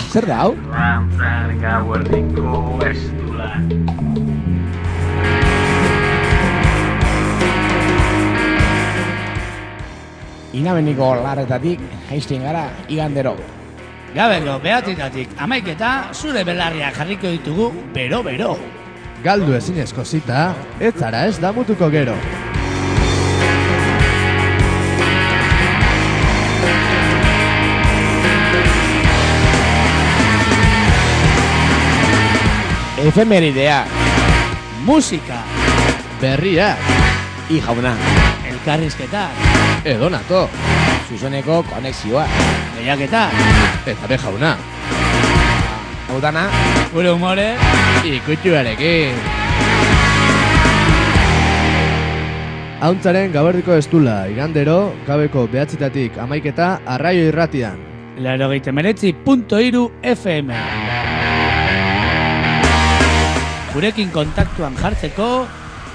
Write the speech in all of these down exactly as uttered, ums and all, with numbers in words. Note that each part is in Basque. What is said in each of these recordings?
Zer da hau? Lantzar gauerdiko estula. Inabeniko larretatik jaisten gara igandero. Gabeko behatitatik amaiketa zure belarriak jarriko ditugu bero-bero. Galdu ezinezko zita, ez zara ez damutuko gero. Efemeridea, Musika, Berria, i jauna, elkarrizketa, edonato, zuzoneko konexioa, lehiaketa, eta be jauna, hau dana, gure humore, ikutxuarekin. Hauntzaren gaberdiko estula, igandero, gabeko behatzitatik amaiketa arraio irratian. laurogeita hemeretzi puntu hiru F M. Gurekin kontaktuan jartzeko,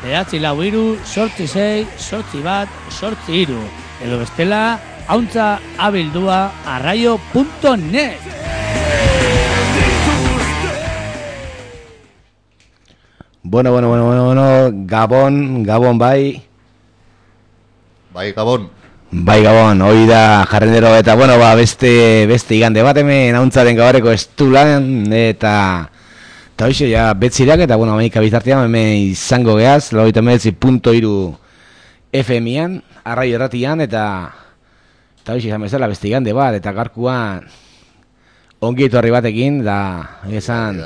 behatzi lau hiru, sortzi sei, sortzi bat, sortzi hiru. Edo bestela, hauntza abildua arraio punto net. Bueno, bueno, bueno, bueno, bueno, Gabon, Gabon bai. Bai, Gabon. Bai, Gabon, hoi da jarrendero eta, bueno, ba, beste, beste igande bat hemen hauntzaren gabareko estulan eta... Eta hoxe, ja, betzirak eta, bueno, amaika bizartean, hemen izango geaz, laurogeita hemeretzi puntu hiru F M-an, arraio erratian, eta... Eta hoxe, izan bezala, beste igande bat, eta garkuan... Ongi etorri batekin, da, esan...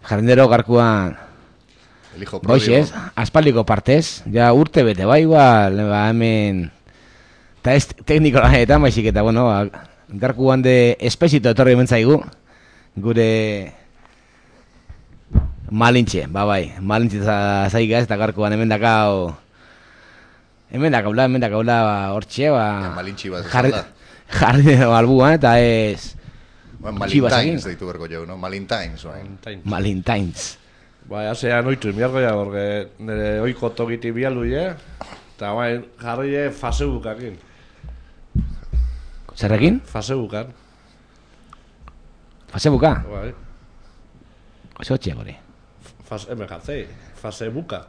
Jarrendero garkuan... Hoxe, ez, aspaldiko partez, ja, urte bete, bai, igual, ba, hemen... Eta ez tekniko lanetan, baizik, eta, bueno, ba, garkuan de espezito etorri hemen zaigu, gure... Malintxe, ba bai, malintxe zaiga ez, eta garkoan hemen dakau... Hemen dakaula, hemen dakaula, hortxe, ba... Malintxe bat jarri, jarri balbuan, eta ez... Malintines deitu berko jau, no? Malintines, bai. Malintines. Bai, hasea noitu miargo ja, porque nire oiko tokiti bialu, je? Eta bai, jarri fasebukakin. Zerrekin? Fasebukan. Fasebuka? Bai. Zotxea, gore. Fase, hemen jartzei, fasebuka.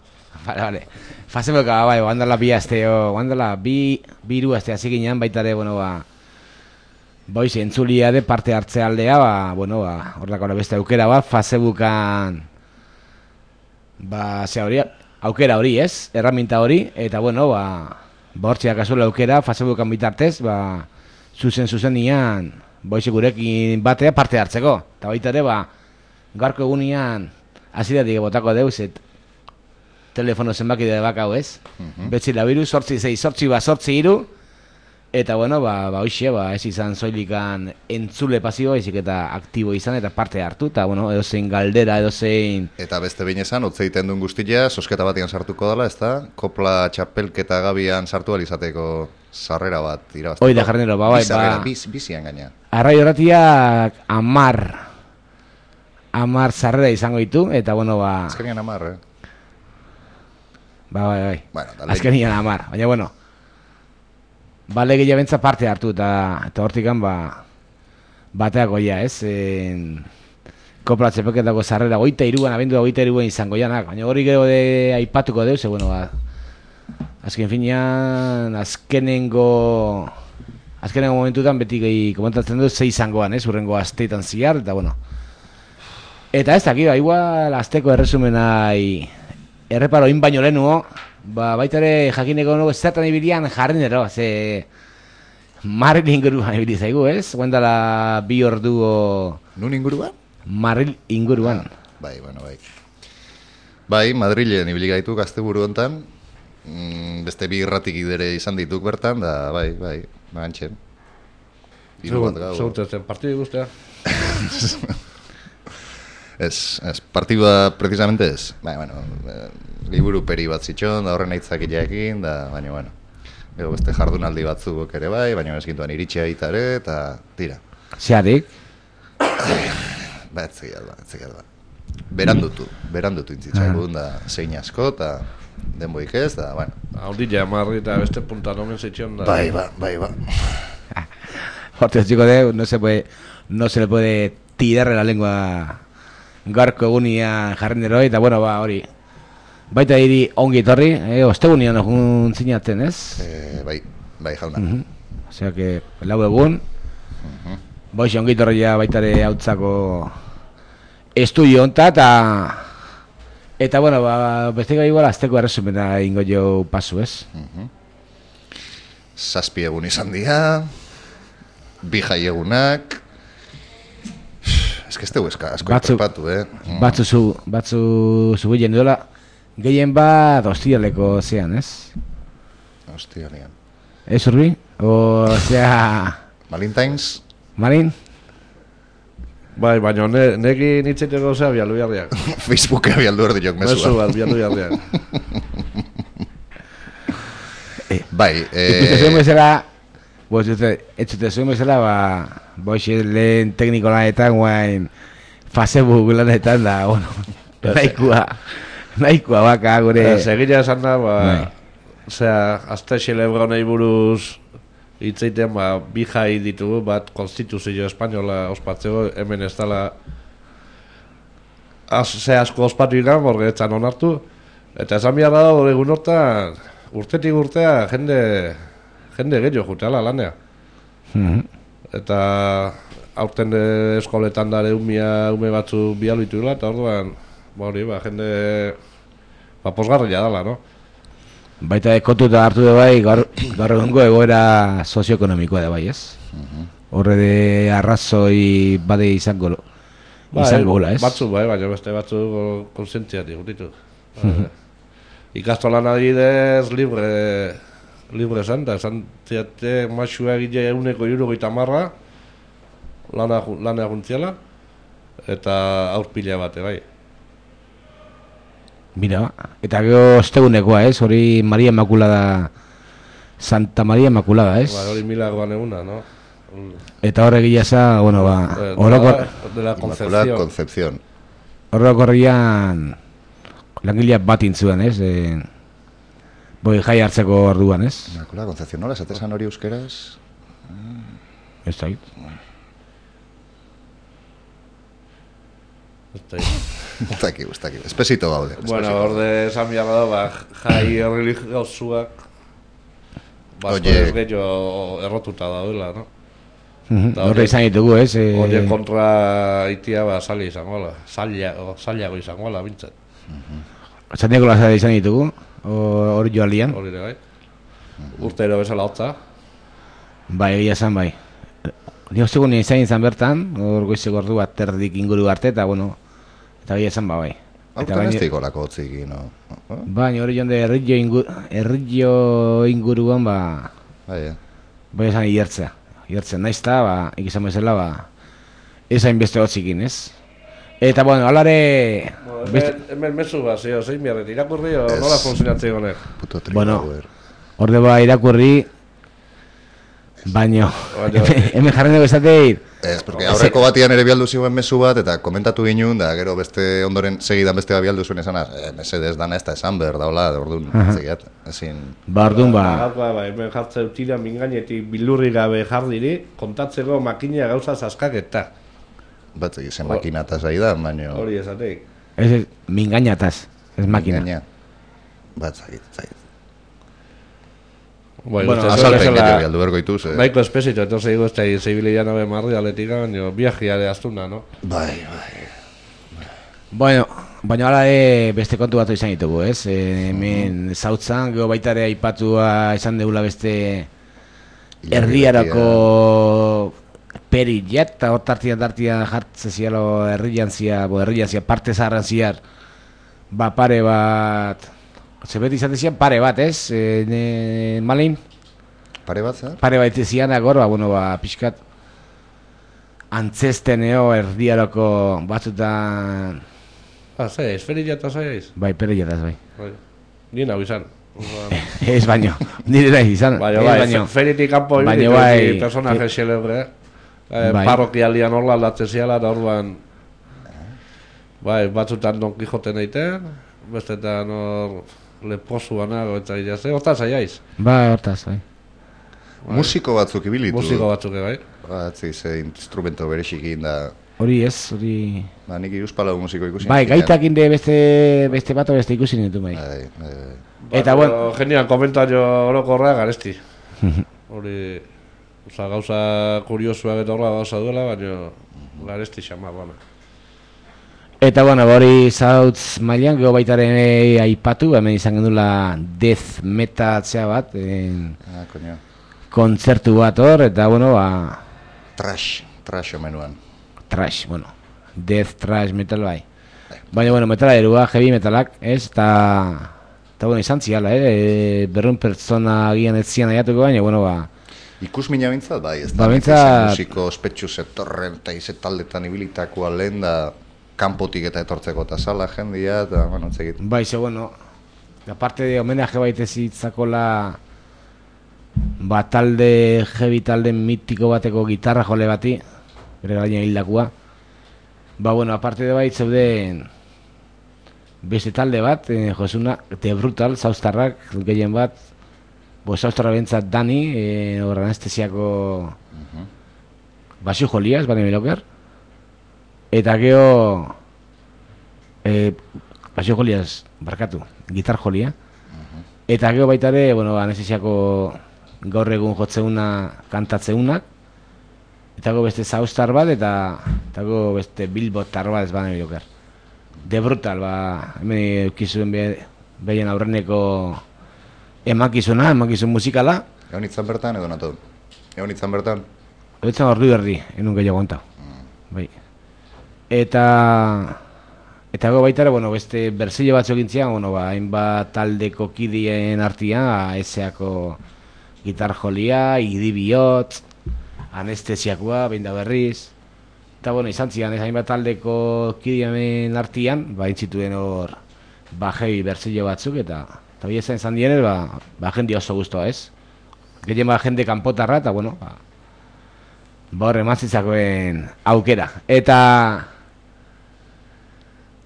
Vale, vale. Fasebuka, bai, oandala bi azteo, oandala bi, biru azte hasi ginean baitare, bueno, ba... Boiz, entzulia de parte hartze aldea, ba, bueno, ba, horrako beste aukera bat, Fasebukan... Ba, ze hori, aukera hori, ez? Erraminta hori, eta, bueno, ba... Ba, hortxeak azula aukera, Fasebukan bitartez, ba... Zuzen, zuzen nian, boiz, gurekin batea parte hartzeko. Eta baitare, ba... Garko egunean, aziratik botako deuz, et telefono zenbaki de bakau, ez? Uh-huh. Betzi labiru, sortzi zei, sortzi ba, sortzi iru, eta, bueno, ba, ba, hoxe, ba, ez izan zoilikan entzule pasio, ezik eta aktibo izan, eta parte hartu, eta, bueno, edozein galdera, edozein... Eta beste behin esan, otzeiten duen guztia, sosketa batian sartuko dela, ez da? Kopla txapelketa gabian sartu alizateko sarrera bat irabazteko. Hoi da, jarnero, ba, bai, ba... Biz, bizian gaina. Arraio horretiak amar... Amar zarrera izango ditu, eta bueno, ba... Azkenian amar, eh? Ba, bai, bai. Bueno, azkenian amar, baina, bueno... Ba, lege jabentza parte hartu, eta, eta hortikan, ba... Bateako ja, ez? En... Kopla txepeketako zarrera, goita iruan, abendu da goita iruan izango janak. Baina hori gero de aipatuko deuz, e, bueno, ba... Azken finean, azkenengo... Azkenengo momentutan beti gehi komentatzen dut, ze izangoan, ez? Urrengo asteetan ziar, eta, bueno... Eta ez dakit, igual azteko erresumenai erreparo in baino lehenuo, ba, baita ere jakineko nugu zertan ibilian jarrinero, ze Marril inguruan ibili zaigu, ez? Guendala bi orduo... Nun inguruan? Marril inguruan. Ah, bai, bueno, bai. Bai, Madrilen ibili gaitu gazteburu hontan, mm, beste bi irratik idere izan dituk bertan, da, bai, bai, bagantxen. Zaurtetzen, partidu guztia? Ez, ez, partidua precisamente ez. Bai, bueno, eh, liburu peri bat zitxon, da horren aitzakileekin, da, baina, bueno. Gero beste jardunaldi batzuk ere bai, baina ez gintuan iritxea itare, eta tira. Zeatik? Ba, ez zegiat ba, ez zegiat ba. Berandutu, berandutu intzitzagun, da zein asko, eta denboik ez, da, bueno. Haundi jamarri eta beste puntan omen zitxion da. Bai, ba, bai, ba. Hortez chico de, no se puede, no se le puede tirar la lengua garko egunia jarrendero, eta bueno, ba, hori. Baita hiri ongi etorri, eh, ostegunian egun zinatzen, ez? Eh, bai, bai, jauna. Uh -huh. Osea que, lau egun, uh -huh. Boixe ongi etorri ja baitare hautzako estudio honta, eta eta bueno, ba, beste gai igual azteko erresumena ingo jo pasu, ez? Uh -huh. Zazpi egun izan dira, bi jai egunak. Ez que ez tegu eska, asko Batzu- iperpatu, eh? Mm. Batzu zu, batzu zu gehien duela, gehien bat ostialeko zean, ez? Hostia, nian. Ez urbi? O, zea, Valentines, Marin? Bai, baina ne, negi nitzeiteko zea bialu jarriak. Facebooke bialdu erdi jok Mesu mesua. bat bialu jarriak. Bai, Ikuste zuen eh... bezala, boz, ez zute zuen bezala, ba, boixe lehen tekniko lanetan, guain, Facebook lanetan da, bueno, nahikoa, nahikoa baka, gure... Eh, Segila esan da, ba, Bai. osea, azte xelebronei buruz hitzeiten, ba, bi jai ditugu, bat konstituzio espainola ospatzeko, hemen ez dala az, ze asko ospatu ikan, borge etzan onartu, eta esan behar da, egun hortan, urtetik urtea, jende, jende gehiago juteala lanea. Mhm. Eta aurten de eskoletan dare umia ume batzu bialu ditugula, eta orduan, ba hori, ba, jende, ba, posgarria dala, no? Baita kontuta hartu da bai, gaur, gaur egungo egoera sozioekonomikoa da bai, ez? Horre de arrazoi bade izango, izango gola, ez? Batzu, bai, baina beste batzu konsientzia digut ditu. Ba, ikastolan adibidez libre, libre esan, da esan ziate masua egile euneko irurogeita marra, lana, lana juntziala, eta aurpila bate, bai. Mira, eta gero ostegunekoa, ez? Hori Maria Inmaculada, Santa Maria Inmaculada, ez? Ba, hori milagroan eguna, no? Eta horre gilasa, bueno, ba, Eh, orokor, de la Inmaculada Concepción. Concepción. orokorrian langileak bat intzuen, ez? E, boi jai hartzeko orduan, ez? Inmaculada Concepción, nola esatesan hori euskeraz? Ez da, Ez dakik, ez dakik. Espesito gaude. Bueno, espesito. orde esan behar da, ba, jai religiosuak basko Oye. ez gehiago errotuta daudela, no? Mhm, Da, horre hori- izan ditugu, ez? E, Horien kontra itia, ba, salia izango la, salia, o, saliago izango la, bintzat. Santiago Lazara izan ditugu, o- hori joalian. Hori ere, bai. Urtero bezala hotza. Bai, egia esan, bai. Ni ostegun izan izan bertan, hor goizeko ordu bat terdik inguru arte, eta bueno, eta egia esan, ba, bai. Eta Aurten baina- ez daiko lako hotziki, no? Baina hori jonde errillo ingu, errillo inguruan, ba, Bai, eh? bai esan iertzea. Iertzen naizta, ba, ikizan bezala, ba, ezain beste hotzikin, ez? Eta, bueno, alare... Bueno, beste, hemen, hemen mesu bat, zio, zein biarret, irakurri o Ez. nola funtzionatzen honek? Puto trigo, Bueno. hauer. orde ba irakurri, baino, Baino- hemen hemen jarren dugu esateit, Ez, porque aurreko batian ere bialdu ziren mezu bat, eta komentatu ginen, da gero beste ondoren segidan beste bat bialdu zuen esanaz, eh, mesedez dana ez da esan behar daula, orduan, zegiat, ezin... ba, orduan, ba, Gaurkoa, ba, hemen jartzen tira mingainetik bilurri gabe jardiri, kontatzeko makina gauza zaskaketa. Bat zen makinataz ari da, baina... Hori esateik. ez ez, mingainataz, ez makina. Gaina. Bat zagit, zagit. Bai, Bueno, uste Azalpen zuen gehiago bezala- bialdu bergo ituz, eh? Baiko espezito, entonces digo, ez da zibilian abe marri aletik, baina viajeare astuna, no? Bai, bai. Bueno, baina hala ere beste kontu bat izan ditugu, ez? E, hemen zautzan, gero baita ere aipatua esan deula beste erdiarako perillat, eta hor tartian tartian jartzen zialo herrian zia, bo herrian zia, parte zaharran ziar, ba pare bat, zebet izaten zian pare bat, ez? E, ne, malin? Pare bat, zer? Pare bat zianak hor, ba, bueno, ba, pixkat antzesteneo erdiarako batzutan, Ah, ze, esferilla eta zaiz? bai, perillataz, bai. Bai. Nien hau izan. Orduan, Ez baino, nire nahi izan, Baina ez bai, baino. fe- feritik kanpo Baina ibili bai, bai, personaje xelebre. Eh, Bai. parrokialian horla aldatzen ziala, eta orduan bai, batzutan Don Quijote neiten, bestetan hor leposu anago eta gira, ze, hortaz aiaiz. Ba, hortaz, bai. Musiko batzuk ibilitu. Musiko batzuk, bai. Batzi, ze instrumento berexikin da. Hori ez, hori... Ba, nik iruzpalau musiko ikusi. Bai, gaitak inde beste, beste bat o beste ikusi nintu, bai. Bai, bai, bai. Eta, bueno... Genial, komentario orokorra garesti. Hori... Osa, gauza kuriosuak eta horra gauza duela, baina garesti xama, bana. Eta, bueno, hori zautz mailan, geho baitaren e, aipatu, hemen izan gendula death metal zea bat, en, Ah, koño. kontzertu bat hor, eta, bueno, ba... Trash, trash omenuan. Trash, bueno, death, trash, metal, bai. Baina, bueno, metala erua, heavy metalak, ez, eta... Eta, bueno, izan ziala, eh? Berrun pertsona agian ez zian aiatuko, baina, bueno, ba... Ikus mina bintzat, bai, ez Ba, da, bintzat- musiko ospetsu zetorren eta izetaldetan ibilitakoa lehen da kanpotik eta etortzeko eta sala jendia, eta, bueno, entzegit. Bai, ze, bueno, aparte de homenaje baitez itzakola... Ba, talde, heavy talde mitiko bateko gitarra jole bati, bere gaina hildakua. Ba, bueno, aparte de bait zeuden beste talde bat, eh, josuna, The Brutal, zauztarrak, gehien bat, bo, zauztarra bentzat Dani, eh, hor anestesiako basio jolia, ez bane miloker, eta geho, eh, basio joliaz, barkatu, gitar jolia, eta geho baitare, bueno, anestesiako gaur egun jotzeuna kantatzeunak, eta go beste zauztar bat, eta eta go beste bilbotar bat ez bane miloker. The Brutal, ba, hemen eukizuen be, behien aurreneko emakizuna, emakizun musikala, Egon itzan bertan edo nato? Egon itzan bertan? egotzen ordu erdi, enun gehiago ontau. Bai. Eta... Eta go baitara, bueno, beste berzio batzuk gintzia, bueno, ba, hainbat taldeko kidien artia, eseako gitar jolia, idi bihotz, anestesiakoa, behin da berriz. Eta, bueno, izan zian, ez hainbat taldeko kidien artian, ba, intzituen hor, ba, heavy berzio batzuk, eta eta bi esan izan dienez, ba, ba, jende oso guztua, ez? Gehien ba, jende kanpotarra, eta, bueno, ba, ba horre mazitzakoen aukera. Eta...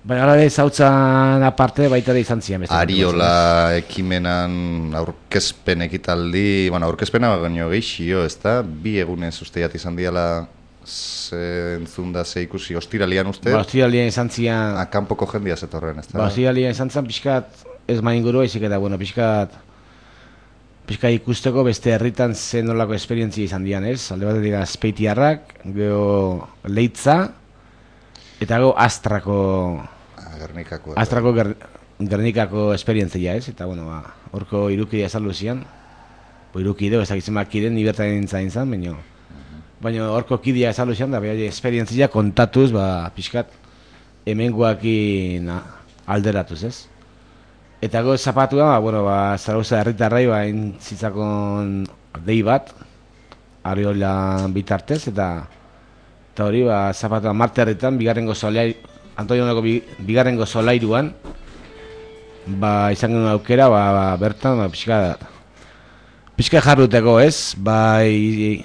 Baina gara zautzan aparte baita da izan zian. Ariola ekimenan aurkezpen ekitaldi, bueno, aurkezpena baino gehixio, ez da? Bi egunez usteiat izan diala ze entzun da ze ikusi, ostiralian uste? Ba, ostiralian izan zian... Kanpoko jendia zetorren, ez da? Ba, ostiralian izan zian pixkat, ez main guru haizik eta, bueno, pixkat... Pixkat ikusteko beste herritan zen nolako esperientzia izan dian, ez? Alde bat dira Azpeitiarrak, geho Leitza, eta go Astrako... Gernikako. Astrako ger, Gernikako esperientzia, ez? Eta, bueno, ba, horko irukidea saldu zian. Bo irukideo, ez dakitzen bakiden, ni bertan nintzen zan, baina... Baina horko kidea saldu zian, da behar esperientzia kontatuz, ba, pixkat, hemengoakin alderatuz, ez? Eta go zapatua, ba, bueno, ba, Zarauza herritarrai, ba, zitzakon dei bat, Ariola bitartez, eta... Eta hori, ba, zapatua Marte herritan, bigarrengo solai... Antonioneko bigarrengo solairuan, ba, izan genuen aukera, ba, ba, bertan, ba, pixka, pixka jarruteko, ez? Bai,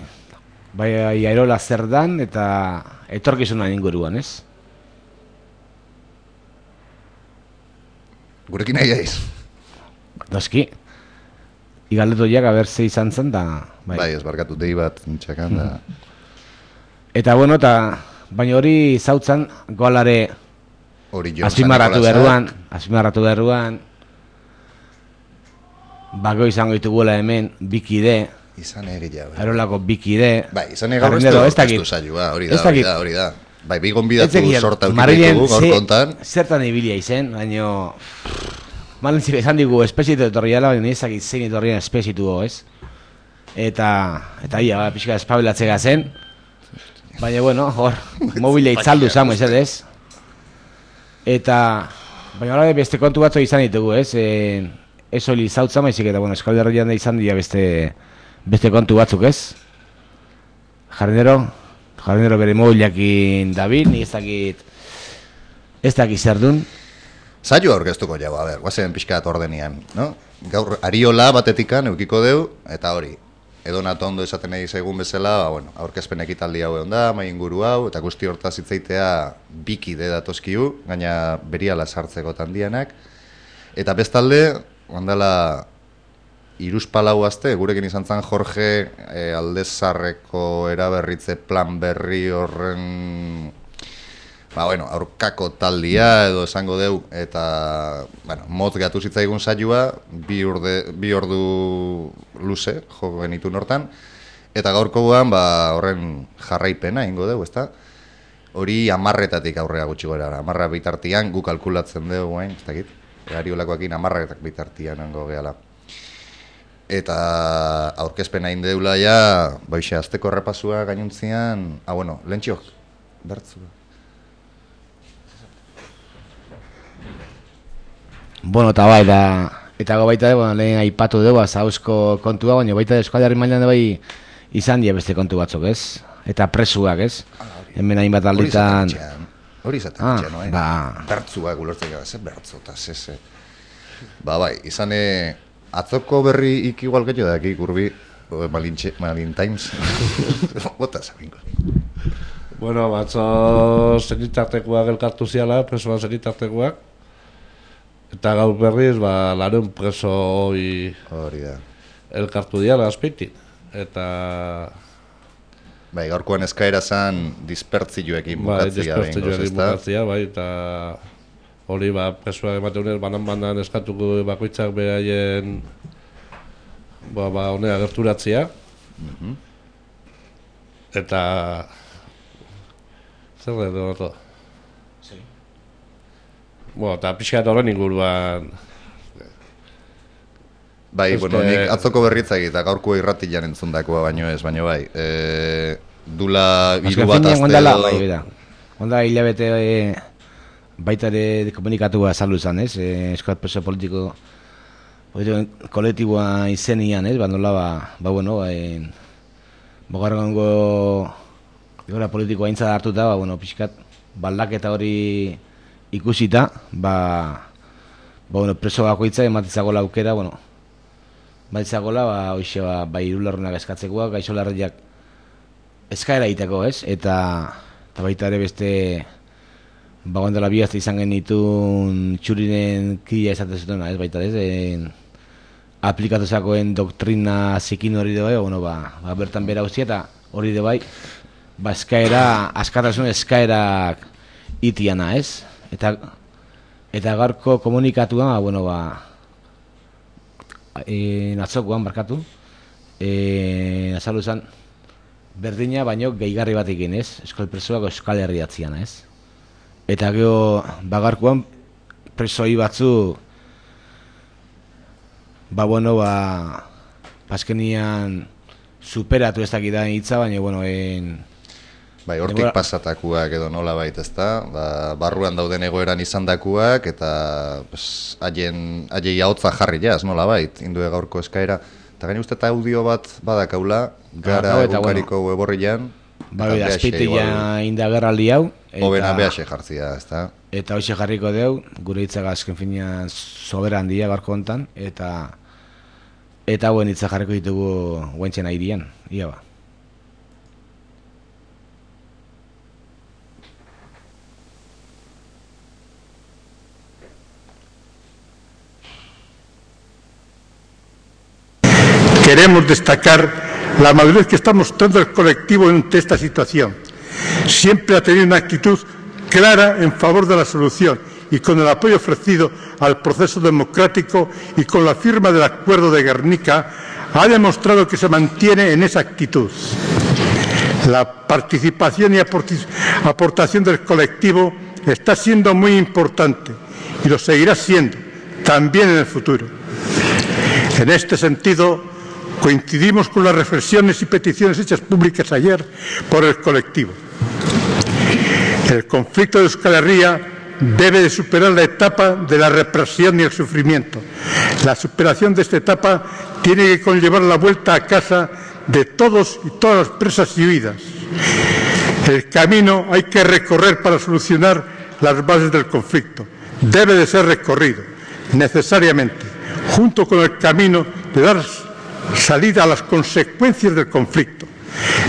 bai, Airola zer dan, eta etorkizunan inguruan, ez? Gurekin nahi jaiz? Noski. Igaldetu jak, aber ze izan zen, da... Bai, bai ez barkatu dei bat nintxakan, da... Eta, bueno, eta... Baina hori zautzan, golare... Azpimarratu berruan, azpimarratu berruan, bako izango dituguela hemen, bikide, izan egila, bai. Arolako bikide, bai, izan egila horreztu saioa, hori da, hori da, hori da. Bai, bigon bidatu sorta ukipitugu gaur kontan. Zertan ibilia izen, baina... Malentzik esan digu espezitu etorri ala, baina ezakit zein etorrien espezitu go, ez? Eta, eta ia, pixka espabilatze gazen. Baina, bueno, hor, mobile itzaldu zamo, ez ez? Eta, baina hori beste kontu batzu izan ditugu, ez? E, ez hori zautza maizik eta, bueno, Euskal Herrian da izan dira beste, beste kontu batzuk, ez? Jardinero, jardinero bere mobileakin dabil, ni ez dakit, ez dakit zer dun. Zailo aurkeztuko jau, a ber, guazen pixkat ordenian, no? Gaur, Ariola batetikan eukiko deu, eta hori, edo nato ondo esaten nahi zaigun bezala, ba, bueno, aurkezpen ekitaldi hau egon da, mai inguru hau, eta guzti hortaz hitzaitea bikide datozkiu, gaina beriala sartzeko tandianak. Eta bestalde, ondala iruzpalau azte, gurekin izan zen Jorge e, Aldezarreko eraberritze plan berri horren, ba, bueno, aurkako taldia edo esango deu, eta, bueno, motz gatu zitzaigun saioa, bi, urde, bi ordu luze, jo genitun hortan, eta gaurkoan, ba, horren jarraipena ingo deu, ezta? Hori amarretatik aurrera gutxi gora, amarra bitartian, gu kalkulatzen dugu, hain, ez dakit, egariolakoakin amarretak bitartian hango gehala. Eta aurkezpena indeula ja, baixe, azteko errepasua gainuntzian, ah, bueno, lentxok, bertzu. Bueno, eta bai, da, eta go baita, bueno, lehen aipatu dugu, zauzko kontua, baina baita Euskal Herri mailan bai izan dira beste kontu batzuk, ez? Eta presuak, ez? Hemen hainbat alditan... Hori izaten ah, ditxean, ba... bertzuak ulertzen gara, ze bertzu, eta ze, ze. Ba, bai, izan atzoko berri ik igual gehiago da, aquí, kurbi, Malin Times. Bota, zabinko. Bueno, batzo zenitartekoak elkartu ziala, presoan zenitartekoak. Eta gaur berriz, ba, larun preso hori... Hori da. Elkartu diala, azpeitin. Eta... Bai, gaurkoan eskaera zan dispertzioekin bukatzia. Bai, dispertzioekin bukatzia, bai, eta hori, ba, presoak emateunez, banan-banan eskatuko bakoitzak beraien, ba, ba, honea gerturatzia. Mm-hmm. Eta... Zer da, edo, sí. Bueno, eta pixka eta horren inguruan... Bai, este... bueno, nik atzoko berritzak eta gaurko irratian entzundakoa baino ez, baino bai. E, dula hiru bat azte edo... Bai, bera. Onda hilabete e, baita ere komunikatua azaldu izan, ez? E, Euskal preso politiko, politiko kolektiboa izenian, ez? Ba, nola, ba, ba, bueno, e, bogarrango gora politikoa intza hartuta, ba, bueno, pixkat, baldaketa hori ikusita, ba, ba, bueno, preso bakoitza ematitzago aukera, bueno, baitzagola, ba, hoxe, ba, bai irularrunak eskatzekoa, gaixo larriak eskaera egiteko, ez? Eta, eta baita ere beste, ba, gondela bihazte izan genitun txurinen kidea esaten zutena, ez? Baita, ez? En, aplikatu zakoen doktrina zikin hori de bai, bueno, ba, ba, bertan bera guztia, eta hori de bai, ba, eskaera, askatasun eskaerak itiana, ez? Eta, eta gaurko komunikatuan, ba, bueno, ba, E, atzokoan barkatu e, azaldu zen berdina baino gehigarri bat egin, ez? Euskal presoak Euskal Herriatzian, ez? Eta gero bagarkoan presoi batzu ba bueno, ba paskenian superatu ez dakidan hitza, baina bueno, en bai, hortik Ebora... pasatakuak edo nola bait, ezta? Ba, barruan dauden egoeran izandakuak eta pues, haien haiei ahotza jarri jaz, nola bait, indue gaurko eskaera. Eta gain uste eta audio bat badakaula, gara ah, egunkariko bueno, weborrian. Ba, bera, azpeiteia indagerraldi hau. Hobena behaxe jartzia, ezta? Eta hoxe jarriko deu, gure hitzaga azken finean soberan dia gaurko hontan, eta eta hauen hitza jarriko ditugu guentzen airian, ia ba. Queremos destacar la madurez que está mostrando el colectivo ante esta situación. Siempre ha tenido una actitud clara en favor de la solución y con el apoyo ofrecido al proceso democrático y con la firma del Acuerdo de Guernica ha demostrado que se mantiene en esa actitud. La participación y aportación del colectivo está siendo muy importante y lo seguirá siendo también en el futuro. En este sentido, coincidimos con las reflexiones y peticiones hechas públicas ayer por el colectivo. El conflicto de Euskal Herria debe de superar la etapa de la represión y el sufrimiento. La superación de esta etapa tiene que conllevar la vuelta a casa de todos y todas las presas y huidas. El camino hay que recorrer para solucionar las bases del conflicto. Debe de ser recorrido, necesariamente, junto con el camino de dar salida a las consecuencias del conflicto.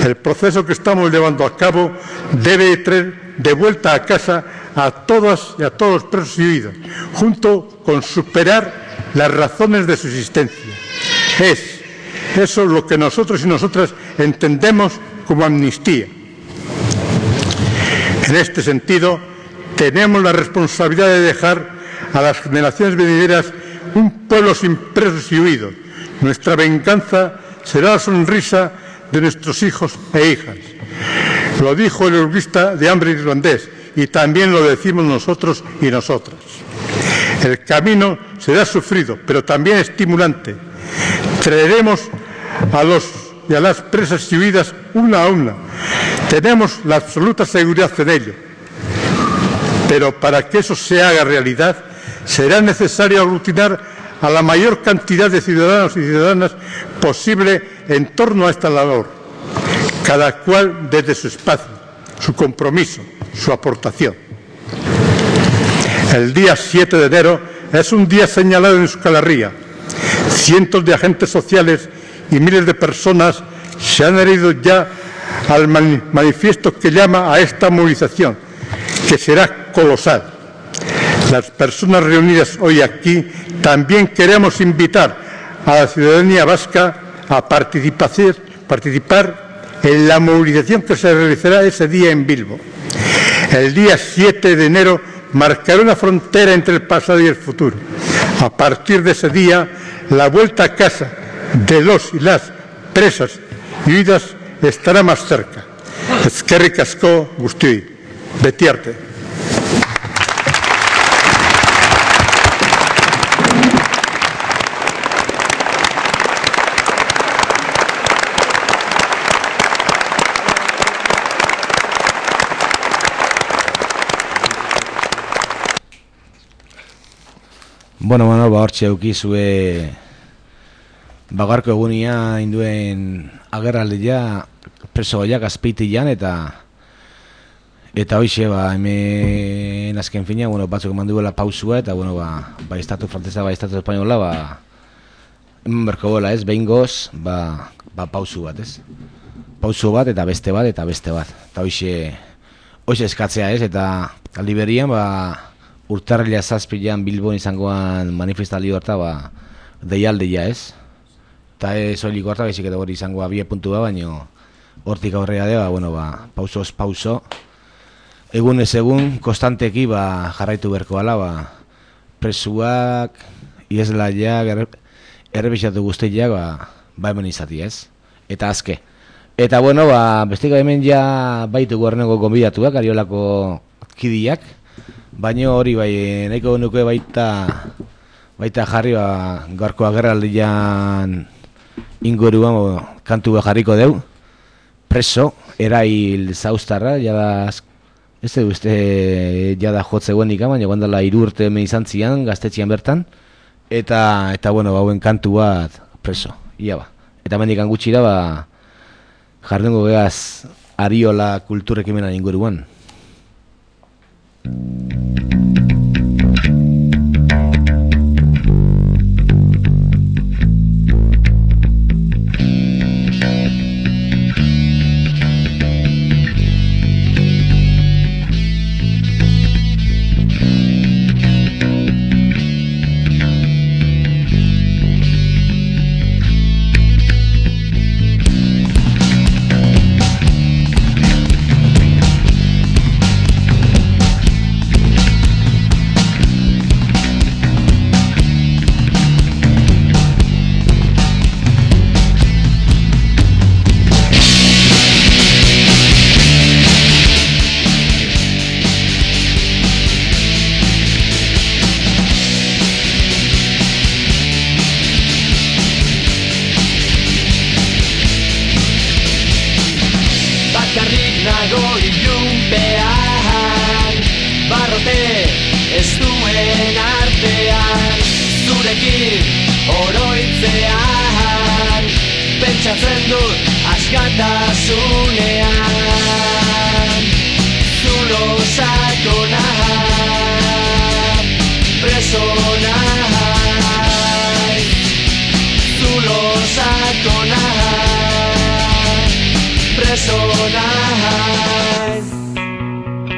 El proceso que estamos llevando a cabo debe traer de vuelta a casa a todas y a todos los presos y huidos, junto con superar las razones de su existencia. Es eso lo que nosotros y nosotras entendemos como amnistía. En este sentido, tenemos la responsabilidad de dejar a las generaciones venideras un pueblo sin presos y huidos. Nuestra venganza será la sonrisa de nuestros hijos e hijas. Lo dijo el jurista de hambre irlandés y también lo decimos nosotros y nosotras. El camino será sufrido, pero también estimulante. Traeremos a los y a las presas y huidas una a una. Tenemos la absoluta seguridad en ello. Pero para que eso se haga realidad, será necesario aglutinar a la mayor cantidad de ciudadanos y ciudadanas posible en torno a esta labor, cada cual desde su espacio, su compromiso, su aportación. El día siete de enero es un día señalado en Euskal Herria. Cientos de agentes sociales y miles de personas se han adherido ya al manifiesto que llama a esta movilización, que será colosal. Las personas reunidas hoy aquí también queremos invitar a la ciudadanía vasca a participar, participar en la movilización que se realizará ese día en Bilbo. El día siete de enero marcará una frontera entre el pasado y el futuro. A partir de ese día, la vuelta a casa de los y las presas y huidas estará más cerca. Eskerrik asko guztioi. Beti arte. Bueno, bueno, ba, hortxe eukizue bagarko egunia induen agerraldia preso goiak azpeitian eta eta hoixe, ba, hemen azken fina, bueno, batzuk eman duela pausua eta, bueno, ba, ba, estatu frantesa, ba, estatu espainola, ba, hemen berko bola, ez, behin goz, ba, ba, pausu bat, ez, pausu bat eta beste bat eta beste bat, eta hoixe, hoixe eskatzea, ez, eta aldi berrian, ba, urtarrila zazpilan Bilbon izangoan manifestaldi horta, ba, deialdia, ez? Eta ez oiliko horta, bezik eta hori izangoa bie puntua, baino hortik aurrera de, ba, bueno, ba, pausoz pauso, egun ez egun, konstanteki, ba, jarraitu berko ala, ba, presuak, ieslaiak, errebisatu guztiak, ba, ba hemen izati, ez? Eta azke. Eta, bueno, ba, bestika hemen ja baitu gorreneko konbidatuak, Ariolako kidiak, baina hori bai, nahiko nuke baita baita jarri, ba, gaurko agerraldian inguruan, bo, kantu jarriko deu, preso, erail zauztarra, jada, ez da uste, jada jotzeuen ikam, baina guandala hiru urte hemen izan zian, gaztetxian bertan, eta, eta bueno, bauen kantu bat preso, ia ba. Eta mendikan gutxira, ba, jardungo gehaz Ariola kulturekimenan inguruan.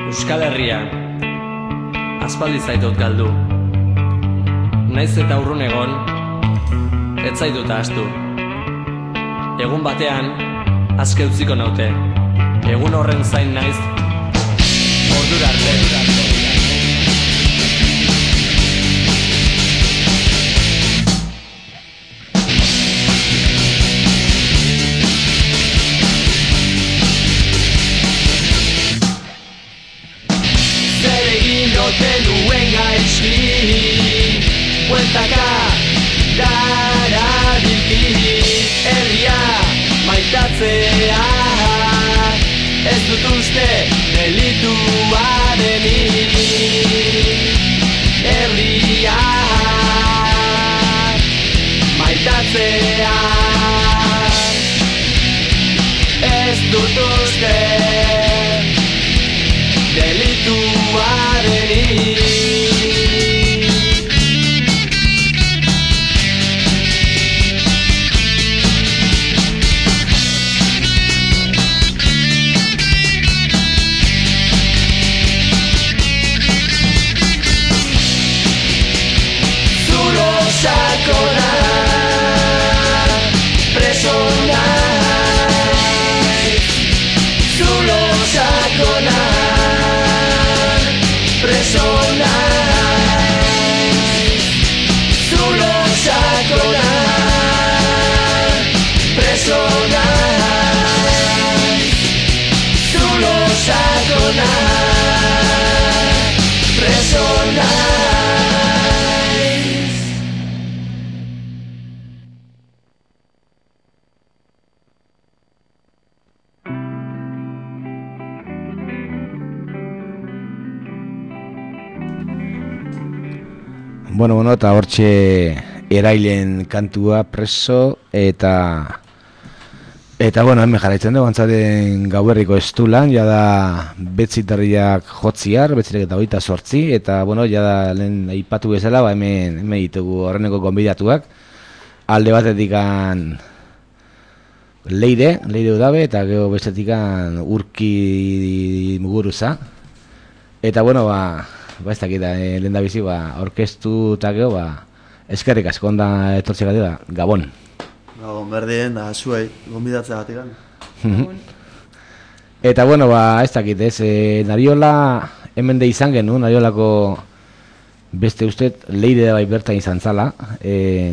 Euskal Herria, aspaldi zaitut galdu. naiz eta urrun egon, ez zaitut ahaztu. Egun batean, aske utziko naute, egun horren zain naiz, ordura arte. Ote nuen gaizki bueltaka dara bilki herria maitatzea ez dut uste delitua denik herria maitatzea ez dut uste delitua denik. Zulo sakona preso naiz, zulo sakona preso naiz, zulo sakona preso naiz, zulo sakona preso naiz. Bueno, bueno, eta hortxe erailen kantua preso eta eta bueno, hemen jarraitzen dugu antzaten gauerriko estulan, jada betzitarriak jotziar, betzitek eta hogeita sortzi, eta bueno, jada lehen aipatu bezala, ba, hemen, hemen ditugu horreneko konbidatuak, alde batetikan Leire, Leire Udabe, eta gero bestetikan Urki Muguruza, eta bueno, ba, ba ez dakit, eh, lehen da bizi, ba, orkestu eta gero, ba, eskerrik asko onda etortzea gatela, Gabon. Gabon berdien, da, zuei, gonbidatzea gatikan. Eta bueno, ba, ez dakit, ez, eh, Nariola, hemen de izan genu, Nariolako beste ustet, Leire da bai bertan izan zala, eh,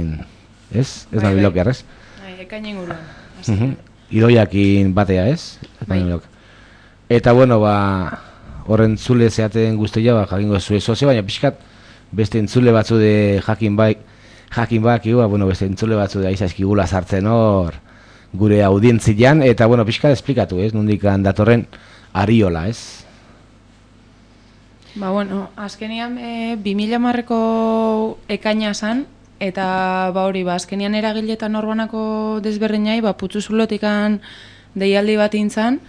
ez, ez nahi blokear, ez? Bai, ekainen guruan. Idoiakin batea, ez? Bai. Eta bueno, ba, horren zule zeaten guztia, ba, jakingo zuen sozio, baina pixkat beste entzule batzu de jakin bai, jakin baki, ba, bueno, beste entzule batzu de aizaizkigula sartzen hor gure audientzian, eta bueno, pixkat esplikatu, ez? Nondikan datorren Ariola, ez? Ba, bueno, azkenian e, bi mila hamarreko ekaina zan, eta ba hori, ba, azkenian eragiletan norbanako desberdinai, ba, putzuzulotikan deialdi bat intzan,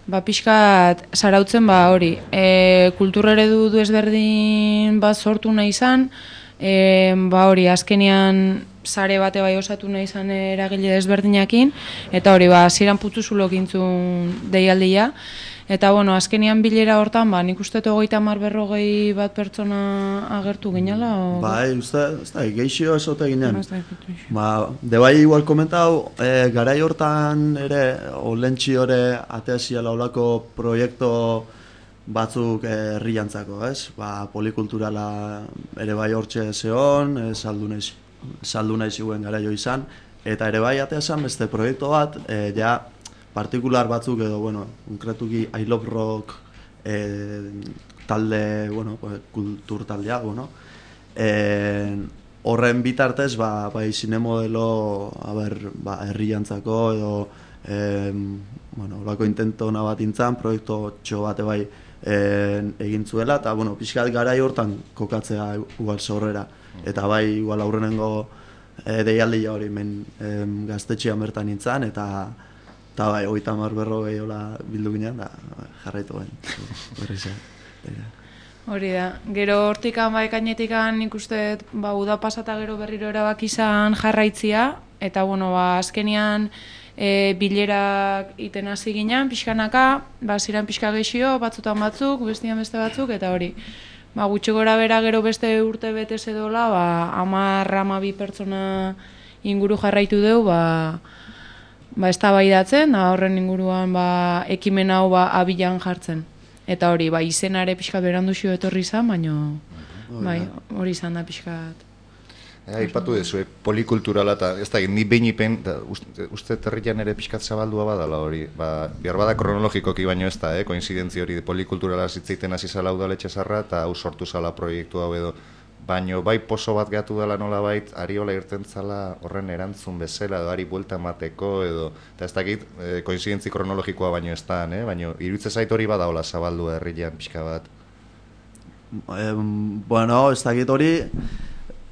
ba, pixkat sarautzen, ba, hori, e, kultur eredu desberdin bat sortu nahi izan, e, ba, hori, azkenian sare bate bai osatu nahi izan eragile desberdinakin, eta hori, ba, hasieran putzuzulok intzun deialdia, eta, bueno, azkenian bilera hortan, ba, nik uste hogeita hamar berrogei bat pertsona agertu ginela, o... Bai, uste, ez da, geixio esote ginen. Ba, de bai igual komentau, e, garai hortan ere, olentxi hore ateaziala olako proiektu batzuk herriantzako, ez? Ba, polikulturala ere bai hortxe zehon, e, saldu nahi, saldu nahi ziguen garaio izan, eta ere bai ateazan beste proiektu bat, e, ja, partikular batzuk edo, bueno, konkretuki I Love Rock eh, talde, bueno, kultur taldea, bueno, eh, horren bitartez, ba, bai, zinemodelo, a ber, ba, herriantzako edo, eh, bueno, olako intentona bat intzan, proiektu txo bate bai eh, egin zuela, eta, bueno, pixkat garai hortan kokatzea igual zorrera, eta bai, igual aurrenengo eh, deialdia hori men eh, gaztetxean bertan intzan, eta eta bai, hogeita hamar berrogei hola bildu ginen, da jarraitu ben. Hori da, gero hortikan, ba, ekainetikan nik uste, ba, uda pasata gero berriro erabak izan jarraitzia, eta, bueno, ba, azkenian e, bilerak iten hasi ginen, pixkanaka, ba, ziren pixka gexio, batzutan batzuk, bestian beste batzuk, eta hori. ba, gutxi gora bera gero beste urte betez edola, ba, hamar hamabi pertsona inguru jarraitu deu, ba, ba eztabaidatzen, da horren inguruan ba, ekimen hau ba, abilan jartzen. Eta hori, ba, izenare pixkat beranduxio etorri izan, baino bai, hori izan da pixkat. Aipatu dezu, polikulturala eta ez da, ni behin ipen, uste, uste terrian ere pixkat zabaldua badala hori, ba, behar bada kronologikoki baino ez da, eh, koinzidentzi hori polikulturala zitzeiten hasi zala udaletxe zarra eta hau sortu zala proiektu hau edo, baino bai poso bat gehatu dela nola bait, Ariola irten zala horren erantzun bezala, edo ari buelta emateko edo, eta ez dakit, eh, koinzidentzi kronologikoa baino ez da, eh, baino iruditze zait hori bada hola zabaldua herrian pixka bat. Eh, bueno, ez dakit hori,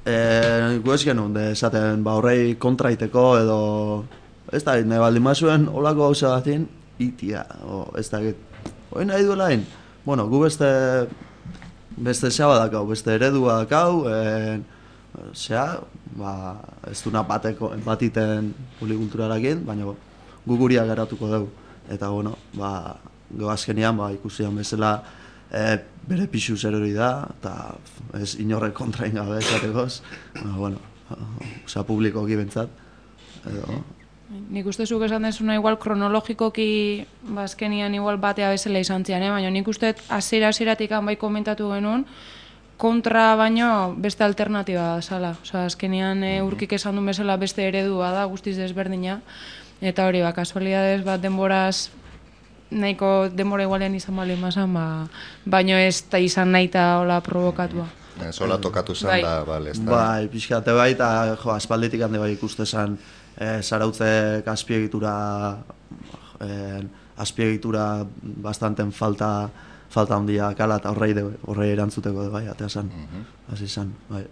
Eh, gu ez genuen, de esaten, ba, horrei kontraiteko edo, ez da, nahi baldin mazuen, holako gauza batin, itia, o, ez da, hori nahi duela hain, bueno, gu beste, beste zea badakau, beste eredua dakau, eh, zea, ba, ez duna bateko, batiten polikulturarakin, baina gu guria garatuko dugu, eta, bueno, ba, go azkenian, ba, ikusian bezala, E, bere pixu zer hori da, eta ez inorrek kontrain gabe esatekoz, bueno, oza, publikoki bentsat, edo... Nik uste zuk esan dezuna igual kronologikoki bazkenian igual batea bezala izan zian, eh? Baina nik uste hasiera-hasieratik bai komentatu genuen, kontra baino beste alternatiba da zala. Osa, azkenian e, urkik esan duen bezala beste eredua da, guztiz desberdina, eta hori, ba, kasualidades bat denboraz nahiko denbora igualean izan bali mazan, ba, baino ez da izan nahi eta hola provokatua. Zola tokatu zen bai. da, bale, ez da. Bai, pixkate bai, eta jo, aspalditik hande bai ikuste zen e, zarautzek azpiegitura, e, azpiegitura bastanten falta, falta handia kala, eta horrei, horrei erantzuteko de bai, atea zen, hasi zen, bai.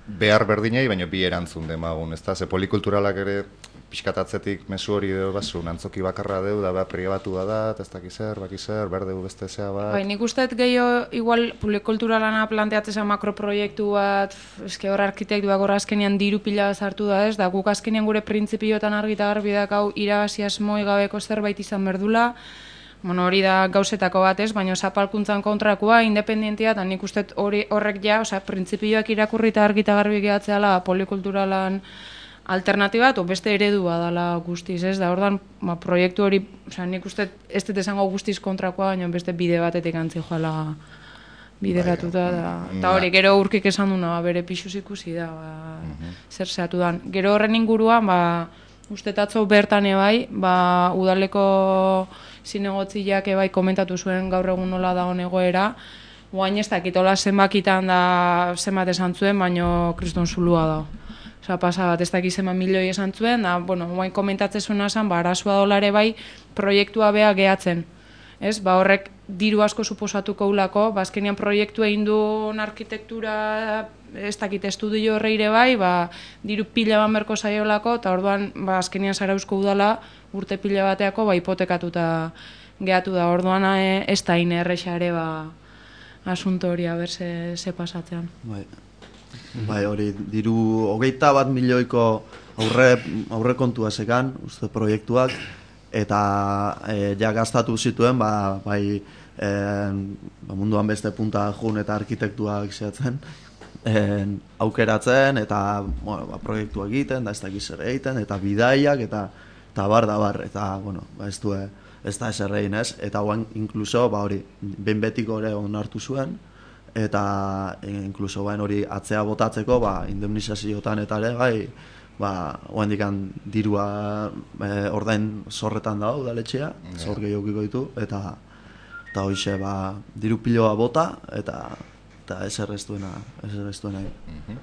Behar berdinei, baina bi erantzun demagun, ez da, ze polikulturalak ere pixkatatzetik mesu hori deu bazu, antzoki bakarra deu, da behar pribatua da, eta ez dakiz zer, bakiz zer, behar deu beste zea bat. Bai, nik usteet gehiago, igual, polikulturalana planteatzea makroproiektu bat, eske hor arkitektuak hor azkenian diru pila sartu da ez, da guk azkenian gure printzipioetan argita garbi dakau irabazi asmoi gabeko zerbait izan berdula, bueno, hori da gauzetako bat ez, baina zapalkuntzan kontrakoa, independentia, eta nik usteet hori horrek ja, osea, printzipioak irakurrita argita garbi gehatzeala polikulturalan alternatiba, o beste eredua dela guztiz, ez? Da, ordan, ba, proiektu hori, osea, nik uste ez dut esango guztiz kontrakoa, baina beste bide batetik antzi joala bideratuta, da. Eta hori, gero urkik esan duna, ba, bere pixuz ikusi da, ba, zer zehatu dan. Gero horren inguruan, ba, uste tatzo bertan ebai, ba, udaleko zinegotziak ebai komentatu zuen gaur egun nola da egoera, guain ez dakitola zenbakitan da zenbat esan zuen, baino kriston zulua da. Osa, pasa bat, ez dakiz eman milioi esan zuen, da, bueno, guain komentatzen zuena zen, ba, arazoa dolare bai, proiektua bea gehatzen. Ez, ba, horrek diru asko suposatuko ulako, ba, azkenean proiektu egin duen arkitektura, ez dakit estudio horreire bai, ba, diru pila ban berko zaiolako, eta orduan, ba, azkenean Zarauzko udala, urte pila bateako, ba, hipotekatuta gehatu da, orduan e, ez da ine erresa ere, ba, asunto hori, aber, ze, ze pasatzean. Bai. Bai, hori, diru hogeita bat milioiko aurre, aurre kontua zekan, uste proiektuak, eta e, ja gastatu zituen, ba, bai, e, ba, munduan beste punta jun eta arkitektuak zehatzen, e, aukeratzen, eta bueno, ba, proiektua egiten, da ez dakiz ere egiten, eta bidaiak, eta, eta bar da bar, eta bueno, ba, ez du, ez da ez errein ez, eta guan inkluso, ba, hori, behin betiko ere onartu zuen, eta inkluso bain hori atzea botatzeko, ba, indemnizaziotan eta ere, bai, ba, oendikan dirua e, ordain zorretan dago udaletxea, yeah. Zor gehiagiko ditu, eta eta hoize, ba, diru piloa bota, eta eta ez errestuena, ez errestuena. Mm-hmm.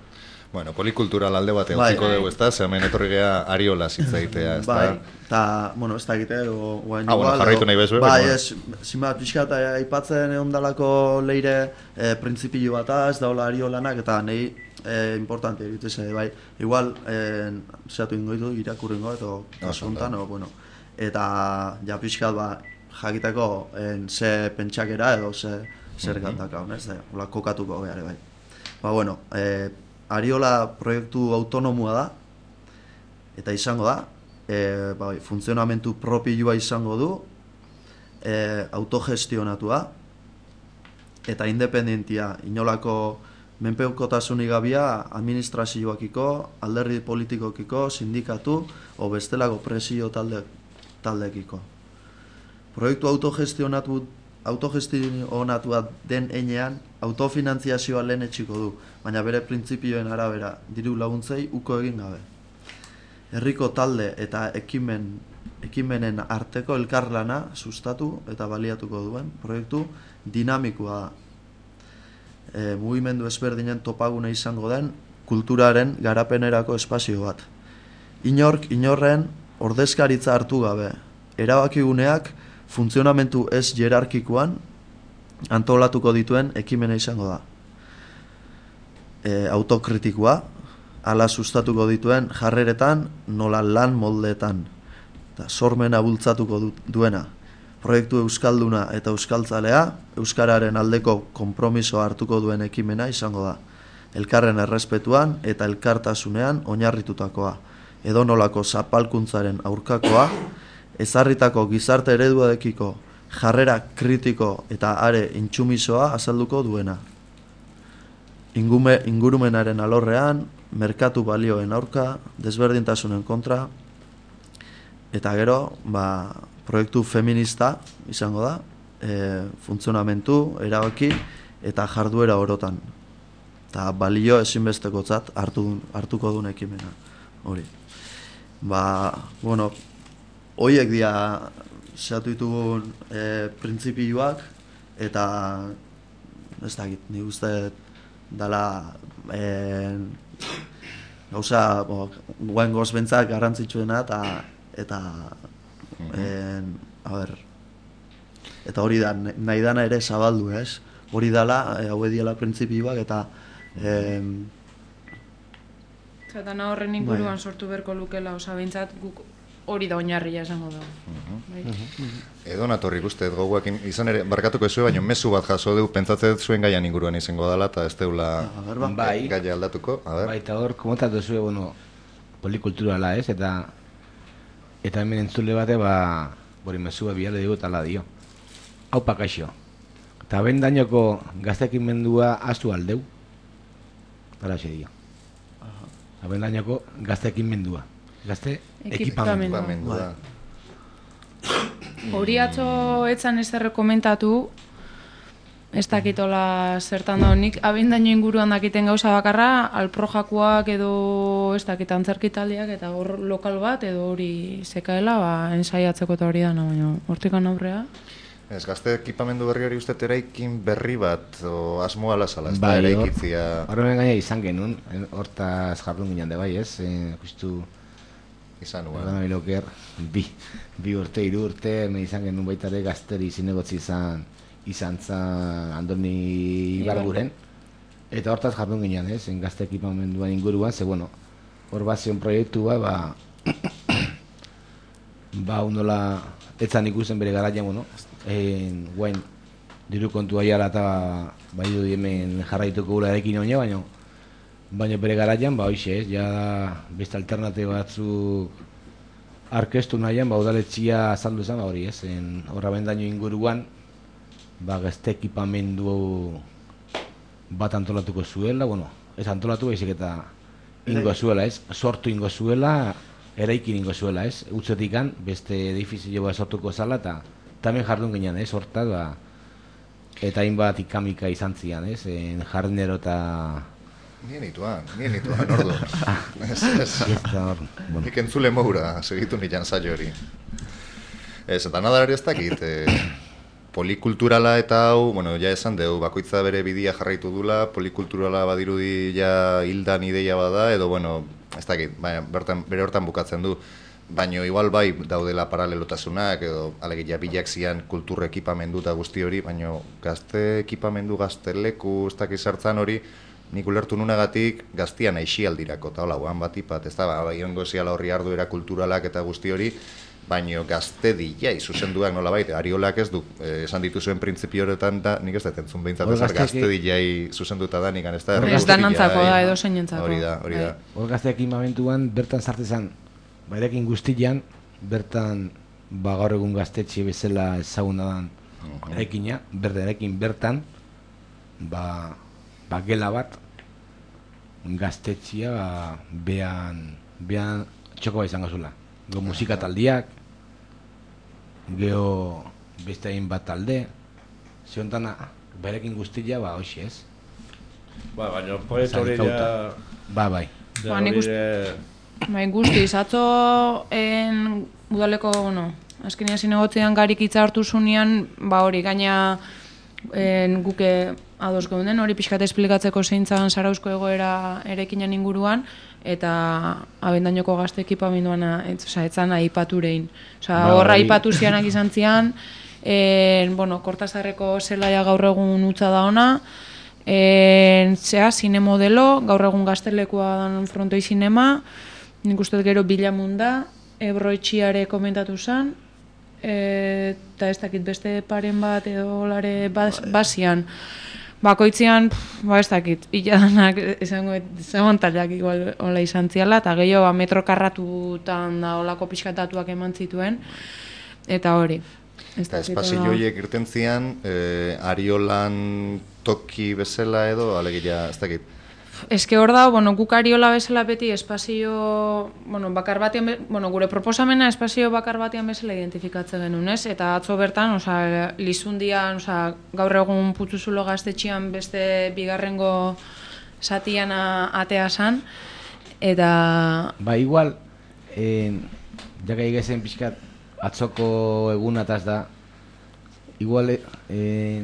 Bueno, polikultural alde batean bai. Utziko dugu, ez da? Zemen etorri geha Ariola zitzaitea, ez da? Bai, eta, bueno, ez da egite, o, guain ah, igual, bueno, jarraitu nahi bezu, bai, ez, zinbat pixkat aipatzen egon dalako leire e, printzipio bat ez daula Ariolanak, eta nahi e, importante egitese, bai, igual, e, zehatu ingoitu, irakurringo, eto kasuntan, o, bueno, eta ja pixkat, ba, jakiteko en, ze pentsakera edo ze zer gantaka, ez da, hola kokatuko behar, bai. Ba, bueno, e, Ariola proiektu autonomua da, eta izango da, e, bai, funtzionamentu propioa izango du, e, autogestionatua, eta independentia, inolako menpekotasunik gabia administrazioakiko, alderdi politikokiko, sindikatu o bestelako presio talde, taldekiko. Proiektu autogestionatu autogestionatua den enean autofinantziazioa lehen etxiko du, baina bere printzipioen arabera diru laguntzei uko egin gabe. Herriko talde eta ekimen, ekimenen arteko elkarlana sustatu eta baliatuko duen proiektu dinamikoa da. E, mugimendu ezberdinen topagune izango den kulturaren garapenerako espazio bat. Inork inorren ordezkaritza hartu gabe, erabakiguneak funtzionamentu ez jerarkikoan antolatuko dituen ekimena izango da. E, autokritikoa, ala sustatuko dituen jarreretan, nola lan moldeetan, eta sormena bultzatuko du, duena. Proiektu euskalduna eta euskaltzalea, euskararen aldeko konpromisoa hartuko duen ekimena izango da. Elkarren errespetuan eta elkartasunean oinarritutakoa, edonolako zapalkuntzaren aurkakoa, ezarritako gizarte ereduadekiko jarrera kritiko eta are intsumisoa azalduko duena. Ingume, ingurumenaren alorrean, merkatu balioen aurka, desberdintasunen kontra, eta gero, ba, proiektu feminista izango da, e, funtzionamentu, erabaki eta jarduera orotan. Eta balio ezinbestekotzat hartu, hartuko duen ekimena. Hori. Ba, bueno, hoiek dira zehatu ditugun e, printzipioak, eta ez dakit, nik uste dala e, gauza guen gozbentzak garrantzitsuena eta eta e, a ber, eta hori da, nahi dana ere zabaldu, ez? Hori dala, e, hau ediala printzipioak eta e, Zatana horren inguruan sortu berko lukela, oza, behintzat guk hori da oinarria esango da. Edo natorrik uste, goguak izan ere, barkatuko ezue, baina mezu bat jaso du, pentsatzen zuen gaian inguruan izango dela, eta ez deula bai, gaia aldatuko. Bai, eta hor, komotatu zuen, bueno, polikulturala ez, eta eta hemen entzule bate, ba, bori mezua biale dugu tala dio. Hau pakaixo. Eta ben dainoko gaztekin mendua azu aldeu. Tala xe dio. Ben dainoko gaztekin mendua. Gazte ekipamendua. Hori atzo etzan ez erre komentatu, ez dakitola zertan da honik, abindaino inguruan dakiten gauza bakarra, alprojakoak edo ez dakit antzerkitaldiak eta hor lokal bat edo hori zekaela, ba, ensaiatzeko eta hori da, no, baina hortikan aurrea. Ez, gazte ekipamendu berri hori uste eraikin berri bat, o asmoa lazala, ez bai, da eraikitzia... Horren gaina izan genuen, hortaz jardun ginen de bai, ez? E, justu... Izan nuen. Horren biloker, bi, bi urte, hiru urte, me izan genuen baita ere gazteri zinegotzi izan, izan zan Andoni Ibarguren. Eta hortaz jardun ginen, ez? En gazte ekipamenduan inguruan, ze, bueno, hor bat zion proiektua, ba... ba, undola... Etzan ikusten bere garaian, bueno, en, guain, diru kontua jala eta bai du hemen jarraituko gula erekin oina, baina baina bere garaian, ba hoxe ez, ja beste alternate batzuk arkestu nahian, ba udaletxia azaldu zen, ba hori ez, horra bendaino inguruan, ba gazte ekipamendu bat antolatuko zuela, bueno, ez antolatu baizik eta ingo zuela ez, sortu ingo zuela, eraikin ingo zuela, ez? Utzetikan, beste edifizio bat sortuko zala, eta tamen jardun ginen, ez? Hortaz, ba, eta hainbat ikamika izan zian, ez? En jardinero eta... Nien ituan, nien ituan, ordu. Ez, ez. Nik entzule moura, segitu nitan zailo hori. Ez, eta nadalari ez dakit, eh, polikulturala eta hau, bueno, ja esan deu, bakoitza bere bidia jarraitu dula, polikulturala badirudi ja hildan ideia bada, edo, bueno, ez dakit, baina bertan, bere hortan bukatzen du, baina igual bai daudela paralelotasunak, edo alegia bilak zian kultur ekipamendu eta guzti hori, baina gazte ekipamendu, gazte leku, ez dakit zertzan hori, nik ulertu nunagatik gaztian aixialdirako, eta hola, guan bat ipat, ez da, bai ongo ziala horri arduera kulturalak eta guzti hori, baino gazte dijai, zuzenduak nola baita, Ariolak ez du, eh, esan dituzuen printzipio horretan, da, nik ez dut entzun behintzat, ez gazte dijai zuzenduta da, nik ez da, ez da nantzako da, edo zeinentzako. Hori da, hori da. Hor gazte ekipamentuan bertan sartezan, bairekin guztian, bertan, ba gaur egun gaztetxe bezala ezaguna dan eraikina, berde eraikin bertan, ba, ba gela bat, gaztetxia, ba, behan, behan txoko bat izango zula. Go musika taldiak, geho beste hain bat talde, ziontan berekin guztia, ba, hoxe ez. Ba, baina proiektu hori ja... Ba, bai. Ba, nik uste... Bai, guztiz, atzo en udaleko, bueno, azkenia zinegotzean garik hitza hartu zunean, ba hori, gaina en, guke ados geunden, hori pixkat esplikatzeko zeintzan Zarauzko egoera erekinan inguruan, eta abendainoko gazte ekipamenduana, oza, etzan aipaturein. Oza, horra aipatu zianak izan zian, en, bueno, Kortazarreko zelaia gaur egun utza da ona, en, zea, zine modelo, gaur egun gaztelekua dan Frontoi Zinema, nik uste gero Bilamunda, Ebro Etxiare komentatu zen, eta ez dakit beste paren bat edo lare basian. Bakoitzean, ba ez dakit, hiladanak esango zegontaleak igual hola izan ziala, eta gehiago ba, metro karratutan da olako pixkatatuak eman zituen, eta hori. Eta espazio horiek irten zian, eh, Ariolan toki bezala edo, alegia, ez dakit. Eske hor da, bueno, guk Ariola bezala beti espazio, bueno, bakar batean, bueno, gure proposamena espazio bakar batean bezala identifikatzen genuen, ez? Eta atzo bertan, osea, Lizundian, osea, gaur egun Putzuzulo gaztetxean beste bigarrengo satian atea san, eta... Ba, igual, eh, jaka egezen pixkat, atzoko egunataz da, igual, eh,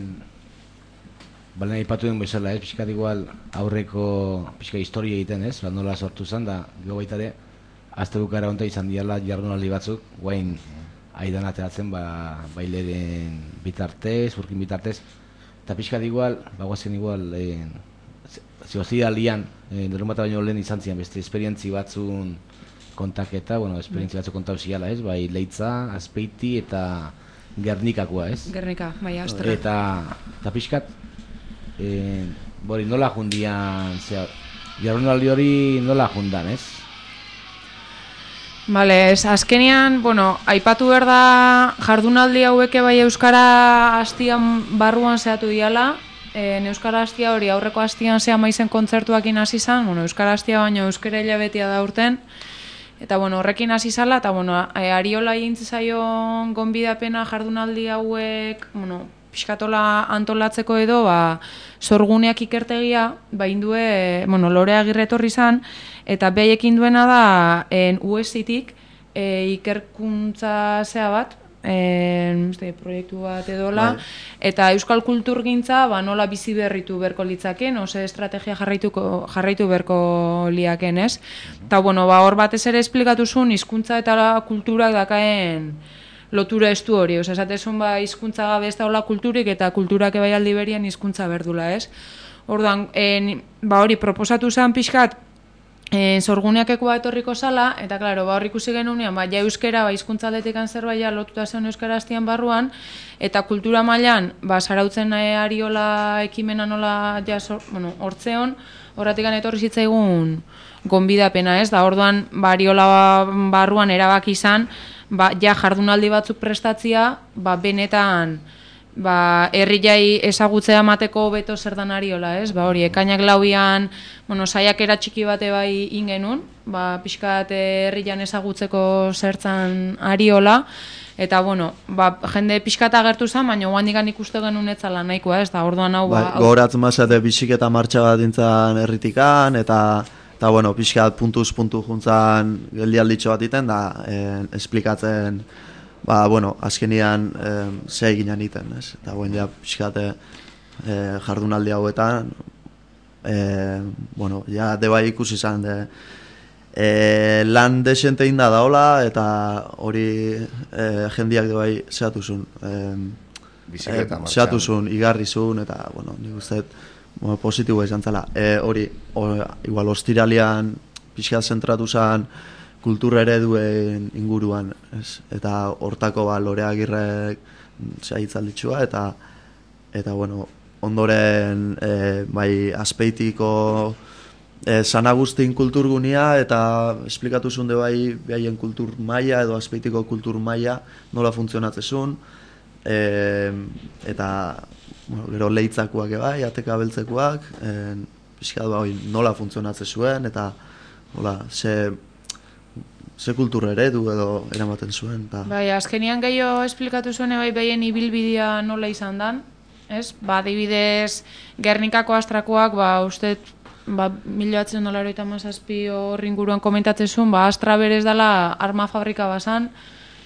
balen aipatu den bezala, ez, pixkat igual aurreko pixka historia egiten, ez, lan nola sortu zen, da, gero baita ere, azte bukara honta izan diala jardunaldi batzuk, guain aidan ateratzen, ba, baileren bitartez, urkin bitartez, eta pixkat igual, bagoazen igual, eh, zehozia lian, eh, derun bat baino lehen izan zian, beste esperientzi batzun kontaketa, bueno, esperientzi batzuk kontau ziala, ez, bai, Leitza, Azpeiti eta Gernikakoa, ez? Gernika, bai, Azterra. Eta, eta pixkat, Eh, bori, nola jundian, zera, jardunaldi hori nola jundan, ez? Bale, ez, azkenean, bueno, aipatu behar da jardunaldi haueke bai Euskara hastian barruan zehatu diala, e, Euskara hastia hori aurreko hastian zea maizen kontzertuakin hasi zan, bueno, Euskara hastia baino Euskara hilabetea da urten, eta bueno, horrekin hasi zala, eta bueno, Ariola egin zaion gonbidapena jardunaldi hauek, bueno, pixkatola antolatzeko edo, ba, sorguneak ikertegia, ba, indue, bueno, Lore Agirre etorri zan, eta behaiekin duena da, en U S I-tik, e, ikerkuntza zea bat, en, uste, proiektu bat edola, bai. Eta euskal kulturgintza, ba, nola bizi berritu berko litzaken, ose estrategia jarraituko, jarraitu berko liaken, ez? Eta, bueno, ba, hor batez ere esplikatu zuen, hizkuntza eta kulturak dakaen lotura estu hori, oza, esatezun ba, hizkuntza gabe ez daula kulturik eta kulturak ebai aldi berian hizkuntza berdula, ez? Orduan, en, ba hori, proposatu zen pixkat, en, sorguneakeko bat etorriko zala, eta klaro, ba hor ikusi genunean, ba, ja euskera, ba, hizkuntza aldetekan zerbait ja lotuta zen euskara hastian barruan, eta kultura mailan, ba, Zarautzen e, Ariola ekimena nola, ja, sor, bueno, hortzeon, horratikan etorri zitzaigun gonbidapena, ez? Da, orduan, ba, Ariola barruan erabaki izan, ba, ja jardunaldi batzuk prestatzia, ba, benetan ba, herriai ezagutzea emateko beto zer dan Ariola, ez? Ba, hori, ekainak lauian, bueno, saiakera txiki bate bai ingenun, ba, pixkat herrian ezagutzeko zertzan Ariola, eta, bueno, ba, jende pixkat agertu zen, baina guandikan ikuste genuen etzala nahikoa, ez? Da, orduan hau... Ba, gogoratzen mazate biziketa martxa bat dintzen herritikan, eta... Eta, bueno, pixkat puntuz puntu juntzan geldialditxo bat iten, da, eh, esplikatzen, ba, bueno, azkenian eh, ze eginan iten, ez? Eta, bueno, ja, pixkat eh, jardunaldi hauetan, eh, bueno, ja, deba ikusi izan, de, eh, lan desente inda daola, eta hori eh, jendiak deba zehatu zuen. Eh, eh, zehatu zuen, igarri zuen, eta, bueno, nik usteet, bueno, positiboa izan zela. E, hori, o, igual, ostiralian pixkat zentratu zen kultura ereduen inguruan, ez? Eta hortako ba, Lore Agirrek zaitzalditxua, eta, eta bueno, ondoren e, bai Azpeitiko e, San Agustin kulturgunia, eta esplikatu zuen de bai behaien kultur maila edo Azpeitiko kultur maila nola funtzionatzen zuen, e, eta bueno, gero leitzakoak ebai, ateka beltzekoak, e, pixkat bai, nola funtzionatzen zuen, eta nola, ze, ze kultura eredu edo eramaten zuen. Ta. Bai, azkenian gehiago esplikatu zuen bai behien ibilbidea nola izan dan, ez? Ba, adibidez, Gernikako astrakoak, ba, uste, ba, mila batzen dola eroita mazazpi horri inguruan komentatzen zuen, ba, Astra berez dela arma fabrika bazan,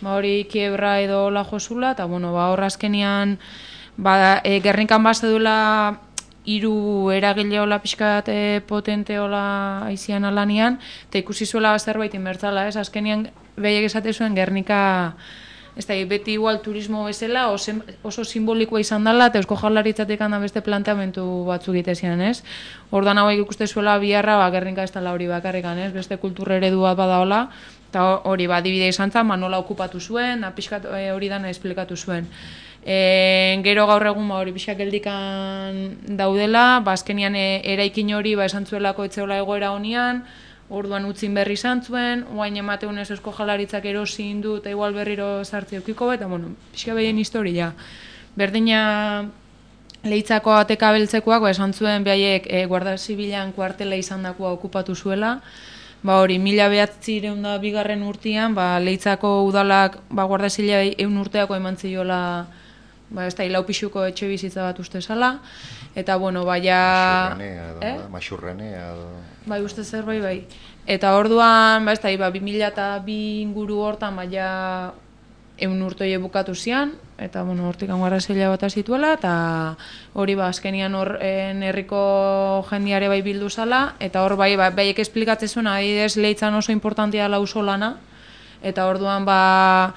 ba, hori kiebra edo la josula, eta, bueno, ba, hor azkenian, ba, e, Gernikan bazte duela hiru eragile hola pixkat e, potente hola aizian alanian, eta ikusi zuela zerbait inbertzala, ez? Azkenian behiek esate zuen Gernika, ez da, beti igual turismo bezala, oso, oso simbolikoa izan dela, eta Eusko Jaurlaritzatik handa beste planteamentu batzuk egitezian, ez? Ordan hauek ikuste zuela biharra, ba, Gernika ez dela hori bakarrikan, ez? Beste kultura eredua badaola, eta hori, ba, adibide izan zen, ba, nola okupatu zuen, da pixkat hori dana esplikatu zuen. E, gero gaur egun ba, hori pixak geldikan daudela, ba, azkenian e, eraikin hori ba, esan zuelako etzeola egoera honian, orduan utzin berri izan zuen, oain emateunez Eusko Jaurlaritzak erosin du eta igual berriro sartzi eukiko, eta bueno, pixka behien historia. Berdina Leitzako ateka beltzekoak, ba, esan zuen behaiek e, Guardia Zibilan kuartela izan dakoa okupatu zuela, ba hori, mila behatzireun da bigarren urtean, ba, Leitzako udalak ba, Guardia Zibila eun urteako eman ziola, ba, ez da, hilau pixuko etxe bizitza bat uste zala, eta, bueno, baina... Maxurrenea, edo, eh? Maxurrenea, edo... Bai, uste zer, bai, bai. Eta orduan, ba, ez da, ba, bi mila eta bi inguru hortan, baina eun urtoie bukatu zian, eta, bueno, hortik Guardia Zibila bat zituela, eta hori, ba, azkenian hor herriko jendiare bai bildu zala, eta hor, bai, ba, baiek esplikatzen zuen, adibidez, Leitzan oso importantia dela auzolana, eta orduan, ba,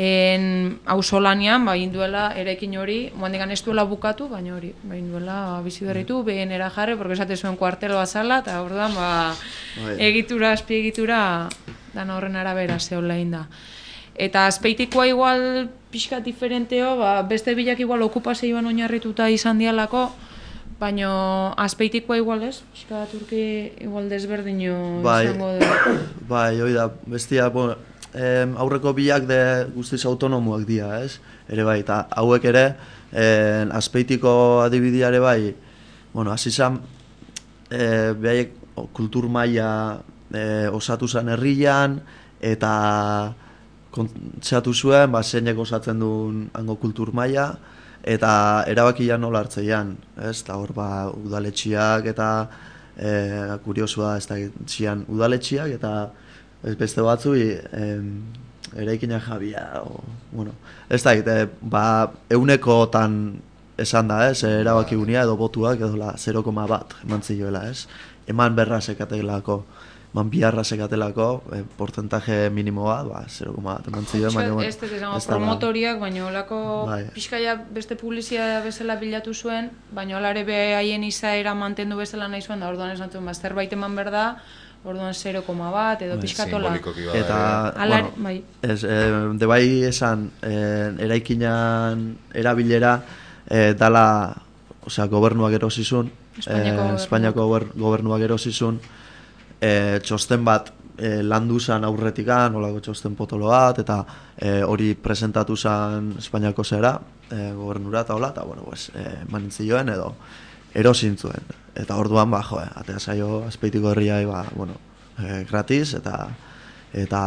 en auzolanean, ba, induela erekin hori, moandikan ez duela bukatu, baina hori, ba, induela bizi berritu, behen era jarri, porque esate zuen kuarteloa zala, eta orduan, ba, egitura, azpiegitura, dana horren arabera zehola da. Eta azpeitikoa igual pixka diferenteo, ba, beste bilak igual okupazioan oinarrituta izan dialako, baina azpeitikoa igual ez, pixka turki igual desberdino bai, izango du. Bai, hoi da, bestia, bueno, em, aurreko bilak de guztiz autonomoak dira, ez? Ere bai, eta hauek ere, em, azpeitiko adibidiare bai, bueno, azizan, e, behaiek kultur maila e, osatu zen herrian, eta kontzeatu zuen, ba, zeinek osatzen duen hango kultur maila, eta erabakia nola hartzeian, ez? Eta hor, ba, udaletxiak eta e, kuriosua, ez da, zian udaletxiak eta ez beste batzu eraikina jabia, o, bueno, ez da, e, ba, eunekotan esan da, ez? Erabaki gunia edo botuak edo la zero koma bat eman zioela, ez? Eman berra sekatelako, eman biharra sekatelako, e, porcentaje minimoa, ba, zero koma bat eman zioen, baina, bueno, ez dut esango, promotoriak, baina olako bai. Pixkaia beste publizia bezala bilatu zuen, baina olare behaien izaera mantendu bezala nahi zuen, da orduan esan zuen, ba, zerbait eman berda, orduan zero koma bat, edo pixkatola. Eta, Alar, bueno, bai. ez, e, de bai esan, e, eraikinan erabilera, e, dala, osea, gobernuak erosizun, Espainiako, e, Espainiako gobernuak erosizun, e, txosten bat e, landu zan aurretikan, olako txosten potolo bat, eta e, hori presentatu zan Espainiako zera, e, gobernura eta hola, eta, bueno, pues, e, manintzioen edo erosintzuen. Eta orduan, ba, jo, atea zaio azpeitiko herriai, ba, bueno, e, gratis, eta, eta,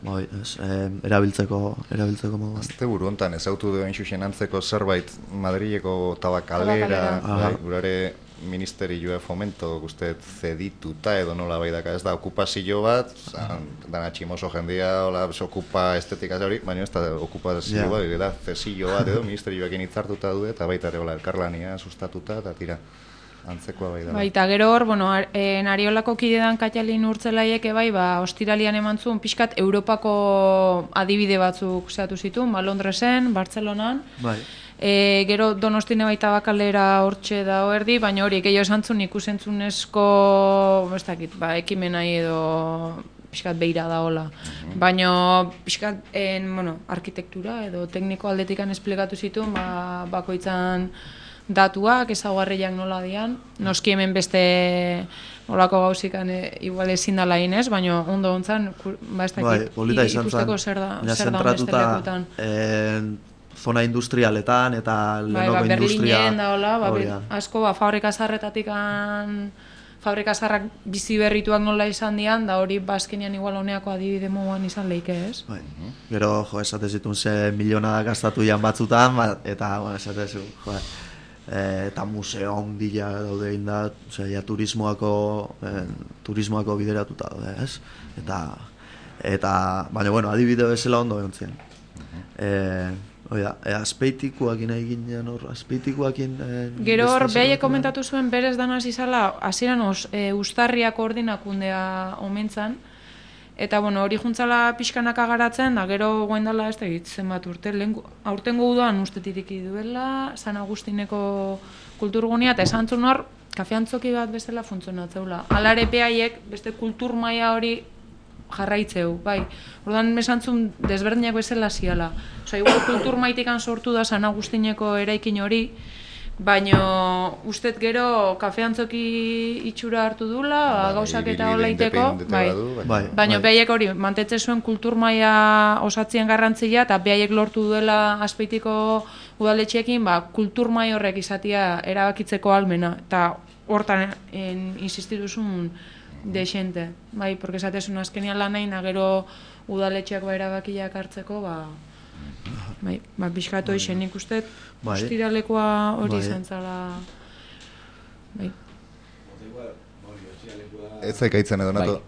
bai, ez, e, erabiltzeko, erabiltzeko moduan. Azte buru hontan, ezautu duen xuxen antzeko zerbait Madrileko tabakalera, bai, gurare ministerioa fomento guztet zedituta edo nola bai daka, ez da okupazio bat, zan, dana tximoso jendia, hola, okupa estetika hori, baina ez da okupazio yeah. bat, da zesio bat edo ministerioekin hitzartuta du eta baita ere hola, elkarlania sustatuta, eta tira, antzekoa bai da. Baita gero hor, bueno, e, Nariolako kidedan Katalin urtzelaieke bai, ba, ostiralian eman zuen, pixkat Europako adibide batzuk zehatu zituen, ba, Londresen, Bartzelonan, bai. E, gero Donostine baita bakalera hortxe da erdi, baina hori, gehiago esan zuen ikusentzunezko, ez dakit, ba, ekimenai edo pixkat beira da hola. Uh-huh. Baina pixkat, en, bueno, arkitektura edo tekniko aldetikan esplikatu zituen, ba, bakoitzan datuak, ezaugarriak nola dian, noski hemen beste olako gauzikan e, igual ezin dala inez, baina ondo ontzan, ba ez dakit, bai, ikusteko zer da, zer da beste lekutan. zona industrialetan eta bai, Lenovo ba, industria... Berlinen da, hola, ba, hori be- da. asko, ba, fabrika zarretatik fabrika zarrak bizi berrituak nola izan dian, da hori bazkenian igual honeako adibide moduan izan leike, ez? Bai. Gero, jo, esatez ditun ze miliona gastatu jan batzutan, ba, eta, bueno, esatez, jo, e, eta museo ondila daude inda, osea, ja turismoako, e, turismoako bideratuta daude, ez? Eta, eta, baina, bueno, adibide bezala ondo egontzen. E, oida, e, azpeitikuakin egin jan hor, azpeitikuakin... E, Gero hor, beste behaiek zerbait komentatu zuen berez danaz izala, hasieran os, e, ustarriak ordinakundea omentzan, eta bueno, hori juntzala pixkanaka garatzen, da gero goendala ez da egit zenbat urte, lehen, aurtengo udoan ustetik duela, San Agustineko kulturgunia, eta esan zuen hor, kafeantzoki bat bezala funtzionatzeula. Alare behaiek beste kultur maila hori jarraitzeu, bai. Orduan mesantzun desberdinak bezala ziala. Osa, igual kultur maitikan sortu da San Agustineko eraikin hori, baino ustet gero kafeantzoki itxura hartu dula, gauzak eta olaiteko, bai. Bai. Baino behaiek hori, mantetze zuen kultur maila osatzien garrantzia, eta behaiek lortu duela Azpeitiko udaletxeekin, ba, kultur maila horrek izatia erabakitzeko almena, eta hortan en, insistituzun desente, bai, porque esatezun azkenian lan nahi, gero udaletxeak ba erabakiak hartzeko, ba, bai, ba, pixkatu isen nik uste, bai. ostiralekoa hori Bai. izan zala, bai. Ez zaikaitzen edo nato. Bai.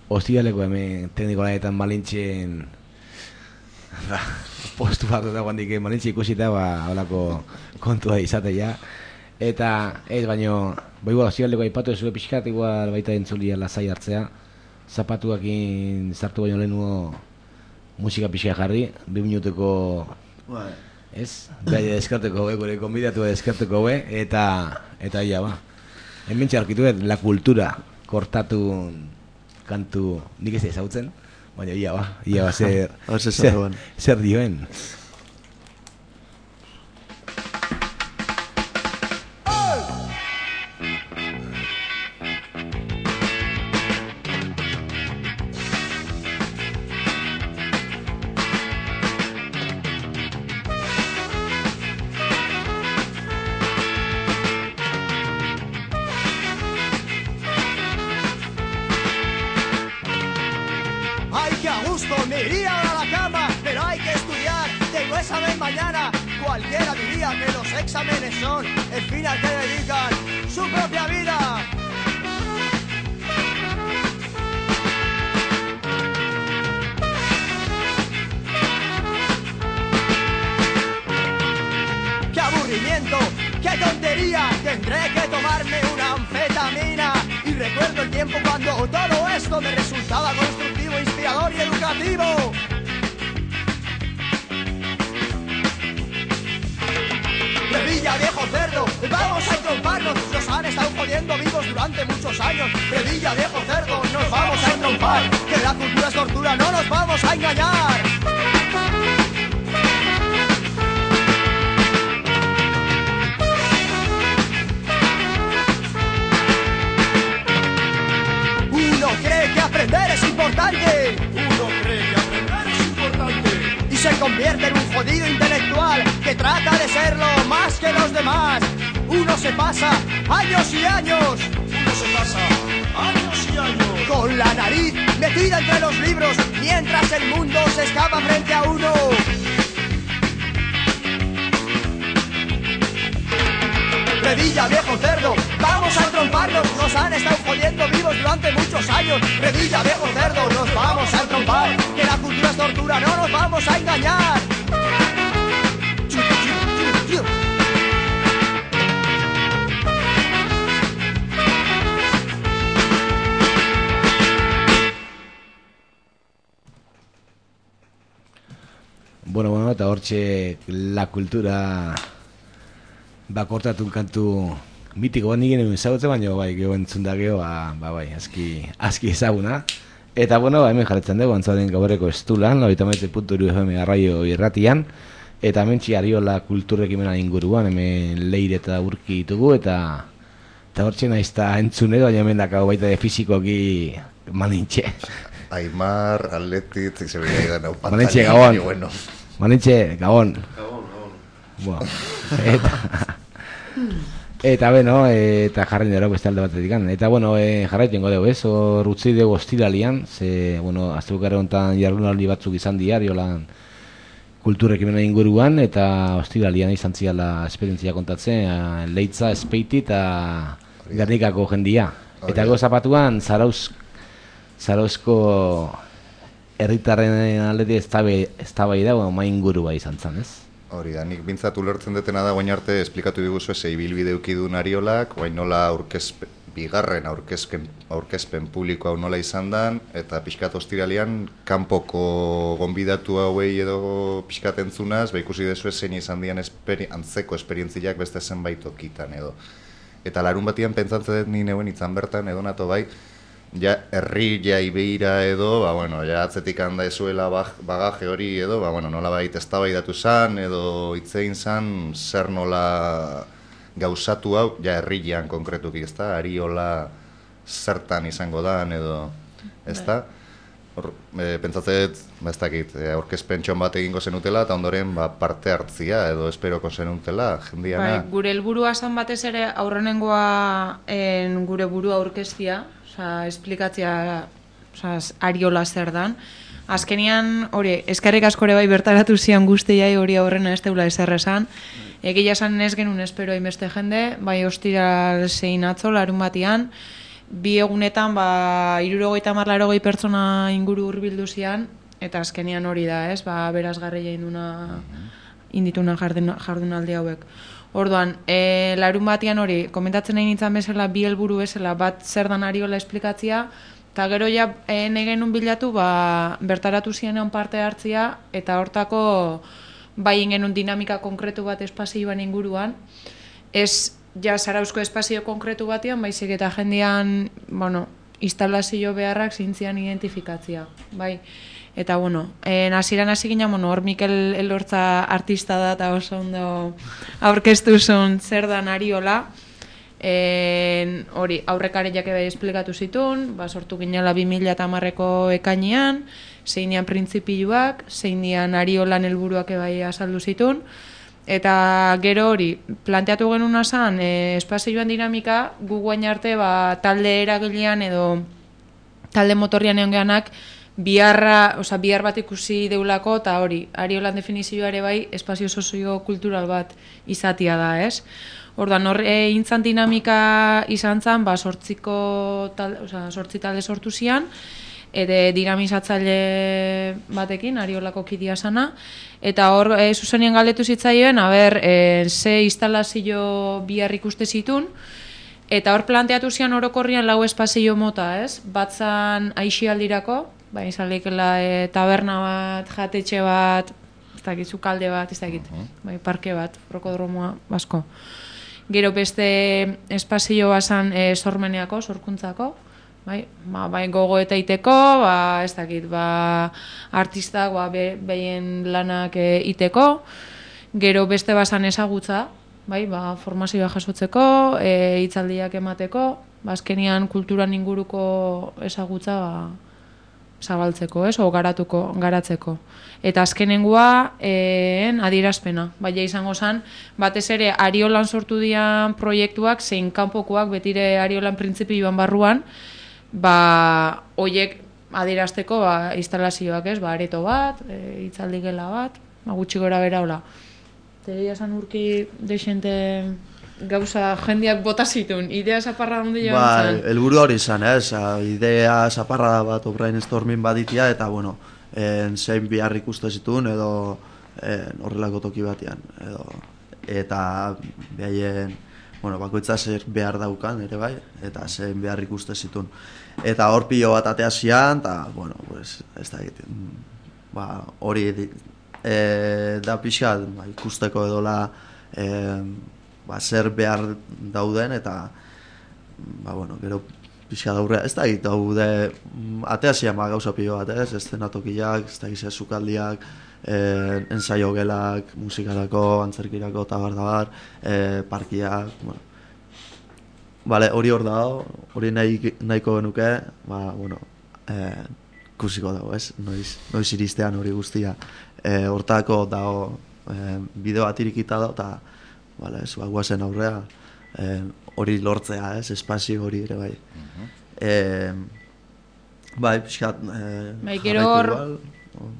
Ostiraleko hemen teknikolaetan Malintxen ba, postu bat dagoen dik Malintxe ikusita, ba, holako kontua izatea. Eta, ez, baino, ba, igual, ostiraleko aipatu ezue pixkat, igual baita entzulia lasai hartzea. Zapatuakin sartu baino lehenuo musika pixka jarri, bi minutuko, Bai. ez? Beha deskarteko be, gure konbidatu deskarteko be, eta, eta ia, ba. Hemen txarkitu la kultura kortatu kantu nik ez ezautzen, baina ia, ba, ia, ba, zer, zer, zer dioen. Ay, que a gusto me iría a la cama, pero hay que estudiar, tengo examen mañana. Cualquiera diría que los exámenes son el fin al que dedican su propia vida. ¡Qué aburrimiento! ¡Qué tontería! Tendré que tomarme una anfetamina. Y recuerdo el tiempo cuando todo esto me resultaba constructivo, inspirador y educativo. Revilla, viejo cerdo, vamos a entromparnos. Nos han estado jodiendo vivos durante muchos años. Revilla, viejo cerdo, nos vamos a entrompar. Que la cultura es tortura, no nos vamos a engañar. Uno cree que aprender es importante. Uno cree que aprender es importante. Y se convierte en un jodido intelectual que trata de serlo más que los demás. Uno se pasa años y años. Uno se pasa años y años. Con la nariz metida entre los libros mientras el mundo se escapa frente a uno. Revilla, viejo cerdo, vamos a entromparnos. Nos han estado jodiendo vivos durante muchos años. Revilla, viejo cerdo, nos vamos a entrompar. Que la cultura es tortura, no nos vamos a engañar. Bueno, bueno, eta hortxe la kultura bakortatu kantu mitiko bat nik egin ezagutzen, baina bai, geho entzun da geho, ba, ba bai, aski, aski ezaguna. Eta bueno, ba, hemen jarretzen dugu, antzaren gaurreko estulan, laurogeita hamaika puntu hiru F M arraio irratian, eta hemen Ariola kulturrekimena inguruan, hemen leire eta urki ditugu, eta eta hortxe naizta entzun edo, baina hemen dakau baita de fizikoki Malintxe. Aimar, Atletit, zeberia idan hau pantalla. Malintxe, Gabon. Bueno. Malintxe, Gabon. Gabon. Bueno, eta... Eta, bueno, eta jarri nero beste alde batetik. Eta, bueno, e, jarraiten godeu, ez? Hor utzi dugu ostiralian, ze, bueno, aztebukare honetan jardunaldi batzuk izan diario lan kulturekimena inguruan, eta ostiralian izan ziala esperientzia kontatzen, Leitza, Espeiti eta Gernikako jendia. Eta go zapatuan, Zarauz, Zarauzko herritarren aldetik eztabai da, bueno, main inguru bai izan zen, ez? Hori da, nik bintzat ulertzen detena da, guain arte esplikatu diguzu ez, ibilbide ukidun Ariolak, guain nola aurkezpen, bigarren aurkezpen, aurkezpen publiko hau nola izan dan, eta pixkat ostiralian, kanpoko gonbidatu hauei edo pixkat entzunaz, ba ikusi dezu zein izan dian esperi, antzeko esperientziak beste zenbait okitan edo. Eta larun batian pentsatzen dut ni neuen itzan bertan, edo nato bai, ja herri ja ibeira edo, ba bueno, ja atzetik handa ezuela bagaje hori edo, ba bueno, nola bait eztabaidatu zan edo hitzein zan zer nola gauzatu hau, ja herrian konkretuki, ezta? Ariola zertan izango dan edo, ezta? Hor, e, pentsatzen, ba ez dakit, e, aurkezpen txon bat egingo zenutela eta ondoren ba, parte hartzia edo esperoko zenutela jendiana. Bai, gure helburua zan batez ere aurrenengoa en, gure burua aurkeztia, Osa, esplikatzia osa, Ariola zer dan. Azkenian, hori, eskerrik askore bai bertaratu zian guztiai hori aurrena ez teula ezer esan. Egia esan ez genuen espero hainbeste jende, bai ostiral zein atzo, larun batian. Bi egunetan, ba, hirurogeita hamar laurogei pertsona inguru hurbildu zian, eta azkenian hori da, ez, ba, berazgarri induna, indituna jardunaldi hauek. Orduan, e, larun batian hori, komentatzen nahi nintzen bezala, bi helburu bezala, bat zer dan Ariola esplikatzia, eta gero ja e, nahi genuen bilatu, ba, bertaratu zienean parte hartzia, eta hortako bai genuen dinamika konkretu bat espazioan inguruan, ez ja Zarauzko espazio konkretu batean, baizik eta jendean, bueno, instalazio beharrak zintzian identifikatzia, bai. Eta, bueno, hasieran hasi ginen, bueno, hor Mikel Elortza artista da eta oso ondo aurkeztu zuen zer dan Ariola. En, hori, aurrekariak ebe esplikatu zituen, ba, sortu ginela bi mila hamareko ekainean, zein dian printzipioak, zein dian Ariolan helburuak ebai azaldu zituen. Eta gero hori, planteatu genuna zen, e, espazioan dinamika, gu guain arte ba, talde eragilean edo talde motorrian egon geanak, biharra, oza, bihar bat ikusi deulako, eta hori, Ariolan definizioa ere bai, espazio sozio-kultural bat izatia da, ez? Orduan, hor, e, intzan dinamika izan zen, ba, sortziko talde, oza, sortzi talde sortu zian, eta dinamizatzaile batekin, Ariolako kidia sana, eta hor, e, zuzenien galdetu zitzaioen, haber, e, ze instalazio bihar ikuste zitun, eta hor planteatu zian orokorrian lau espazio mota, ez? Batzan aixialdirako, bai, izalekela e, taberna bat, jatetxe bat, ez dakit, zukalde bat, ez dakit, bai, parke bat, rokodromoa, basko. Gero beste espazio bazan e, sormeneako, sorkuntzako, bai, ba, bai gogo eta iteko, ba, ez dakit, ba, artistak, ba, be, behien lanak e, iteko, gero beste bazan ezagutza, bai, ba, formazioa jasotzeko, e, hitzaldiak emateko, ba, azkenian kulturan inguruko ezagutza, ba, zabaltzeko, ez, o garatuko, garatzeko. Eta azkenengoa, en, adierazpena. Baina izango zen, batez ere Ariolan sortu dian proiektuak, zein kanpokoak, betire Ariolan printzipioan barruan, ba, oiek adierazteko, ba, instalazioak, ez, ba, areto bat, e, hitzaldi gela bat, ba, gutxi gora bera, hola. Tegia zan urki deixente gauza jendeak bota zituen, idea zaparra ondi joan ba, zen? Helburu hori izan, ez? Idea zaparra bat brainstorming baditia, eta, bueno, en, zein behar ikuste zituen, edo en, horrelako toki batean, edo, eta behaien, bueno, bakoitza zer behar daukan, ere bai, eta zein behar ikuste zituen. Eta hor pilo bat atea zian, eta, bueno, pues, ez da egiten, ba, hori e, da pixat, ba, ikusteko edola, e, ba, zer behar dauden, eta, ba, bueno, gero pixka daurrea, ez da egit daude, atea zian ba, gauza pilo bat, ez, eszenatokiak, ez da egizia zukaldiak, eh, ensaio gelak, musikarako, antzerkirako, eta bar da bar, eh, parkiak, bueno. Bale, hori hor dago, hori nahi, nahiko genuke, ba, bueno, eh, ikusiko dago, ez, noiz, noiz iristean hori guztia. Eh, hortako dago, e, bideo bat irikita da, eta bale, ez, ba, guazen aurrea e, hori lortzea, ez, espazio hori ere bai. E, bai, pixkat... E, bai, gero hor,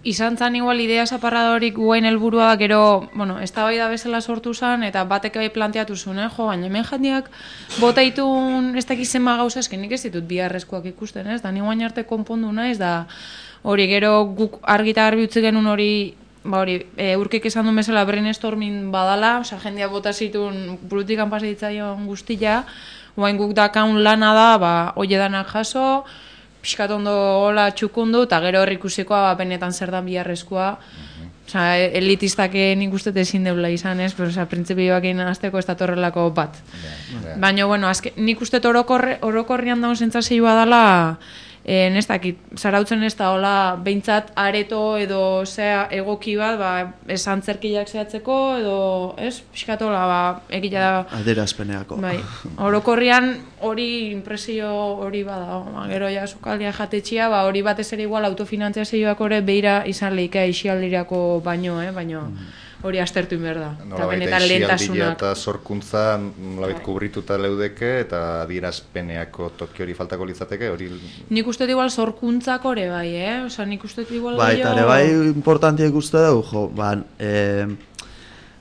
izan zan igual idea zaparradorik guen helburua gero, bueno, ez da bai da bezala sortu zan, eta batek bai planteatu zuen, eh? Jo, baina hemen jandiak bota itun ez dakizema gauza, esken nik ez ditut biharrezkoak ikusten, ez? Da, niguain arte konpondu naiz, da hori gero guk argita garbi utzi genuen hori, ba hori, e, urkik esan duen bezala brainstorming badala, osea, jendia bota zituen burutikan pasaditzaion guztia, oain guk dakaun lana da, ba, oie danak jaso, pixkat ondo hola txukundu, eta gero horrik ikusikoa ba, benetan zer dan biharrezkoa. Osa, elitistak nik uste ezin deula izan, ez? Pero, osa, printzipioak egin azteko ez datorrelako bat. Yeah, yeah. Baina, bueno, azke, nik uste orokorre, orokorrian daun zentzazioa dela, eh, ez dakit, zarautzen ez da, hola, behintzat areto edo zea egoki bat, ba, ez antzerkiak zehatzeko, edo, ez? Piskatola, ba, egila da... Adierazpeneako. Bai, orokorrian hori impresio hori bada, ba, gero ja sukaldia jatetxia, ba, hori batez ere igual autofinantziazioak ore beira izan lehika isialdirako baino, eh? Baino hori astertu inber da. Nola baita isialdia eta sorkuntza nolabait kubrituta leudeke eta adierazpeneako toki hori faltako litzateke, hori... Nik uste igual sorkuntzak ore bai, eh? Osa, nik uste igual... Bai, eta ere bai importantia ikuste dugu, jo, ba, eh,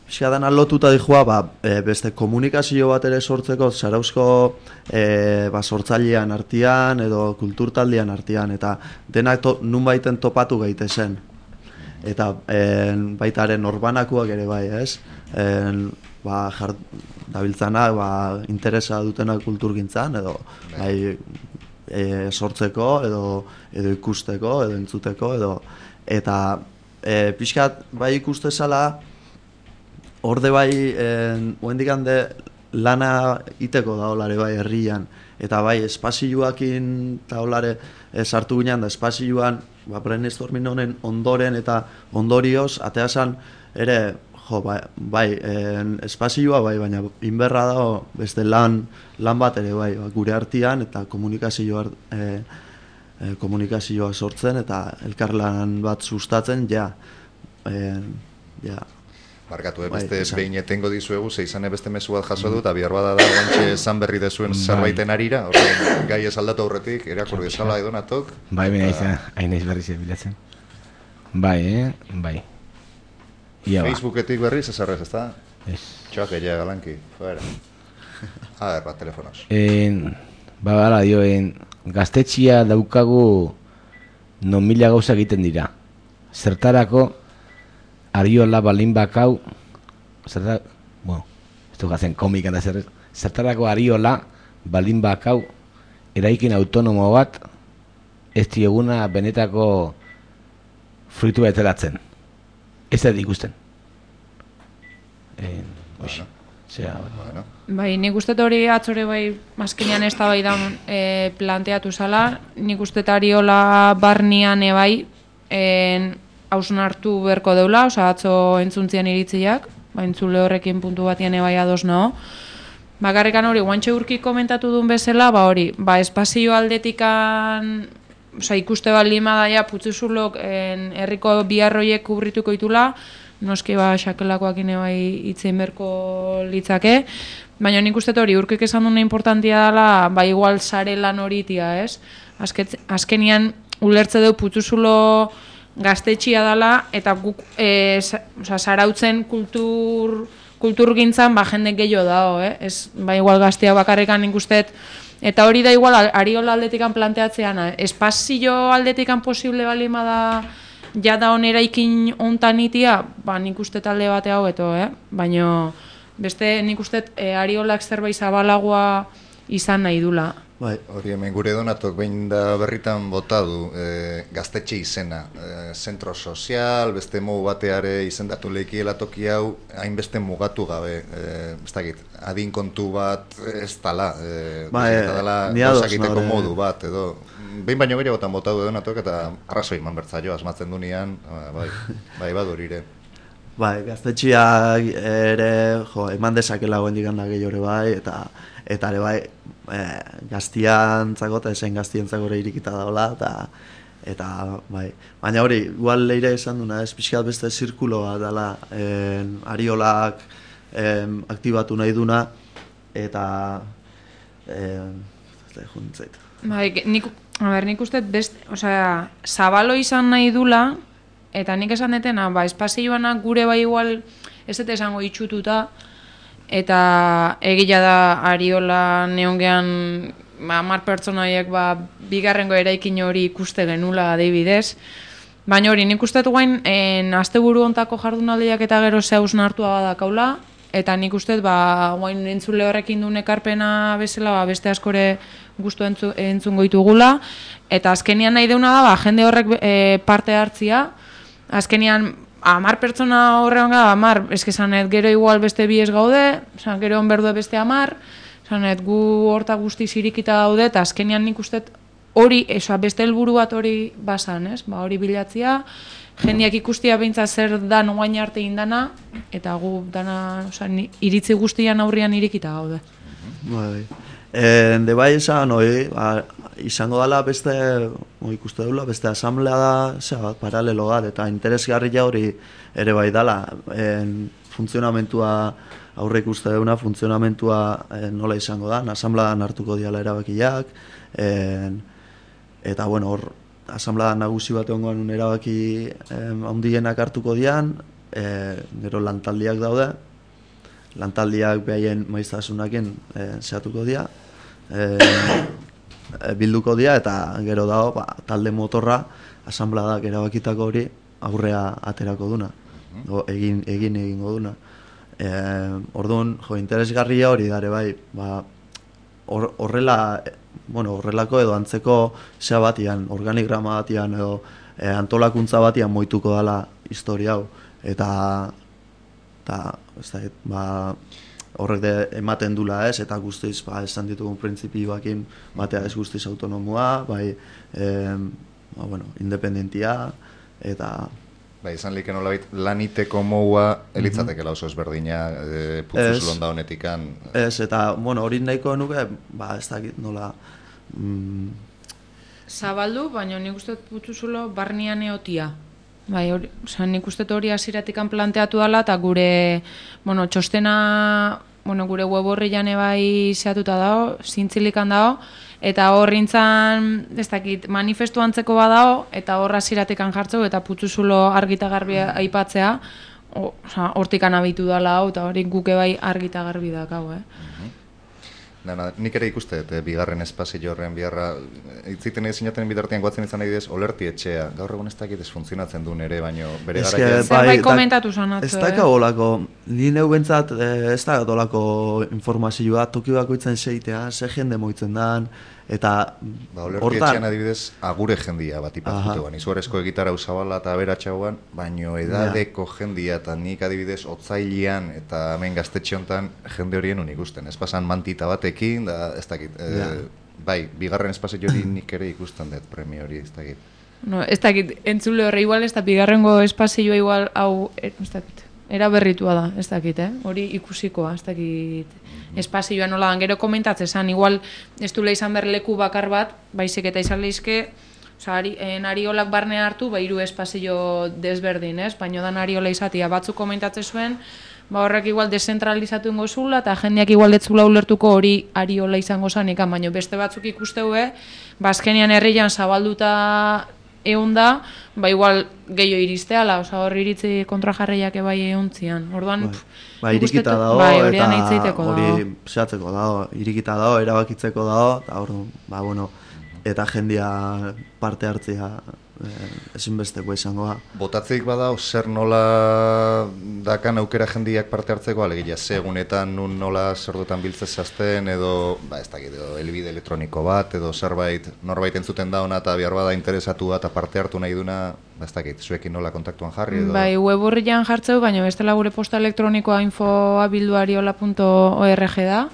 Piskadan alotuta dihua, ba, e, beste komunikazio bat ere sortzeko, zarauzko e, ba, sortzailean artean edo kulturtaldean artean, eta denak to, nun baiten topatu gaitezen. Eta e, baitaren norbanakoak ere bai, ez? E, ba, jart, dabiltzanak ba, interesa dutenak kulturgintzan, edo bai, e, sortzeko, edo, edo ikusteko, edo entzuteko, edo, eta e, pixkat bai ikustezala, Horde bai, oendik hande lana iteko da olare bai herrian, eta bai espazioakin eta olare sartu ginen da espazioan, ba, brainstorming honen ondoren eta ondorioz, ateazan ere, jo, bai, bai en, espazioa bai, baina inberra da beste lan, lan bat ere bai, ba, gure artean eta komunikazioa, e, e, komunikazioa sortzen eta elkarlan bat sustatzen, ja, e, ja, Barkatu, eh, beste bai, behin etengo dizuegu, ze izan beste mezu bat jaso dut, abihar bada da guantxe esan berri dezuen zerbaiten arira, horren gai ez aldatu aurretik, erakur dezala edonatok. Bai, bine izan, hain eiz berri bilatzen. Bai, eh, bai. Ia ba. Facebooketik berriz ezarrez, ez da? Ez. Txoak egia galanki, fuera. A ver, bat, telefonos. En, ba, bala, dio, en, gaztetxia daukagu non mila gauza egiten dira. Zertarako, Ariola balin bakau, zertar, bueno, ez du gazen komikan da zer, zertarako Ariola balin bakau eraikin autonomo bat ez dieguna benetako fruitu betelatzen. Ez da ikusten. Eh, bueno, zera, bueno. Bai, nik uste hori atzore bai mazkinean ez da bai da e, planteatu zala, nik uste Ariola barnian ebai, en, hausun hartu berko deula, oza, atzo entzuntzian iritziak, ba, entzule horrekin puntu batian ebai ados nao. Bakarrikan hori, guantxe urkik komentatu duen bezala, ba hori, ba, espazio aldetikan, oza, ikuste bat lima daia, putzuzulok herriko biharroiek kubrituko itula, noski ba, xakelakoak ebai itzein berko litzake, baina nik uste hori, urkik esan duen importantia dela, ba, igual sare lan horitia, ez? Azket, azkenian, ulertze deu putzuzulo gaztetxia dela, eta guk e, zarautzen kultur, kulturgintzan ba, jende gehiago dago, eh? Ez, ba, igual gaztea bakarrekan ikustet, eta hori da igual Ariola aldetikan planteatzean, espazio aldetikan posible balima da ja da onera ikin ontan itia, ba, nik uste talde bate hau eto, eh? Baina beste nik uste e, Ariolak zerbait zabalagoa izan nahi dula. Bai, hori hemen gure donatok behin da berritan bota du e, gaztetxe izena, e, zentro sozial, beste mogu bateare izendatu lehikiela toki hau, hainbeste mugatu gabe, e, ez dakit, adin kontu bat ez tala, e, ba, e, gauzakiteko modu bat, edo, behin baino gehiagotan bota du donatok eta arrazoi eman bertzaio, asmatzen du nian, bai, bai badurire. Bai, gaztetxeak ere, jo, eman dezakela goen diganda gehiore bai, eta eta ere bai, e, gaztiantzako eta esen gaztiantzako ere irikita daola, eta eta bai, baina hori, igual leire esan duna, ez pixkat beste zirkuloa dela, en, Ariolak en, aktibatu nahi duna, eta en, ez juntzait. Bai, nik, a ber, nik uste best, osea, zabalo izan nahi dula, eta nik esan detena, ba, espazioanak gure bai igual, ez dut esango itxututa, eta egila da Ariola neongean ba, mar pertsonaiek ba, bigarrengo eraikin hori ikuste genula adibidez. Baina hori, nik uste guain, en, asteburu ontako jardunaldiak eta gero zehauz nartua badakaula, eta nik uste ba, guain entzule horrekin duen ekarpena bezala ba, beste askore gustu entzu, entzungo ditugula, eta azkenian nahi deuna da, ba, jende horrek e, parte hartzia, azkenian amar pertsona horrean gara, amar, eske zanet, gero igual beste bi ez gaude, zan, gero onberdue beste amar, zanet, gu horta guzti zirikita daude, eta azkenian nik uste hori, esoa, beste helburu bat hori basan, ez? Ba, hori bilatzia, jendiak ikustia beintza zer dan oain arte indana, eta gu dana, oza, iritzi guztian aurrian irikita gaude. Bai, e, de bai esan, oi, ba, izango dela beste, oi, ikuste dula, beste asamblea da, zera, paralelo bat, eta interesgarria hori ere bai dela, en, funtzionamentua, aurre ikuste duna, funtzionamentua en, nola izango da, asamblean hartuko diala erabakiak, en, eta bueno, hor, asamblea nagusi bat egongoan un erabaki em, handienak hartuko dian, e, gero lantaldiak daude, lantaldiak behaien maiztasunakin e, zehatuko dia, e, e, bilduko dia, eta gero dago ba, talde motorra asambleak erabakitako hori aurrea aterako duna, o, egin, egin egingo duna. E, orduan, jo, interesgarria hori dare bai, ba, Or, horrela, bueno, horrelako edo antzeko zea batian, organigrama batian edo e, antolakuntza batian moituko dela historia hau. Eta, eta ez da, ba, horrek de ematen dula ez, eta guztiz, ba, esan ditugun printzipioakin batea ez guztiz autonomua, bai, e, ba, bueno, independentia, eta... Ba, izan liken olabait, laniteko moua elitzatekela oso ezberdina e, putzuz londa honetikan. Ez, eta, bueno, hori nahiko nuke, ba, ez dakit nola... Mm... Zabaldu, baina nik uste putzuzulo barnian eotia. Bai, hori, oza, nik uste hori hasieratikan planteatu dela, eta gure, bueno, txostena, bueno, gure web horrian ebai zehatuta dago, zintzilikan dago, eta horrintzan, ez dakit, manifestu antzeko badao, eta horra ziratekan jartzeu, eta putzuzulo argita garbi aipatzea, hortikan abitu dala hau, eta hori guke bai argita garbi dakau, eh? Dana, nik ere ikuste, et, bigarren espazio horren biharra, itziten egin zinaten bitartean guatzen izan nahi dez, olerti etxea, gaur egun ez dakit ez funtzionatzen duen ere, baino bere gara... Zerbait komentatu zanatzu, eh? Ez daka olako, ni neu bentsat, ez da olako informazioa, toki bakoitzen seitea, ze jende moitzen dan, eta... Ba, olerti etxean adibidez, agure jendia bat ipatutuan, izuarezko egitarra usabala eta aberatxauan, baino edadeko jendia, eta nik adibidez, otzailean eta hemen gaztetxe hontan jende horien unik ikusten, ez pasan mantita batekin, da, ez dakit, e, bai, bigarren espazio hori nik ere ikusten dut premio hori, ez dakit. No, ez dakit, entzule horre igual, ez da bigarrengo espazioa igual, hau, ez dakit, era berritua da, ez dakit, eh? Hori ikusikoa, ez dakit, espazioa nola dan, gero komentatzen zan, igual ez dula izan behar leku bakar bat, baizik eta izan lehizke, oza, ari, en Ariolak barne hartu, ba, hiru espazio desberdin, ez? Baina dan Ariola izatia, batzuk komentatzen zuen, ba, horrek igual dezentralizatu ingo zula, eta jendeak igual detzula ulertuko hori Ariola izango zanikan, baina beste batzuk ikusteu, ba, azkenian herrian zabalduta egun da, ba igual gehiago iristeala, oza, hor iritzi kontrajarreiak ebai eguntzian. Orduan, ba, irikita dago, bai, eta hori zehatzeko dago, irikita dago, erabakitzeko dago, eta hor, ba, bueno, eta jendia parte hartzea eh, ezinbesteko izango da. Botatzeik badao, zer nola dakan aukera jendiak parte hartzeko, alegia, segunetan nun nola zerdotan biltzezazten, edo, ba, ez dakit, edo, elbide elektroniko bat, edo zerbait, norbait entzuten da ona, eta behar bada interesatu eta parte hartu nahi duna, ba, ez dakit, zuekin nola kontaktuan jarri, edo... Bai, web horrian jartzeu, baina bestela gure posta elektronikoa info abilduariola punto org da,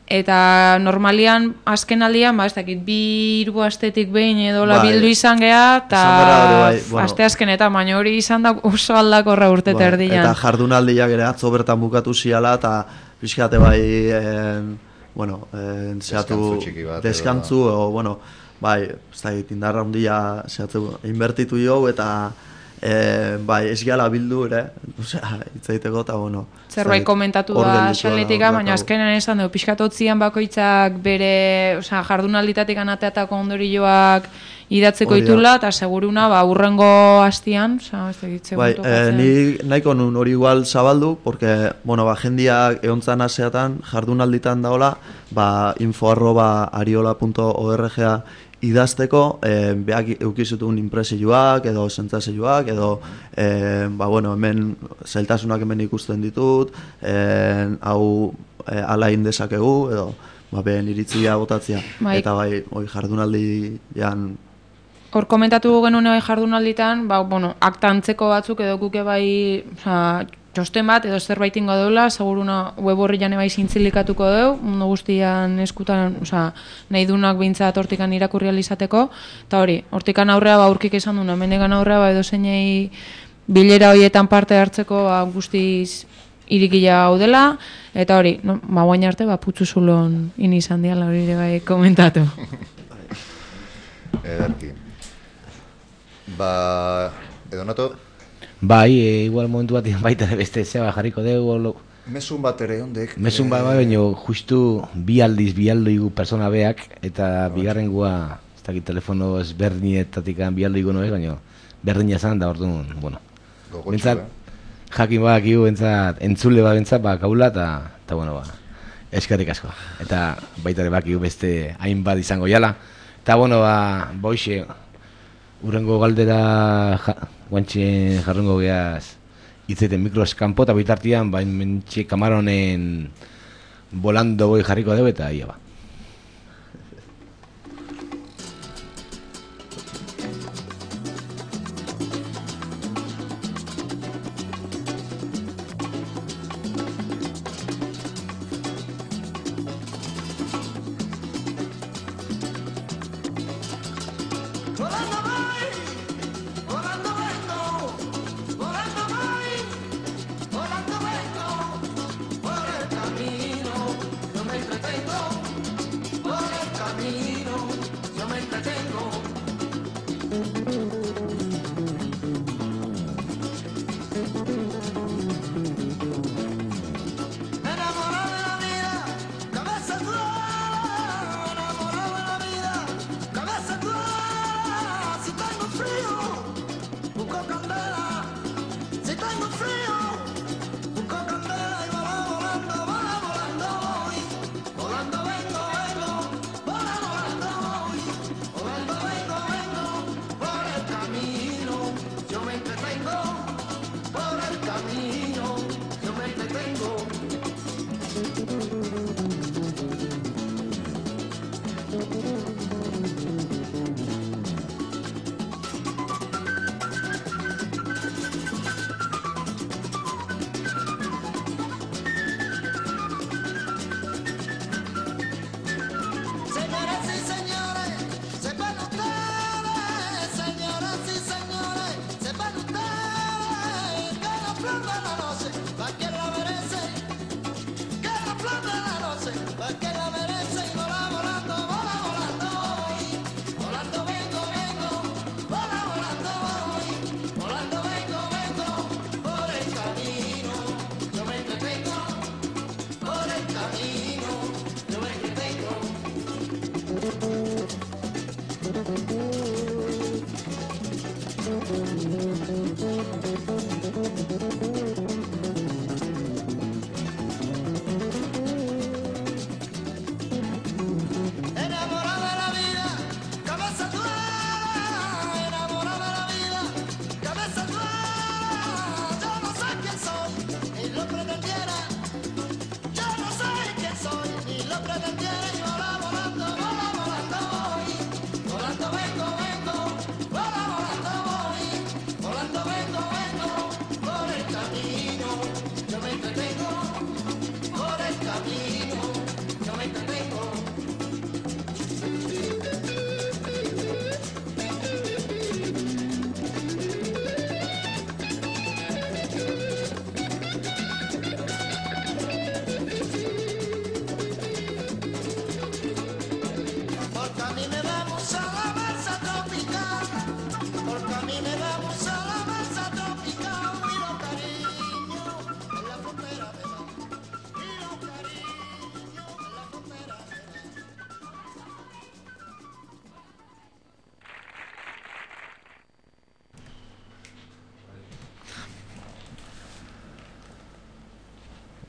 eta normalian, azken aldian, ba, ez dakit, bi hiru astetik behin edo la bildu izan geha, eta bai, bueno, aste azkenetan, baina hori izan da oso aldakorra urte bai, terdian. Eta jardunaldiak ere atzo bertan bukatu ziala, eta pixkate bai, en, bueno, en, zehatu, deskantzu txiki bat. Deskantzu, o, bueno, bai, ez da, indarra handia zehatzu, inbertitu jo, eta e, bai, ez gala bildu ere, osea, itzaiteko, eta bueno. Zerbait komentatu da xaletika, baina azkenean esan dugu, pixkatotzian bakoitzak bere, osea, jardunalditatik anateatako ondorioak idatzeko itula, eta seguruna, ba, urrengo hastian, osea, ez egitze bai, e, ni nahiko nun hori igual zabaldu, porque, bueno, ba, jendiak eontzan aseatan, jardunalditan daola, ba, info arroba ariola punto org idazteko, eh, behak eukizutun impresioak, edo sentzazioak, edo, eh, ba, bueno, hemen zailtasunak hemen ikusten ditut, eh, hau eh, alain dezakegu, edo, ba, behen iritzia botatzea. Bai. Eta bai, hoi jardunaldi jan... Hor komentatu genuen hori jardunalditan, ba, bueno, aktantzeko batzuk edo guke bai, oza, txosten bat, edo zerbait ingo deula, seguruna web horri jane bai zintzilikatuko deu, mundu guztian eskutan, oza, nahi dunak bintzat hortikan irakurri alizateko, eta hori, hortikan aurrea ba urkik esan duna, mendegan aurrea ba edo zeinei bilera horietan parte hartzeko ba, guztiz irikila hau dela, eta hori, no, ba guain arte, ba putzu zulon inizan diala hori ere bai komentatu. Edarki. Ba, edo nato? Bai, e, igual momentu bat baita beste zeba jarriko dugu. Mesun bat ere ondek. Mesun bat bai, baina justu bi aldiz, bi aldoigu persona beak, eta bigarren gua, ez dakit telefono ezberdinetatik bi aldoigu noez, baina berdina zan da orduan, bueno. Bentsat, jakin bak igu, bentsat, entzule bat bentsat, ba, kaula, eta, bueno, ba, eskerrik asko. Eta baita ere bak igu beste hainbat izango jala. Eta, bueno, ba, boixe, urrengo galdera ja, guantxe jarrungo geaz itzeten mikroskampo eta bitartian bain mentxe kamaronen volando boi jarriko dugu eta ia ba.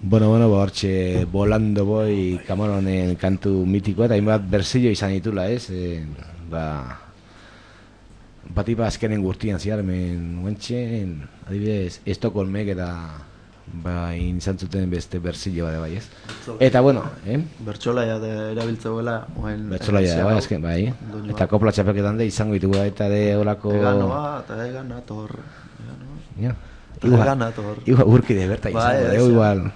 Bueno, bueno, ba, hortxe Volando Boy Camaronen kantu mitikoa eta hainbat berzio izan ditula, ez? E, ba, batipa azkenen gurtian ziar, men guentxen, adibidez, Estokolmek eta ba, izan zuten beste berzio bade bai, ez? Eta, bueno, eh? Bertxolaia de erabiltzeuela. Bertxolaia da, bai, azken, bai. Eta kopla txapelketan de izango ditugu eta de olako... Eganoa, eta eganator. Ja. Eganator. Igual urki de berta izango, bai, igual...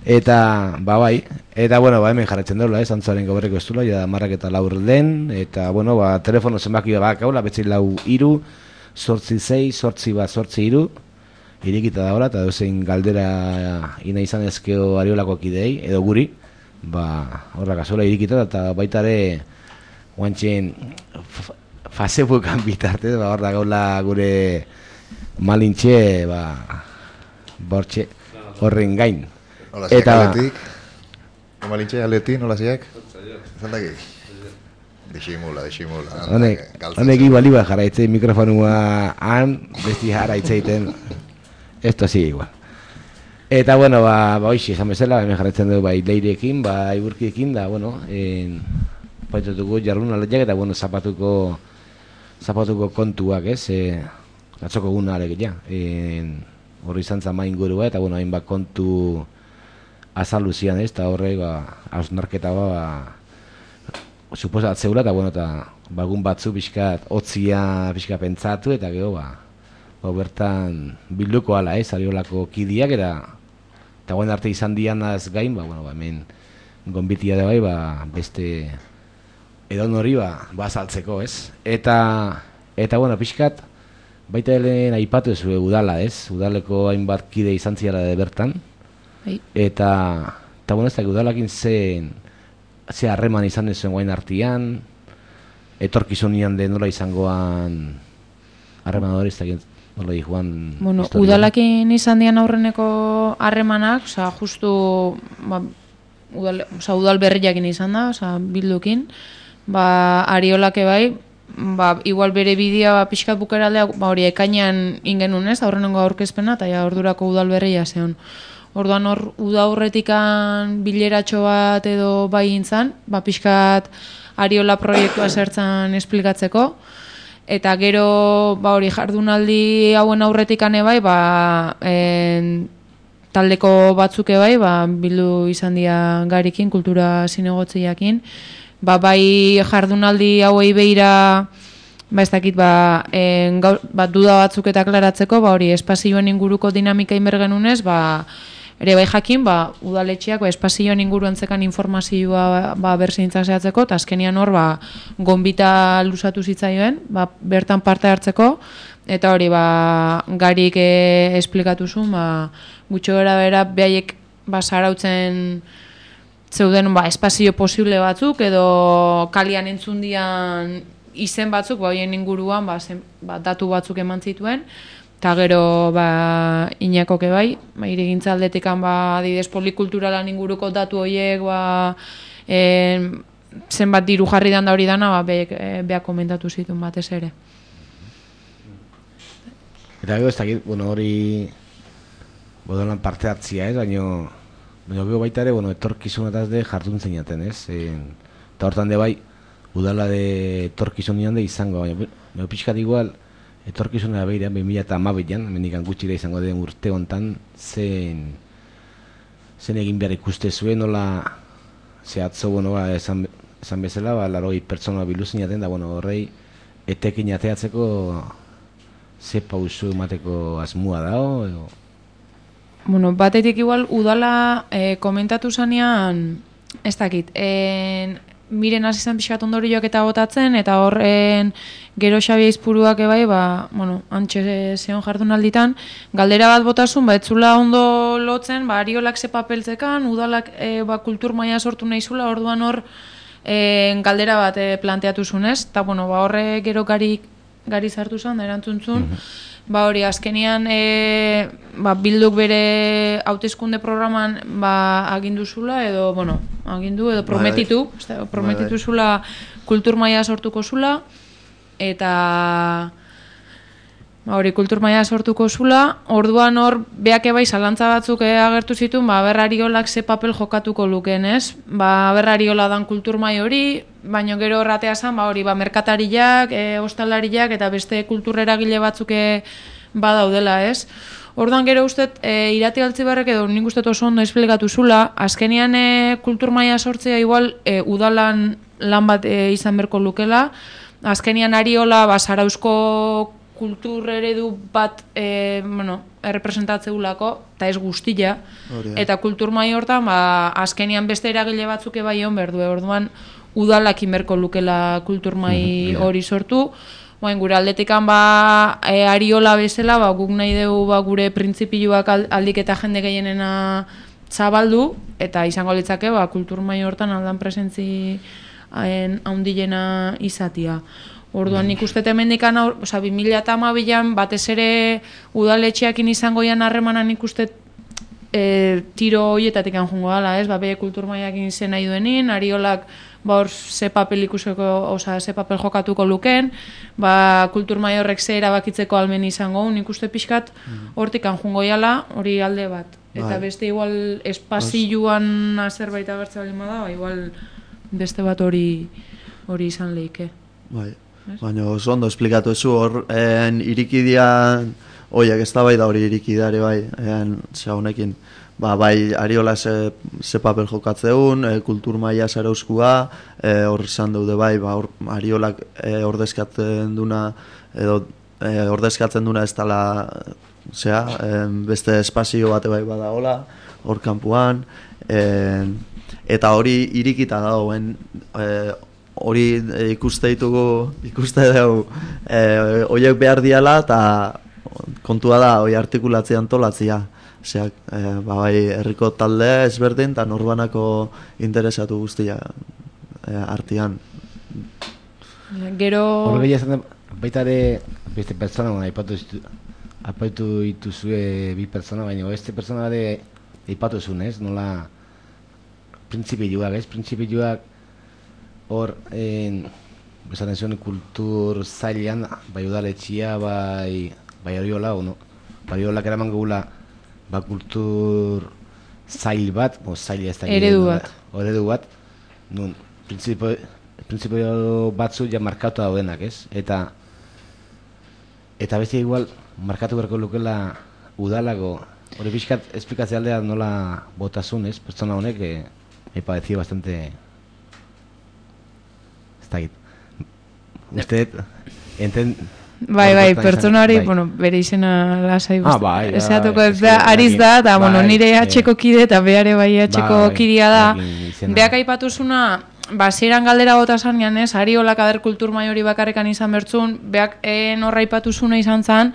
Eta, ba bai, eta bueno, ba hemen jarretzen daula, ez, antzaren goberreko estula, ja marrak eta laur den, eta bueno, ba, telefono zenbaki bat kaula, betzi lau iru, sortzi zei, sortzi bat, sortzi iru, irikita daula, eta dozein galdera ina izan ezkeo ariolako kidei, edo guri, ba, horra kasola irikita, eta baita ere, guantxen, Facebookan bitarte, ba, horra gaula gure malintxe, ba, bortxe, horren gain. Hola, ziak aletik. Malintxe aletik, nola ziak? Zaldaki? Diximula, diximula. Honek igual iba jarraitzen mikrofonua han, besti jarraitzen, esto sigue igual. Eta bueno, ba, ba hoxi, esan bezala, hemen jarraitzen dugu bai leirekin, ba iburkiekin, da, bueno, en, paitutuko jarrun aletiak, eta bueno, zapatuko, zapatuko kontuak, ez, e, atzoko guna arek, ja, en, horri izan zama ingurua, eta bueno, hainbat kontu azaluzian, ez, eta horre, ba, hausnarketa ba, ba, suposat zeula, eta bueno, eta bagun batzu pixkat, otzia pixkat pentsatu, eta gero, ba, ba bertan bilduko ala, ez, ariolako kidiak, eta eta guen arte izan dianaz gain, ba, bueno, ba, hemen gonbitia da bai, ba, beste edon hori, ba, ba saltzeko, ez, eta, eta, bueno, pixkat, baita helen aipatu ez udala, ez, udaleko hainbat kide izan ziala de bertan, Hai. eta, eta, bueno, ez da, udalakin zen, ze harreman izan ez zuen guain artian, etorkizunian de nola izangoan harreman hori, ez da, nola di joan... Bueno, historia. Udalakin izan dian aurreneko harremanak, oza, justu, ba, udal, oza, udal berriakin izan da, oza, bildukin, ba, Ariolake bai, ba, igual bere bidea ba, pixkat bukeraldea, ba, hori ekainean ingenun ez, aurrenengo aurkezpena, eta ja, ordurako udal berria zeon. Orduan hor, uda horretikan bileratxo bat edo bai intzan, ba, pixkat Ariola proiektua zertzen esplikatzeko, eta gero, ba, hori jardunaldi hauen aurretikan bai, ba, en, taldeko batzuke bai, ba, bildu izan dira garikin, kultura zinegotziakin, ba, bai jardunaldi hauei behira, ba, ez dakit, ba, en, gaur, ba, duda batzuk eta klaratzeko, ba, hori espazioen inguruko dinamika inbergenunez, ba, ere bai jakin, ba, udaletxeak ba, espazioen inguruan zekan informazioa ba, berzintza zehatzeko, eta azkenian hor, ba, gonbita lusatu zitzaioen, ba, bertan parte hartzeko, eta hori, ba, garik e, esplikatu zuen, ba, gutxo gara bera, behaiek, ba, zarautzen zeuden, ba, espazio posible batzuk, edo kalian entzundian izen batzuk, ba, hoien inguruan, ba, zen, ba, datu batzuk eman zituen, eta gero, ba, inakoke bai, ba, irigintza aldetikan, ba, adidez polikulturalan inguruko datu horiek, ba, e, zenbat diru jarri dan da hori dana, ba, beak, e, beak komentatu zituen batez ere. Eta gero, ez dakit, bueno, hori bodolan parte hartzia, ez, baina, baina gero baita ere, bueno, etorkizunataz de jardun zeinaten, ez, e, eta hortan de bai, udala de etorkizunian de izango, baina, baina pixkat igual, etorkizunera behirean, bi mila hamabian, mendikan gutxira izango den urte hontan, zen, zen egin behar ikuste zuen, nola, ze atzo, bueno, ba, esan, esan bezala, ba, laroi pertsona biluzinaten, da, bueno, horrei, etekin ateatzeko, ze pausu emateko asmua dao, edo... Bueno, batetik igual, udala eh, komentatu zanean, ez dakit, en... miren hasi zen pixkat ondorioak eta botatzen, eta horren gero Xabi Aizpuruak ebai, ba, bueno, antxe zeon jardunalditan, galdera bat botasun, ba, etzula ondo lotzen, ba, Ariolak ze papeltzekan, udalak e, ba, kultur maila sortu nahizula, orduan hor e, galdera bat e, planteatu zunez, eta bueno, ba, horre gero gari, gari zartu zen, da erantzuntzun, mm-hmm. Ba hori, azkenian e, ba, bilduk bere hauteskunde programan ba, agindu zula, edo, bueno, agindu, edo prometitu, ba, prometitu zula kultur maila sortuko zula, eta ba, hori kulturmaia sortuko zula, orduan hor, beak ebai zalantza batzuk agertu zituen, ba, berrariolak ze papel jokatuko lukeen, ez? Ba, berrariola dan kulturmai hori, baina gero horratea zan, ba, hori, ba, merkatariak, e, ostalariak, eta beste kultureragile batzuk badaudela, ez? Orduan gero uste, e, Irati Altzibarrek edo nik uste oso ondo esplikatu zula, azkenian e, kulturmaia sortzea igual e, udalan lan bat e, izan berko lukela, azkenian Ariola ba, Zarauzko kultur eredu bat e, bueno, errepresentatzeulako, eta ez guztia, eta kulturmai hortan ba, azkenian beste eragile batzuk bai hon berdu, orduan udalakin berko lukela kulturmai hori sortu. Boen, gure aldetikan ba, e, Ariola bezala, ba, guk nahi dugu ba, gure printzipioak aldik eta jende gehienena zabaldu, eta izango litzake ba, kulturmai hortan aldan presentzi haundilena izatia. Orduan nik uste temendikan, oza, bi mila hamabian batez ere udaletxeakin izango ian harremana nik uste e, tiro horietatik anjungo gala, ez? Ba, be kulturmaiakin izen nahi duenin, Ariolak ba hor ze papel ikuseko, oza, ze papel jokatuko luken, ba kulturmai horrek ze erabakitzeko almen izango, nik uste pixkat hortik anjungo iala, hori alde bat. Eta beste igual espazioan zerbait agertza bali bada, ba igual beste bat hori hori izan leike. Bai. Baina oso ondo esplikatu ezu hor en irikidian oiek eztabaida hori irikideare bai, en ze honekin. Ba, bai, Ariola ze, ze papel jokatzeun, e, kulturmaia Zarauzkoa, e, hor izan daude bai, ba, or, Ariolak e, ordezkatzen duna, edo e, ordezkatzen duna ez dela, zera, e, beste espazio bate bai badagola, hor kanpuan, e, eta hori irikita dagoen, e, hori e, ikuste ditugu, ikuste dugu, e, horiek behar diala, eta kontua da, hori artikulatzean antolatzea. Zeak, e, ba, bai, herriko talde ezberdin eta norbanako interesatu guztia e, artean. Gero... Horre gehiazen baita ere beste pertsona, aipatu aipatu dituzue bi pertsona, baina beste pertsona ere aipatu zuen, ez? Nola printzipioak, ez? Printzipioak hor esaten zuen kultur zailean, bai udaletxia, bai bai Ariola, no? Bai Ariolak eraman gugula ba kultur zail bat, o zaila ez da eredu bat. Eredu bat, nun, printzipio, printzipio batzu ja markatu daudenak, ez? Eta eta beste igual markatu berko lukela udalago, hori pixkat esplikatzea aldea nola botasun, ez? Pertsona honek eh, me pareció bastante ez da git. Usted enten Bai, bai, pertsona hori, bai. Bueno, bere izena lasai ah, bai, bai, esatuko bai, ez da, ariz da, eta, bai, bueno, nire atxeko kide eta behare bai atxeko bai, kidea da. Beak aipatuzuna, ba, ziren galdera gota zanean, ez, Ariolak ader kulturmai hori bakarrekan izan bertzun, beak norra aipatuzuna izan zan,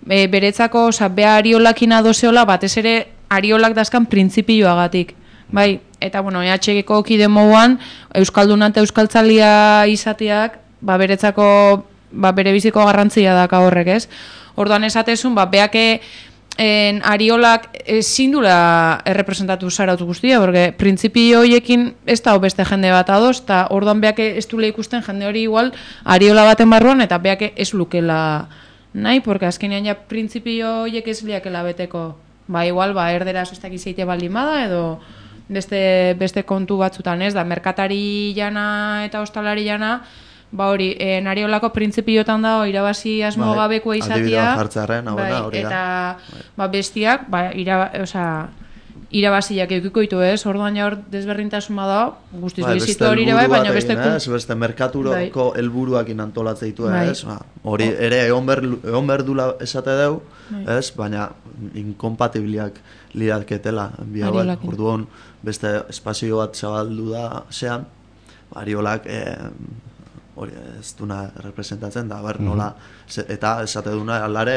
e, beretzako, oza, bea Ariolakin adozeola, batez ere Ariolak dazkan printzipioagatik. Bai, eta, bueno, E H G-ko kide moguan, Euskalduna eta Euskaltzalia izateak, ba, beretzako ba, bere biziko garrantzia daka horrek, ez? Orduan esatezun, ba, beake en, Ariolak ezin dula errepresentatu Zarautz guztia, porque printzipio horiekin ez da beste jende bat adoz, eta orduan beake ez dula ikusten jende hori igual Ariola baten barruan, eta beake ez lukela nahi, porque azkenean ja printzipio horiek ez liakela beteko. Ba, igual, ba, erderaz ez dakiz eite baldin bada, edo beste, beste kontu batzutan, ez? Da, merkatari jana eta ostalari jana, ba hori, e, Ariolako printzipiotan dago irabazi asmo gabekoa izatea, bai, eta ba, bestiak, ba, iraba, oza, irabaziak eukiko ditu, ez? Orduan ja hor desberdintasun bada, guztiz bai, lizitu hori ere bai, baina beste... Ez, beste merkaturoko bai. Helburuakin antolatze ditu, bai. Ez? Ba, hori ere egon behar dula esate deu, bai. Ez? Baina inkompatibiliak liraketela, biagoa, orduan beste espazio bat zabaldu da, zean, Ariolak... E, hori ez duna representatzen da, ber, nola, ze, eta esate duna alare,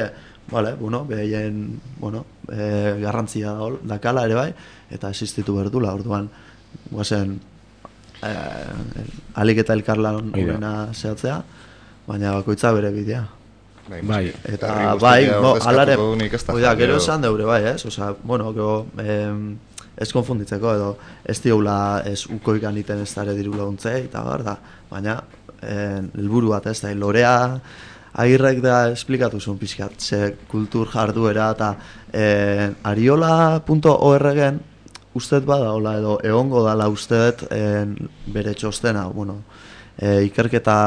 vale, bueno, behien, bueno, e, garrantzia dakala ere bai, eta existitu berdula, orduan, guazen, e, alik eta elkarlan horrena zehatzea, baina bakoitza bere bidea. Bai, eta bai, no, alare, oida, gero esan deure bai, ez? Osa, bueno, gero, eh, ez konfunditzeko, edo ez diogula ez ukoikan iten ez dara diru laguntzei, eta bar da, baina helburu bat ez da, lorea Agirrek da esplikatu zuen pixkat, ze kultur jarduera eta e, ariola punto org-en ustet bada, hola, edo egongo dala ustet e, bere txostena, bueno, e, ikerketa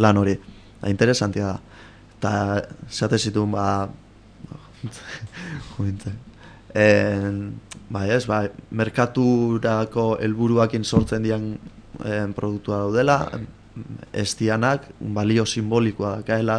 lan hori, da interesantia da. Eta zate zituen, ba, jointzen, e, ba, ez, ba, merkaturako helburuakin sortzen dian e, produktua daudela, ez dianak balio simbolikoa dakaela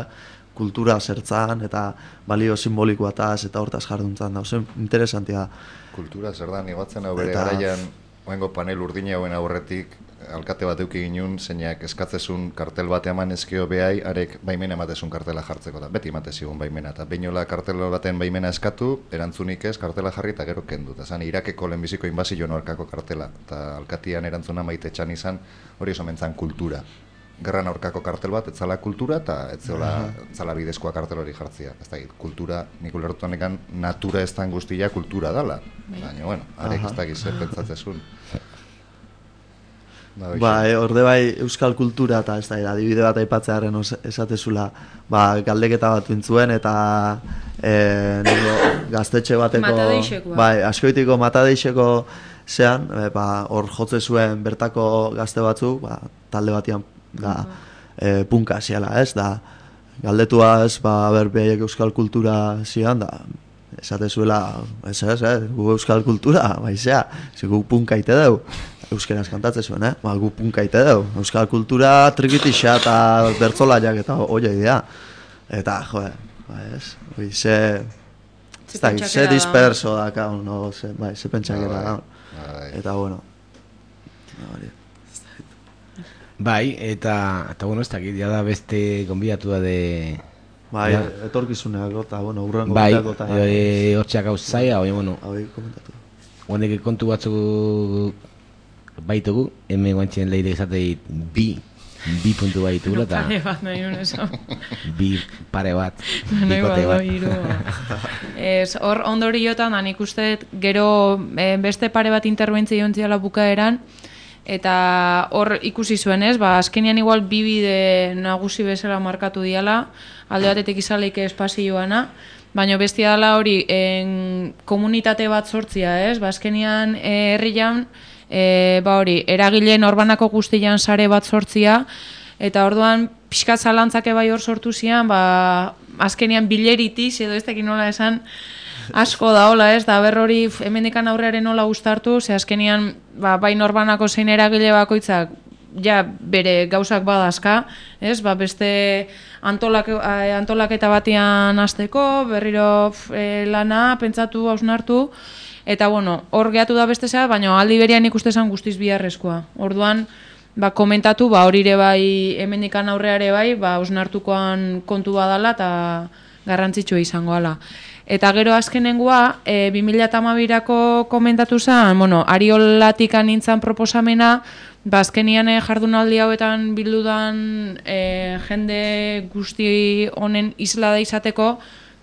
kultura zertzan eta balio simbolikoa taz eta hortaz jarduntzan da, oso interesantia da. Kultura zer da, nibatzen hau bere Eta- garaian, oengo panel urdina hauen aurretik, alkate bat euki ginun, zeinak eskatzezun kartel bate eman ezkio behai, arek baimena ematezun kartela jartzeko da, beti ematezigun baimena, eta beinola kartel baten baimena eskatu, erantzunik ez, kartela jarri eta gero kendu, eta zan Irakeko lehenbiziko inbazio norkako kartela, eta alkatian erantzuna maite txan izan, hori oso mentzan kultura. Gerran aurkako kartel bat, etzala kultura, eta etzola, etzala bidezkoa kartel hori jartzia. Ez da, kultura, nik ulertu honekan, natura ez dan guztia kultura dala. Baina, bueno, arek ez da gizet pentsatzezun. Ba, e, orde bai euskal kultura eta ez da, adibide bat aipatzearen esatezula, ba, galdeketa bat intzuen eta e, ningo, gaztetxe bateko, Matadeixekoa. bai, askoitiko matadeixeko zean, e, ba, hor jotze zuen bertako gazte batzuk, ba, talde batian, da, e, punka ziala, ez, da, galdetuaz, ba, ber, behaiek euskal kultura zian, da, esate zuela, ez, ez, ez, gu euskal kultura, baizea, ze gu punka ite deu, euskeraz kantatzen zuen, eh? Ba, gu punka ite deu, euskal kultura trikitixa eta bertzolaiak eta oia idea. Eta, joe, ba, ez, oi, ze, ez da, ze disperso da, kaun, no, ze, bai, ze pentsakera da, eta, bueno, hori. Bai, eta, eta bueno, ez dakit, ja da beste gonbidatu da de... Bai, ja. etorkizuneak, eta, bueno, urrengo bai, bitako eta... e, hortxeak hau zaia, oi, bueno... Hau, komentatu. Honek kontu batzuk baitugu, hemen guantxen leire izatei bi, bi puntu baitugula, eta... Pare bat nahi nuen eso. Bi pare bat, Nahi bikote bado bat. hiru. Ez, hor ondoriotan, nik uste gero eh, beste pare bat interbentzio ontziala bukaeran, eta hor ikusi zuen ez, ba, azkenean igual bi bide nagusi bezala markatu diala, alde batetik izaleike espazioana, baina bestia dela hori en, komunitate bat sortzia ez, ba, azkenean eh, herrian, e, ba hori, eragile norbanako guztian sare bat sortzia, eta orduan pixkat zalantzake bai hor sortu zian, ba, azkenean bileritiz, edo ez tekin nola esan, asko da hola ez, da ber hori hemendikan aurrearen nola gustartu, ze azkenean ba, bai norbanako zein eragile bakoitzak ja bere gauzak badazka, ez, ba, beste antolak, antolaketa batean hasteko, berriro e, lana, pentsatu, hausnartu, eta bueno, hor gehatu da beste zea, baina aldi berian ikuste zen guztiz biharrezkoa. Orduan, ba, komentatu, ba, hori ere bai, hemendikan aurreare bai, ba, hausnartukoan kontu badala eta garrantzitsua izango ala. Eta gero azkenengoa, e, bi mila hamabirako komentatu zen, bueno, Ariolatik nintzen proposamena, ba, azkenian e, jardunaldi hauetan bildudan e, jende guzti honen isla da izateko,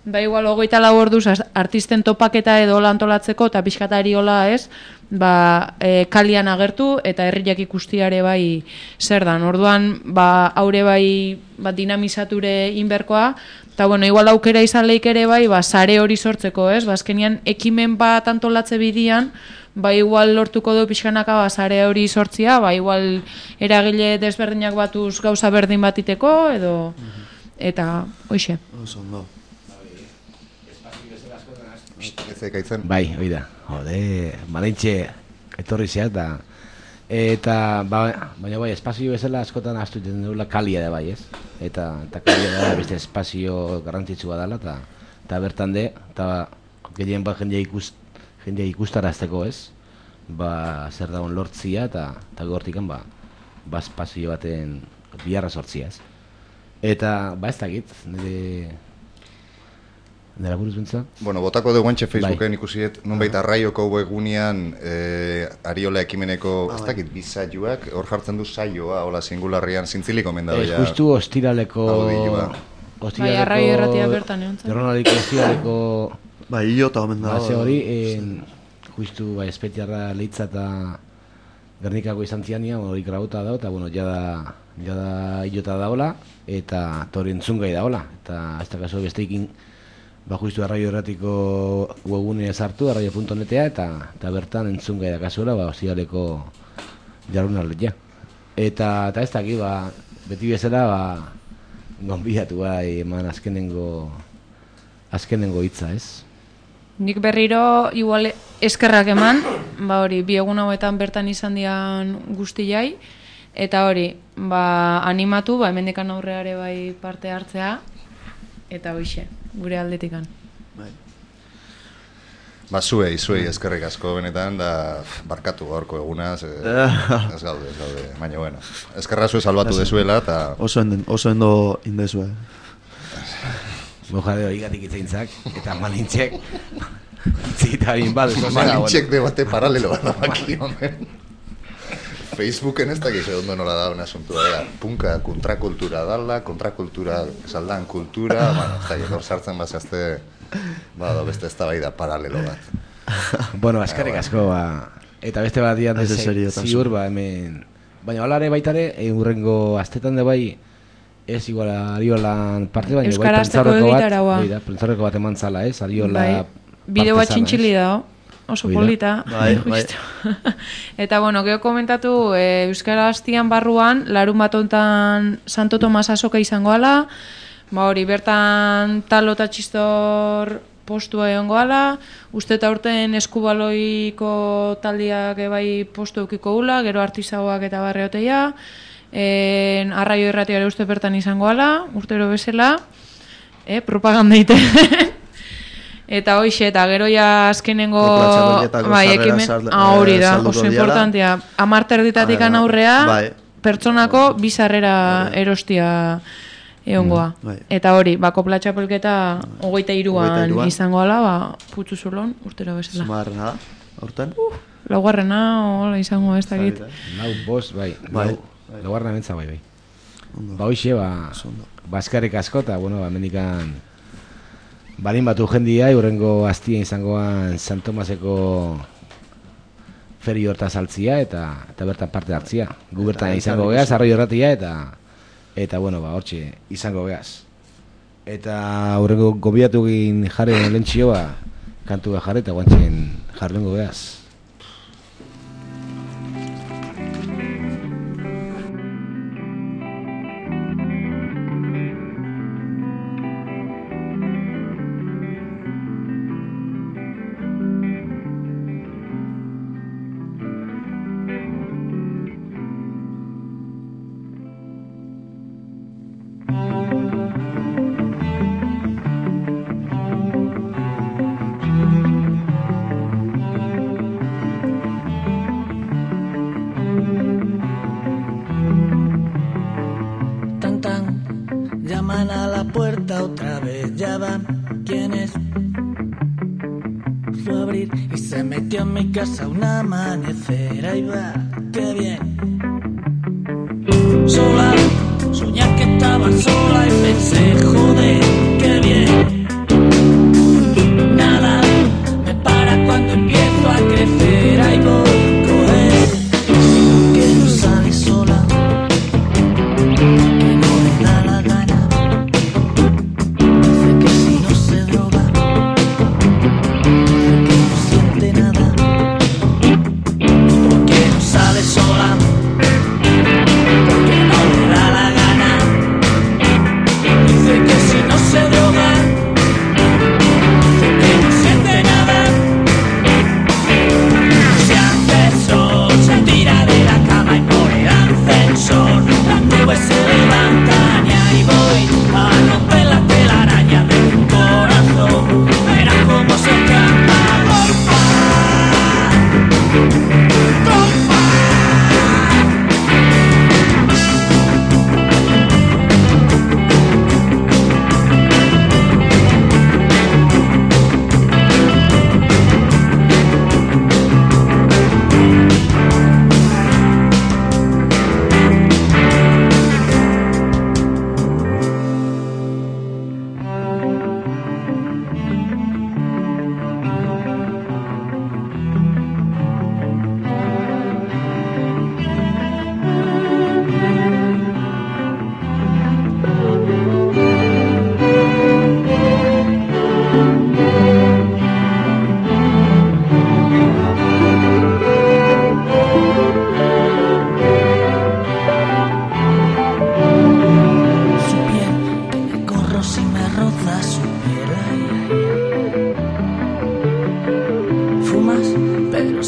ba, igual hogeita lau orduz artisten topaketa edo antolatzeko, eta pixkata Ariola ez, ba, e, kalian agertu, eta herriak ikustiare bai zer dan. Orduan, ba, haure bai ba, dinamizature inberkoa, eta bueno, igual aukera izan leik ere bai, ba, sare hori sortzeko, ez? Ba, azkenian ekimen bat antolatze bidian, ba, igual lortuko du pixkanaka ba, sare hori sortzia, ba, igual eragile desberdinak batuz gauza berdin bat iteko, edo, eta, hoxe. Oso ondo. Bai, hoi da, jode, badintxe etorri zea, eta, eta ba, baina bai, espazio bezala askotan astu egiten dugula kalia da bai, ez? Eta, eta kalia da beste espazio garrantzitsua dela, eta, eta bertan de, eta gehien bat jendea ikus, jendea ikustarazteko, ez? Ba, zer dagoen lortzia, eta, eta gortikan, ba, ba espazio baten biharra sortzia, ez? Eta, ba ez dakit, nire... Nera buruz bentza? Bueno, botako dugu entxe Facebooken ikusiet, nunbait arraioko webgunean eh, Ariola ekimeneko, Ah, ez bai. dakit, bi saioak, hor jartzen du saioa, hola singularrian, zintziliko mendado Ez, ja. justu ostiraleko... audioa. Bai, arrai erratia bertan egon zen. Jornaliko ostiraleko... Bai, hilo eta omen dago. Base hori, en, justu, bai, espetiarra leitza eta Gernikako izan ziania, bueno, hori grabauta da, eta bueno, jada, jada hilota daola, eta hori entzungai daola, eta ez da kaso besteikin, ba justu arraio erratiko webgunea sartu, arraio punto netea, eta, eta bertan entzungai da kasuela, ba, ozialeko jarrunaldia. Eta, eta ez daki, ba, beti bezala, ba, gonbidatu bai eman azkenengo, azkenengo hitza, ez? Nik berriro, igual eskerrak eman, ba hori, bi egun hauetan bertan izan dian guztiai, eta hori, ba, animatu, ba, hemendekan aurreare bai parte hartzea, eta hoixe, gure aldetikan. Bai. Ba, zuei, zuei eskerrik asko benetan, da barkatu gaurko egunaz, e, ez gaude, ez gaude, baina bueno, eskerra zue salbatu dezuela, eta... Oso enden, oso endo indezue. Mojadeo igatik itzeintzak, eta malintxek, itzita bin badu. Malintxek debate paralelo bat amaki, honen. Facebooken ez dakiz ondo nola da un asuntu da, punka kontrakultura dala, kontrakultura saldan kultura, bueno, ez dakiz, hor sartzen bazazte, bada, beste ez da bai da paralelo bat. Bueno, askarrik asko, ba, eta beste bat dian ziur, ba, hemen, baina holare baitare, urrengo astetan de bai, ez igual Ariolan parte baina bai pentsarreko bat, bai, pentsarreko bat eman zala, ez, Ariola bideo bat txintxili da, oso polita. Bai, bai. Eta, bueno, geho komentatu, e, Euskara Astian barruan, larun bat ontan Santo Tomas azoka izango ala, ba hori, bertan talo eta txistor postua egongo ala, uste eta urten eskubaloiko taldiak bai postu eukiko ula, gero artizagoak eta barreoteia, en, arraio irratiare uste bertan izango ala, urtero bezala, eh, propaganda ite. Eta hoixe, eta gero ja azkenengo bai, ekimen, ah, hori da, oso importantea, amarter ditatikan aurrea, bai, pertsonako bizarrera erostia egongoa. Mm, bai. Eta hori, bako platxapelketa hogeita iruan izango ala, ba, putzu zulon, urtero bezala. Zumarrena da, aurten? Uh, laugarrena, hola izango ez dakit. Lau bost, bai, bai. Laugarrena mentza bai, bai. Ba hoixe, ba, baskarrik asko, eta, bueno, ba, mendikan balin batu jendia, urrengo astien izangoan San Tomaseko feri horta saltzia, eta, eta bertan parte hartzia. Gu bertan izango geaz, arroi erratia, eta eta, bueno, ba, hortxe, izango geaz. Eta urrengo gobiatu egin jarri lentxio, ba, kantu behar jarri, eta guantxen jarrengo geaz. Casa un amanecer, ahí va, qué bien. Sola, soñar que estaba sola y pensé, joder, qué bien. Nada me para cuando empiezo a crecer, ahí voy, coger. Que no sale sola, que no le da la gana. Dice que si no se droga, dice que no siente nada. Sola, porque no le da la gana. Dice que si no se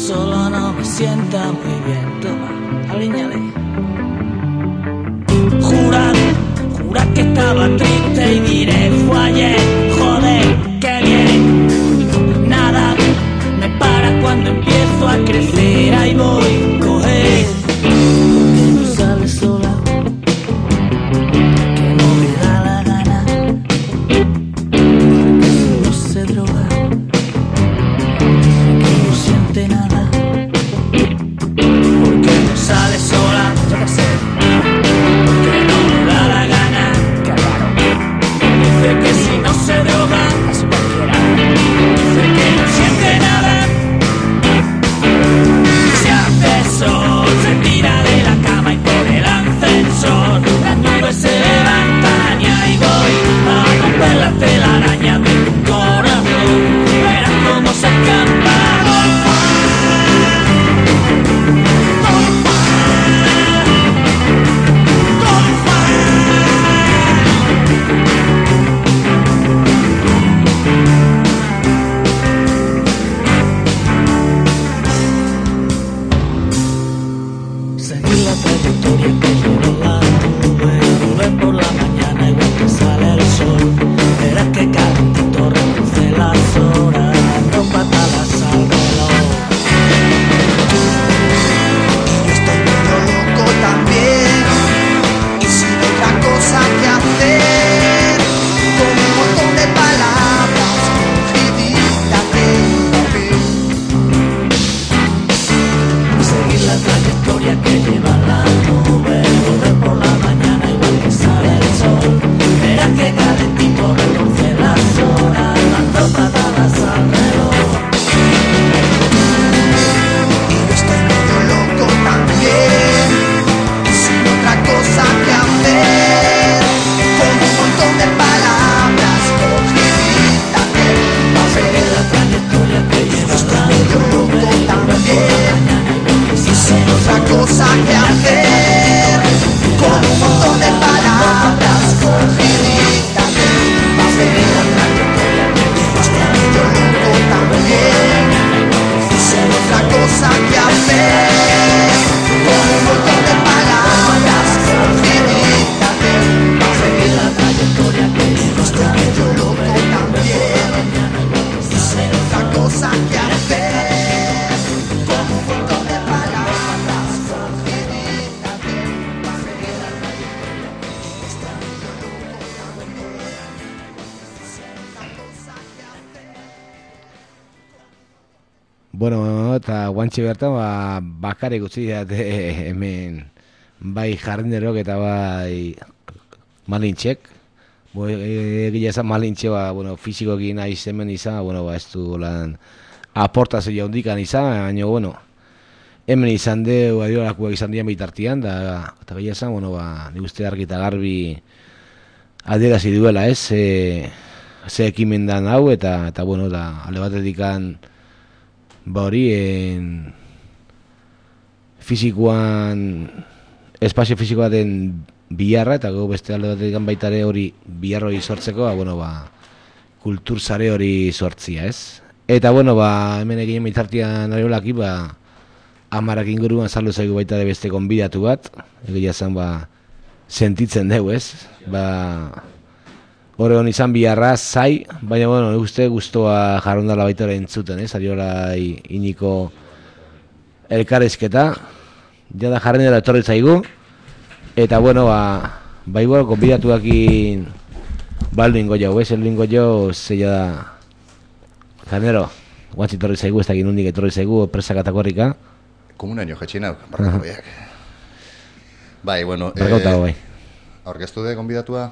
solo no me sienta muy bien. Toma, aliñale. Jurad, jurad que estaba triste y diré fue ayer. Joder, qué bien. Nada me para cuando empiezo a crecer. Ahí voy, coger. Que no sale sola, que no me da la gana. Que solo se droga, que no siente nada. Porque no sale sola, yo qué sé. Porque no me da la gana. Qué raro. Dice que si no se droga, es cualquiera. Dice que no siente nada. Se hace sol, se tira de la cama y por el ascensor las nubes se levantan y ahí voy a romper la telaraña de tu corazón. Verás cómo se escapa. Seguir la trayectoria que lleva la nube, volver por la mañana igual que sale el sol. Verás que calentito reduce las horas, dos patadas al reloj. Y estoy medio loco también, y sin otra cosa que hacer, con un montón de palabras escritas en papel. Seguir la trayectoria que lleva la nube, volver por la mañana igual que sale el sol. Verás que calentito reduce las horas, dando patadas al reloj. Y yo estoy medio loco también, y sin otra cosa que hacer, con un montón de palabras escritas en papel. Seguir la trayectoria que lleva la Medio nube, loco también, y sin otra cosa que hacer, con un montón de palabras escritas en papel. Estoy medio loco también, y sin otra cosa que hacer, con un montón de palabras escritas en papel. Seguir la trayectoria que lleva Estoy medio loco también, y sin otra cosa que hacer, con un montón de palabras escritas en papel. Estoy medio loco también, y sin otra cosa que hacer. Bueno, eta guantxe bertan, ba, bakarrik utzi date hemen bai jardinerok eta bai malintxek. Bo, egia esan malintxe, ba, bueno, fizikoekin naiz hemen izan, bueno, ba, ez du lan aportazio handikan izan, baina, bueno, hemen izan deu, adiolakuak izan dian bitartian, da, eta egia esan, bueno, ba, nik uste argi eta garbi adierazi duela, ez, e, ze ekimen dan hau, eta, eta bueno, da, alde batetikan, ba hori, en, fizikoan, espazio fizikoa den biharra, eta gero beste alde batetik baita ere hori bihar hori sortzeko, ba, bueno, ba, kultur sare hori sortzia, ez? Eta, bueno, ba, hemen egin bitartian ariolaki, ba, amarak inguruan saldu zaigu baita ere beste konbidatu bat, egia zen, ba, sentitzen dugu, ez? Ba, hori hon izan biharra, zai, baina, bueno, nik uste guztua jarrondala baita ere entzuten, ez? Ariola iniko elkarrizketa, jada jarren dela etorri zaigu, eta, bueno, ba, bai, bueno, konbidatuakin baldu ingo jau, ez? Eldu ingo jau, zeia da, janero, guantzi etorri zaigu, ez da ginundik etorri zaigu, presak atakorrika. Komunaino jetxinau, barrako baiak. Bai, bueno, Barkauta, bai. aurkeztu de konbidatua?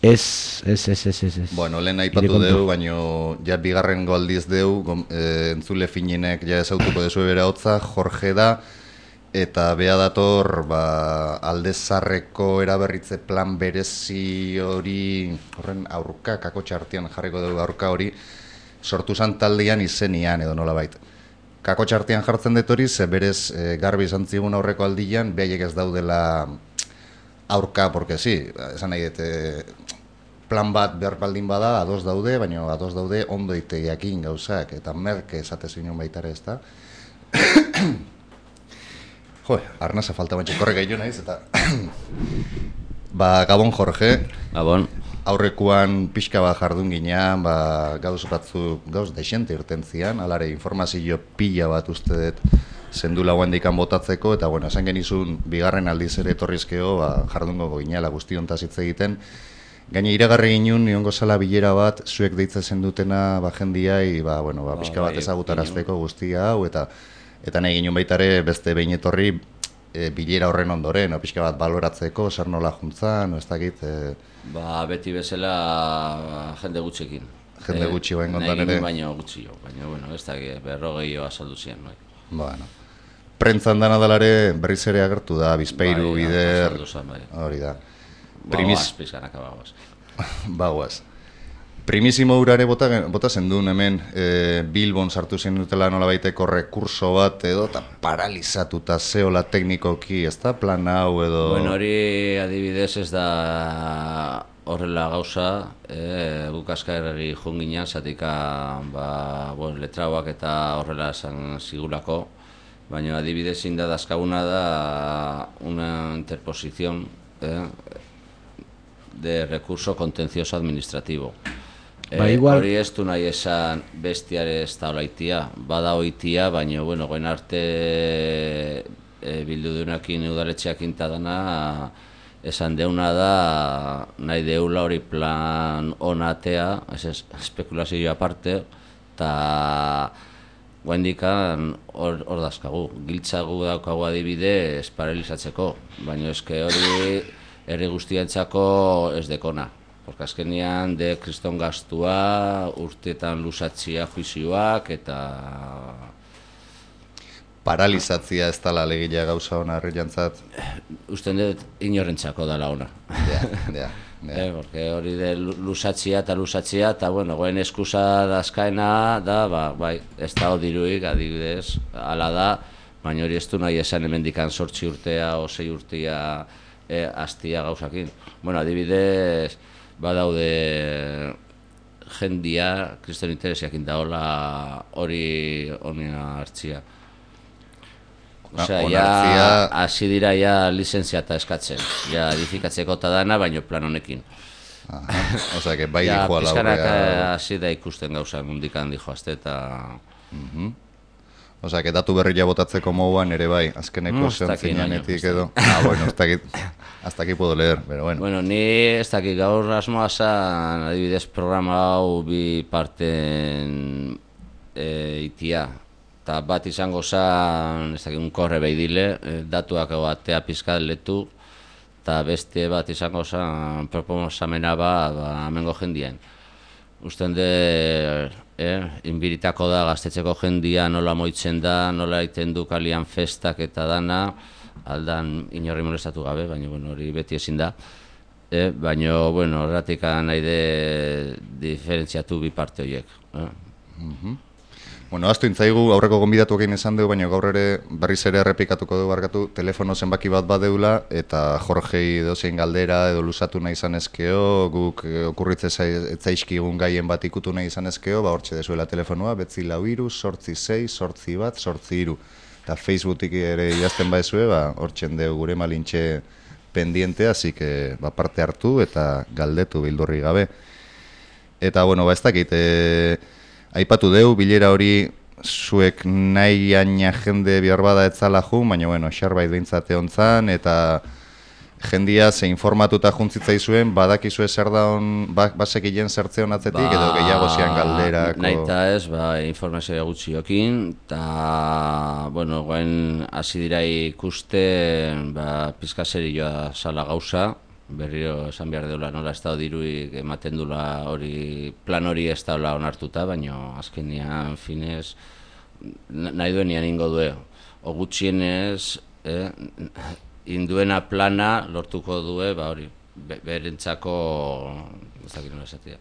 Ez, ez, ez, ez, ez, ez. Bueno, lehen aipatu deu, baino ja bigarren aldiz deu, gom, e, entzule finenek ja ezautuko dezu bera hotza, Jorge da, eta bea dator, ba, aldezarreko eraberritze plan berezi hori, horren aurka, kakotxa artean jarriko dugu aurka hori, sortu zan taldean izenian edo nolabait. Kakotxa artean jartzen dut hori, ze berez e, garbi izan zigun aurreko aldian, behaiek ez daudela aurka, porque sí, esan nahi dut, plan bat behar baldin bada, ados daude, baina ados daude ondo itegiakin gauzak, eta merke esate zinen baitare ez da. Jo, arnasa falta bantxe korre gehiago naiz, eta... ba, Gabon Jorge. Gabon. Aurrekoan pixka bat jardun ginean, ba, gauz batzu, gauz dexente irten zian, alare informazio pila bat uste dut zendula guendikan botatzeko, eta bueno, esan genizun bigarren aldiz ere etorrizkeo, ba, jardungo ginela guztiontaz hitz egiten. Gaina iragarri ginun, niongo zala bilera bat, zuek deitzen dutena ba, jendiai, ba, bueno, ba, pixka bat ezagutarazteko guztia hau, eta eta nahi ginen baitare beste behin etorri e, bilera horren ondoren, o, pixka bat baloratzeko, zer nola juntzan, o, ez dakit... E... Ba, beti bezala jende gutxekin. Jende e, gutxi bain kontan ere? Nahi baino gutxi jo, baina, bueno, ez dakit, berrogei jo azaldu zian, bai. Bueno. Prentzan dana dalare berriz ere agertu da, Bizpairu, bai, Bider... bai. Hori da. Bagoaz, pizkanaka bagoaz. Bagoaz. Primisimo urare bota, bota zendun hemen e, Bilbon sartu zen dutela nola baiteko rekurso bat edo eta paralizatuta zeola teknikoki, ez da plan hau edo... Bueno, hori adibidez ez da horrela gauza, e, bukazka erregi junginan, zatika ba, bueno, letrauak eta horrela esan zigulako, baina adibidez inda dazkaguna da una interposición eh, de recurso contencioso administrativo. Ba, Eh, igual... Hori ez du nahi esan bestiare ez da olaitia, bada oitia, baina, bueno, goen arte e, bildu duenakin udaletxeakin dana, esan deuna da, nahi deula hori plan onatea, ez ez, espekulazioa aparte, eta guendikan hor, hor dazkagu, giltzagu daukagu adibide esparelizatzeko, baina eske hori herri guztientzako ez dekona. Porque azkenean de kriston gastua, urteetan lusatzia juizioak eta... Paralizatzia ez dala legilea gauza hona herri jantzat? Usten dut inorrentzako dala ona. Ja, ja, ja. Eh, porque hori de lusatzia eta lusatzia, eta bueno, goen eskusa dazkaena da, ba, bai, ez da diruik, adibidez, ala da, baina hori ez du nahi esan hemendikan sortzi urtea o sei urtea eh, astia gauzakin. Bueno, adibidez... badaude jendia, kriston interesiakin daola hori honea hartzia. Osea, ja, hasi dira ja lizentziata eskatzen, ja edifikatzeko eta dana, baino plan honekin. Osea, que bai dijo a la horrea. Ja, pizkanak hasi da ikusten gauza, mundikan dijo azte eta... Osea, que datu berria botatzeko moduan ere bai, azkeneko zentzineanetik edo... Ah, bueno, ez dakit... Hasta aquí puedo leer, pero bueno. Bueno, ni ez dakit gaur asmoa zan, adibidez programa hau bi parten e, itia. Eta bat izango zan, ez dakit, un korre behidile, e, datuak batea pizkat letu, eta beste bat izango zan, proposamena ba, ba amengo jendien. Usten de, eh, inbiritako da gaztetxeko jendia nola moitzen da, nola egiten du kalian festak eta dana, aldan inorri molestatu gabe, baina bueno, hori beti ezin da. Eh, baina, bueno, horretik nahi de diferentziatu bi parte horiek. Eh? Mm-hmm. Bueno, aztu intzaigu, aurreko gonbidatu egin esan dugu, baina gaur ere berriz ere errepikatuko dugu barkatu, telefono zenbaki bat badeula, eta Jorgei dozein galdera edo lusatu nahi izanezkeo, guk okurritze etzaizkigun gaien bat ikutu nahi izanezkeo, ba hortxe dezuela telefonoa, betzi lau iru, sortzi sei, sortzi bat, sortzi iru. Eta Facebookik ere idazten baizue, ba, hortzen dugu gure malintxe pendiente, así que ba, parte hartu eta galdetu bildurri gabe. Eta, bueno, ba, ez dakit, e, aipatu deu, bilera hori zuek nahi aina jende bihar bada etzala jun, baina, bueno, xarbait behintzate hontzan, eta jendia ze informatuta juntzitza zuen, badakizue zer da hon, ba, basekien zertze honatzetik, ba, edo gehiago zian galderako... Nahi eta ez, ba, informazioa gutxiokin, eta, bueno, goen hasi dira ikuste, ba, pizka serioa zala gauza, berriro esan behar deula nola ez da diruik ematen dula hori, plan hori ez da onartuta, baina azkenean finez, nahi duenian ingo due, o gutxienez, eh, induena plana lortuko due, ba hori, berentzako, ez dakit nola esatia.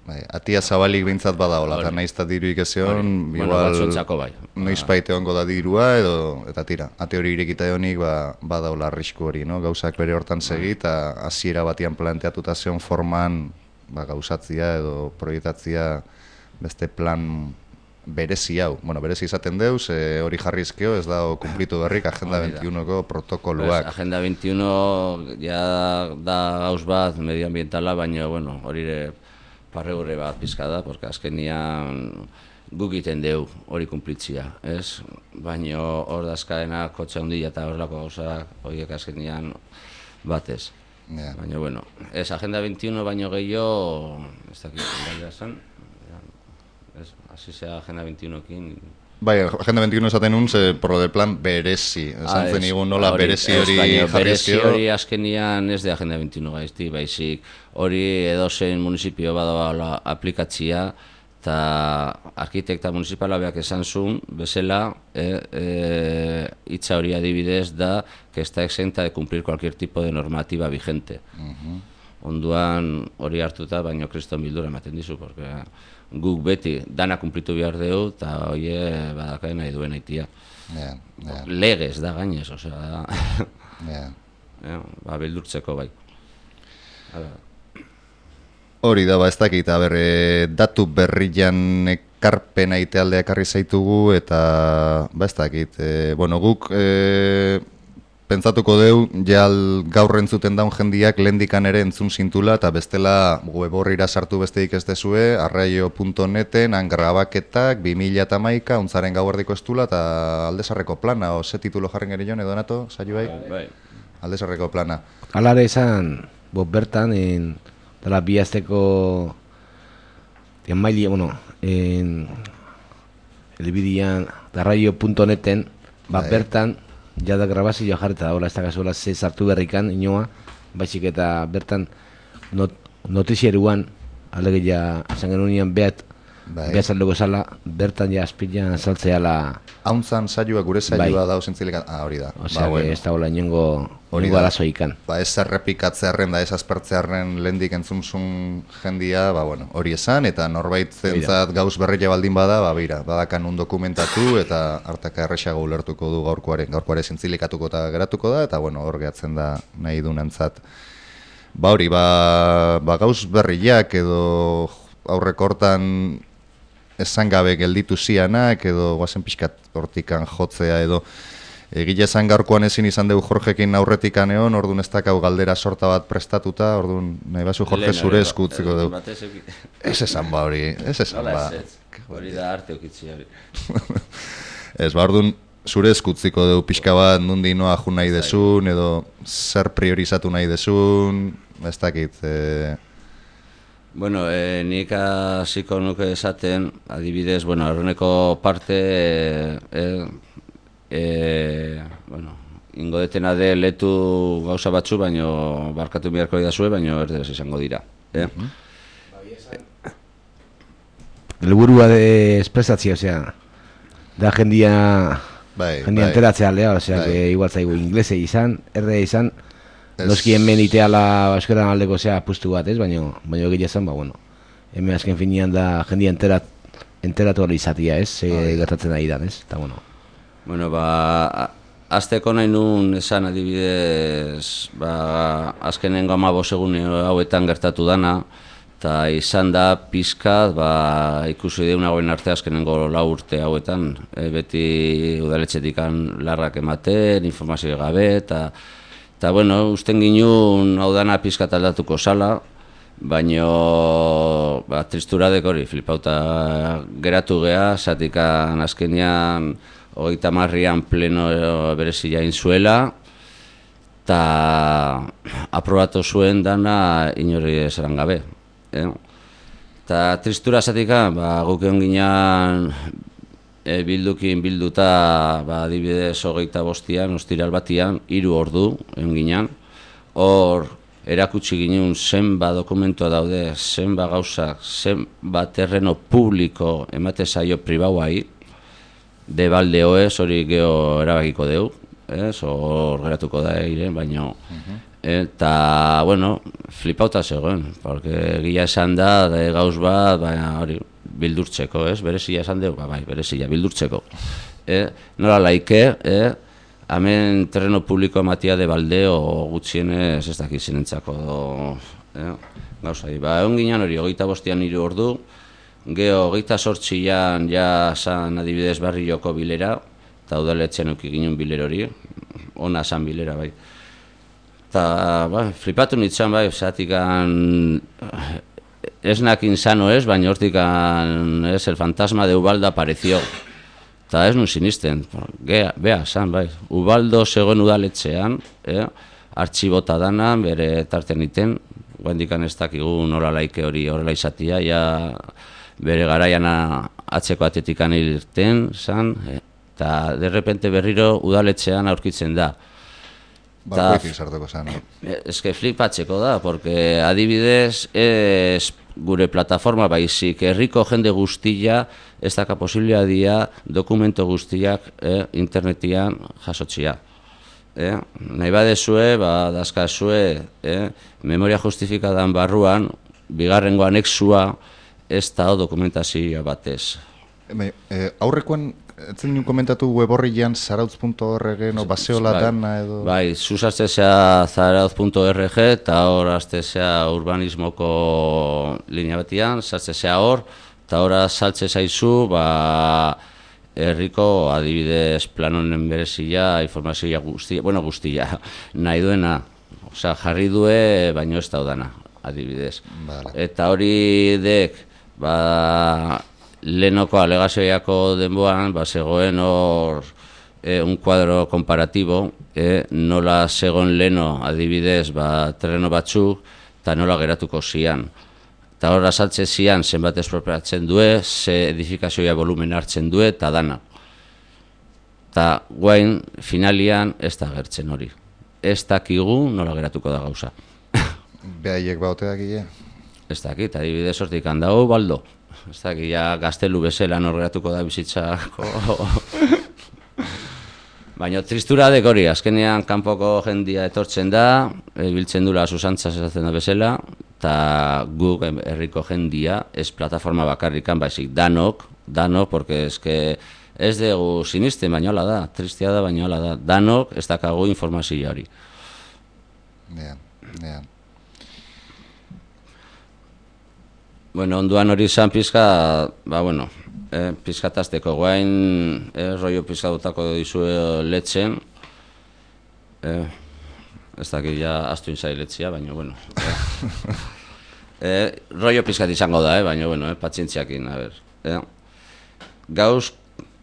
Bai, atia zabalik bintzat badaola, eta nahiz eta diruik ezeon, igual bai. noiz baite hongo da dirua, edo, eta tira, ate hori irekita edonik ba, badaola arrisku hori, no? Gauzak bere hortan segi, eta hasiera batian planteatuta zeon forman ba, gauzatzia edo proiektatzia beste plan berezi hau. Bueno, berezi izaten deuz, e, hori jarrizkeo, ez da kumplitu berrik Agenda veintiunoko protokoluak. Pues, Agenda veintiuno ja da gauz bat medioambientala, baina, bueno, hori parregurre bat pizka da, porque azkenian guk iten deu hori kumplitzia, ez? Baina hor dazkaena kotxe handia eta horrelako gauzak horiek azkenian batez. Yeah. Baina, bueno, ez Agenda veintiuno baino gehiago, ez dakit, gaila zen, ez, hasi zea Agenda veintiunokin. Bai, Agenda veintiuno esaten nun, ze, por lo del plan berezi. Esan zen igun nola berezi hori jarrizkio. Berezi hori azkenian ez de Agenda veintiuno gaizti, baizik hori edozein municipio badagoela aplikatzia, eta arkitekta municipala beak esan zuen, bezala, eh, eh, hitza hori adibidez da que está exenta de cumplir cualquier tipo de normativa vigente. Uh-huh. Onduan hori hartuta, baino kriston bildura ematen dizu, porque guk beti dana kumplitu behar dugu, eta hoie badakaen nahi duen aitia. Yeah, yeah. Legez da gainez, osea, da. Yeah. Yeah, ba, bildurtzeko bai. Hala. Hori da, ba, ez dakit, aber, e, datu berrian ekarpena itealdea ekarri zaitugu, eta, ba, ez dakit, e, bueno, guk e, pentsatuko deu, jal gaur entzuten daun jendiak lehendikan ere entzun zintula, eta bestela web horrira sartu besteik ez dezue, arraio punto neten, angrabaketak, bi mila hamaika, untzaren gauerdiko estula, eta aldezarreko plana, o ze titulo jarren geri joan, edo nato, saio bai? Bai. Aldezarreko plana. Alare izan, bo bertan, en... dela bihazteko dian maili, bueno, en elbidian arraio punto neten, bat bertan, jada grabazioa jarreta da, hola, ez da kasuela ze sartu berrikan, inoa, baizik eta bertan not, notizieruan, alegia, esan genuen behat, behat zaldoko zala, bertan ja azpilan saltzeala... Hauntzan saioa gure saioa bai. Da osentzilekan, ah, hori da. Osea, ba, bueno. Ez da hola inongo arazoikan. Ba, ez errepikatzearen da, ez aspertzearen lehendik entzunzun jendia, ba, bueno, hori esan, eta norbait zentzat gauz berria baldin bada, ba, bira, badakan un dokumentatu, eta hartaka erresago ulertuko du gaurkoaren, gaurkoaren zintzilikatuko eta geratuko da, eta, bueno, hor gehatzen da nahi dunentzat. Ba, hori, ba, ba gauz berriak edo aurrekortan esan gabe gelditu zianak, edo guazen pixkat hortikan jotzea, edo egile esan gaurkoan ezin izan dugu Jorgekin aurretikan egon, orduan ez dakau galdera sorta bat prestatuta, orduan nahi basu Jorge zure eskutziko dugu. Ez esan ba hori, ez esan ba. Hori da arte okitzi hori. Ez ba, orduan zure eskutziko dugu pixka bat nundi noa ju nahi desun, edo zer priorizatu nahi desun, ez dakit... E... Bueno, eh, nik hasiko nuke esaten, adibidez, bueno, horreneko parte, eh, eh, bueno, ingo detena de letu gauza batzu, baino barkatu beharko idazue, baino erdez izango dira. Eh? Helburua de espresatzia, osea, da jendia, bai, jendia bai. enteratzea aldea, osea, bai. Que igual zaigu inglese izan, erde izan, noski hemen iteala euskaran aldeko zea apustu bat, ez? Baina baina egia esan, ba, bueno, hemen azken finean da jendia enterat, enteratu hori izatia, ez? Ze gertatzen ari dan, ez? Eta, bueno. Bueno, ba, azteko nahi nun esan adibidez, ba, azkenengo hamabost egun hauetan gertatu dana, eta izan da pizkat, ba, ikusi deunagoen arte azkenengo lau urte hauetan, e, beti udaletxetikan larrak ematen, informazio gabe, eta Eta, bueno, usten ginuen hau dana pizkat aldatuko sala, baino ba, tristuradek hori, flipauta geratu geha, zatikan azkenian hogeita marrian pleno berezi jain zuela, eta aprobatu zuen dana inori esaran gabe. Eta eh? tristura zatikan, ba, guk egon ginean E, bildukin bilduta, ba, adibidez hogeita bostian, ostiral batian, hiru ordu, egon ginean. Hor, erakutsi ginen zenba dokumentua daude, zenba gauzak, zenba terreno publiko emate zaio pribauai, de balde oez, hori geho erabakiko deu, ez, hor geratuko da egin, baina, uh-huh. Eta, bueno, flipauta zegoen, porque gila esan da, de gauz bat, baina hori, bildurtzeko, ez? Berezia esan dugu, ba, bai, berezia, bildurtzeko. Eh? Nola laike, eh? Hemen terreno publiko ematia de baldeo gutxienez ez dakiz zinentzako eh? Gauzai, ba, egon ginen hori, hogeita bostian hiru ordu, Geo, hogeita sortzian ja san adibidez Barrioko bilera, eta udaletxean euki ginen biler hori, ona san bilera bai. Eta, ba, flipatu nintzen bai, zatikan ez nakin sano ez, baina hortikan ez, el fantasma de Ubaldo apareció. Eta ez nun sinisten, Gea, bea, san bai, Ubaldo zegoen udaletxean, eh, artxibota dana, bere tartean iten, guendikan ez dakigu nola laike hori horrela izatia, ja bere garaian atzeko atetikan irten, san, eta de repente berriro udaletxean aurkitzen da. Bakoitik sartuko zen. Ez que flipatzeko da, porque adibidez ez gure plataforma baizik, herriko jende guztia ez daka posiblea dia dokumento guztiak eh, internetian jasotzia. Eh? Nahi badezue, ba, dazkazue, eh? memoria justifikadan barruan, bigarrengo anexua ez da dokumentazioa batez. E, e, aurrekoan, etzen nuen komentatu web horrian zarautz punto org no baseola bai, dana edo... Bai, zuz aztezea zarautz punto org eta hor aztezea urbanismoko linea batian, zartzezea hor, eta hor saltze zaizu, ba, herriko adibidez planonen berezia, informazioa guztia, bueno guztia, nahi duena, osea, jarri due, baino ez daudana, adibidez. Vale. Eta hori dek, ba, lehenoko alegazioiako denboan, ba, zegoen hor eh, un kuadro komparatibo, eh, nola zegoen leheno adibidez, ba, terreno batzuk, eta nola geratuko zian. Eta hor azaltze zian zenbat espropiatzen due, ze edifikazioa volumen hartzen due, eta dana. Eta guain, finalian, ez da gertzen hori. Ez dakigu nola geratuko da gauza. Behaiek baoteak gile? Ez dakit, adibidez hortik handago, Baldo. Ez dakit, ja gaztelu bezala nor geratuko da bizitzako. Baina tristura dek hori, azkenean kanpoko jendia etortzen da, biltzen dula susantzaz ezatzen da bezala, eta guk herriko jendia, ez plataforma bakarrikan, baizik danok, danok, porque ez que ez dugu sinisten, baina hola da, tristia da, baina hola da, danok ez dakagu informazio hori. Ja, ja. Bueno, onduan hori izan pizka, ba, bueno, eh, pizkatazteko guain, eh, rollo pizkatutako dizue letzen, eh, ez dakit ja astu inzai letzia, baina, bueno, eh, eh, rollo pizkat izango da, eh, baina, bueno, eh, patzientziakin, a ber, eh. Gauz,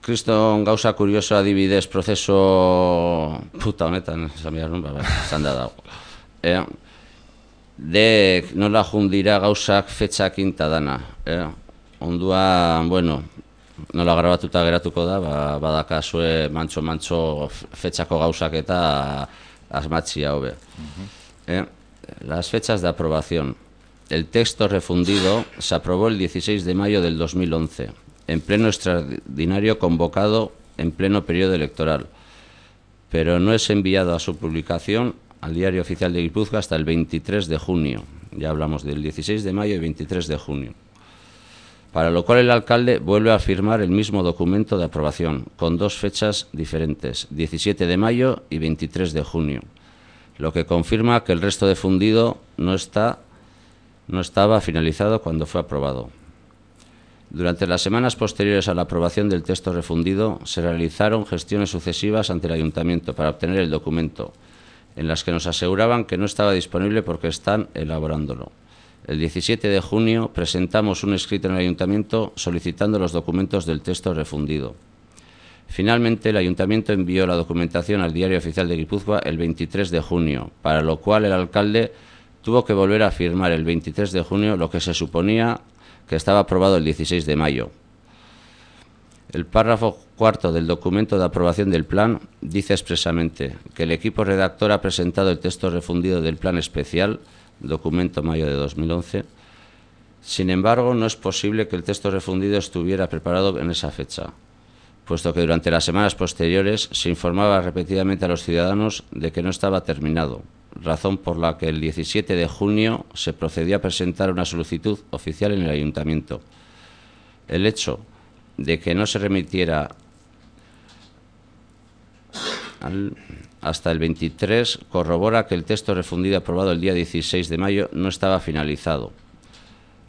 kriston gauza kurioso adibidez prozeso puta honetan, esan behar nun, ba, esan da dago, eh, dek nola jundira gauzak fetxakin ta dana. Eh? Onduan, bueno, nola grabatuta geratuko da, ba, badakazue mantxo-mantxo fetxako gauzak eta asmatzia hobe. Uh-huh. eh? Las fechas de aprobación. El texto refundido se aprobó el dieciséis de mayo del dos mil once, en pleno extraordinario convocado en pleno periodo electoral, pero no es enviado a su publicación al Diario Oficial de Guipúzcoa hasta el veintitrés de junio. Ya hablamos del dieciséis de mayo y veintitrés de junio. Para lo cual el alcalde vuelve a firmar el mismo documento de aprobación, con dos fechas diferentes, diecisiete de mayo y veintitrés de junio, lo que confirma que el resto de fundido no, está, no estaba finalizado cuando fue aprobado. Durante las semanas posteriores a la aprobación del texto refundido, se realizaron gestiones sucesivas ante el ayuntamiento para obtener el documento, en las que nos aseguraban que no estaba disponible porque están elaborándolo. El diecisiete de junio presentamos un escrito en el ayuntamiento solicitando los documentos del texto refundido. Finalmente, el ayuntamiento envió la documentación al Diario Oficial de Guipúzcoa el veintitrés de junio, para lo cual el alcalde tuvo que volver a firmar el veintitrés de junio lo que se suponía que estaba aprobado el dieciséis de mayo. El párrafo cuarto del documento de aprobación del plan dice expresamente que el equipo redactor ha presentado el texto refundido del plan especial, documento mayo de dos mil once. Sin embargo, no es posible que el texto refundido estuviera preparado en esa fecha, puesto que durante las semanas posteriores se informaba repetidamente a los ciudadanos de que no estaba terminado, razón por la que el diecisiete de junio se procedió a presentar una solicitud oficial en el ayuntamiento. El hecho de que no se remitiera al, hasta el veintitrés corrobora que el texto refundido aprobado el día dieciséis de mayo no estaba finalizado,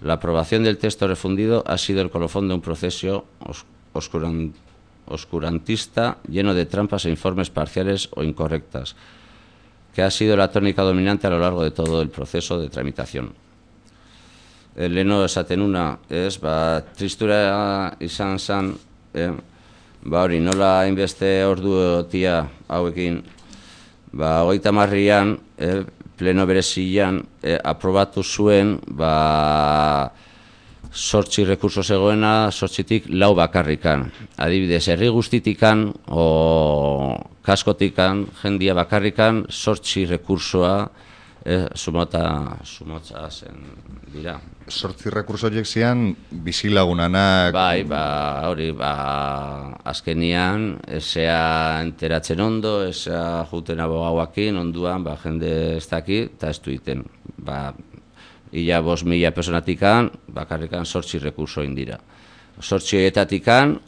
La aprobación del texto refundido ha sido el colofón de un proceso os- oscuran- oscurantista lleno de trampas e informes parciales o incorrectas, que ha sido la tónica dominante a lo largo de todo el proceso de tramitación. Leno esaten una, ez, ba, tristura izan zen, eh, ba hori, nola hainbeste orduotia hauekin, ba, hogeita marrian, eh, pleno berezian, eh, aprobatu zuen, ba, sortzi rekurso zegoena, sortzitik lau bakarrikan. Adibidez, herri guztitikan, o kaskotikan, jendia bakarrikan, sortzi rekursoa, eh, sumota, sumotza zen dira. Sortzi rekurso horiek zian bizilagunanak... Bai, ba, hori, ba, azkenian, esea enteratzen ondo, esea juten abogauakin, onduan, ba, jende ez daki, eta ez du iten. Ba, ila bos mila personatikan, bakarrikan sortzi rekurso indira. Sortzi horietatikan,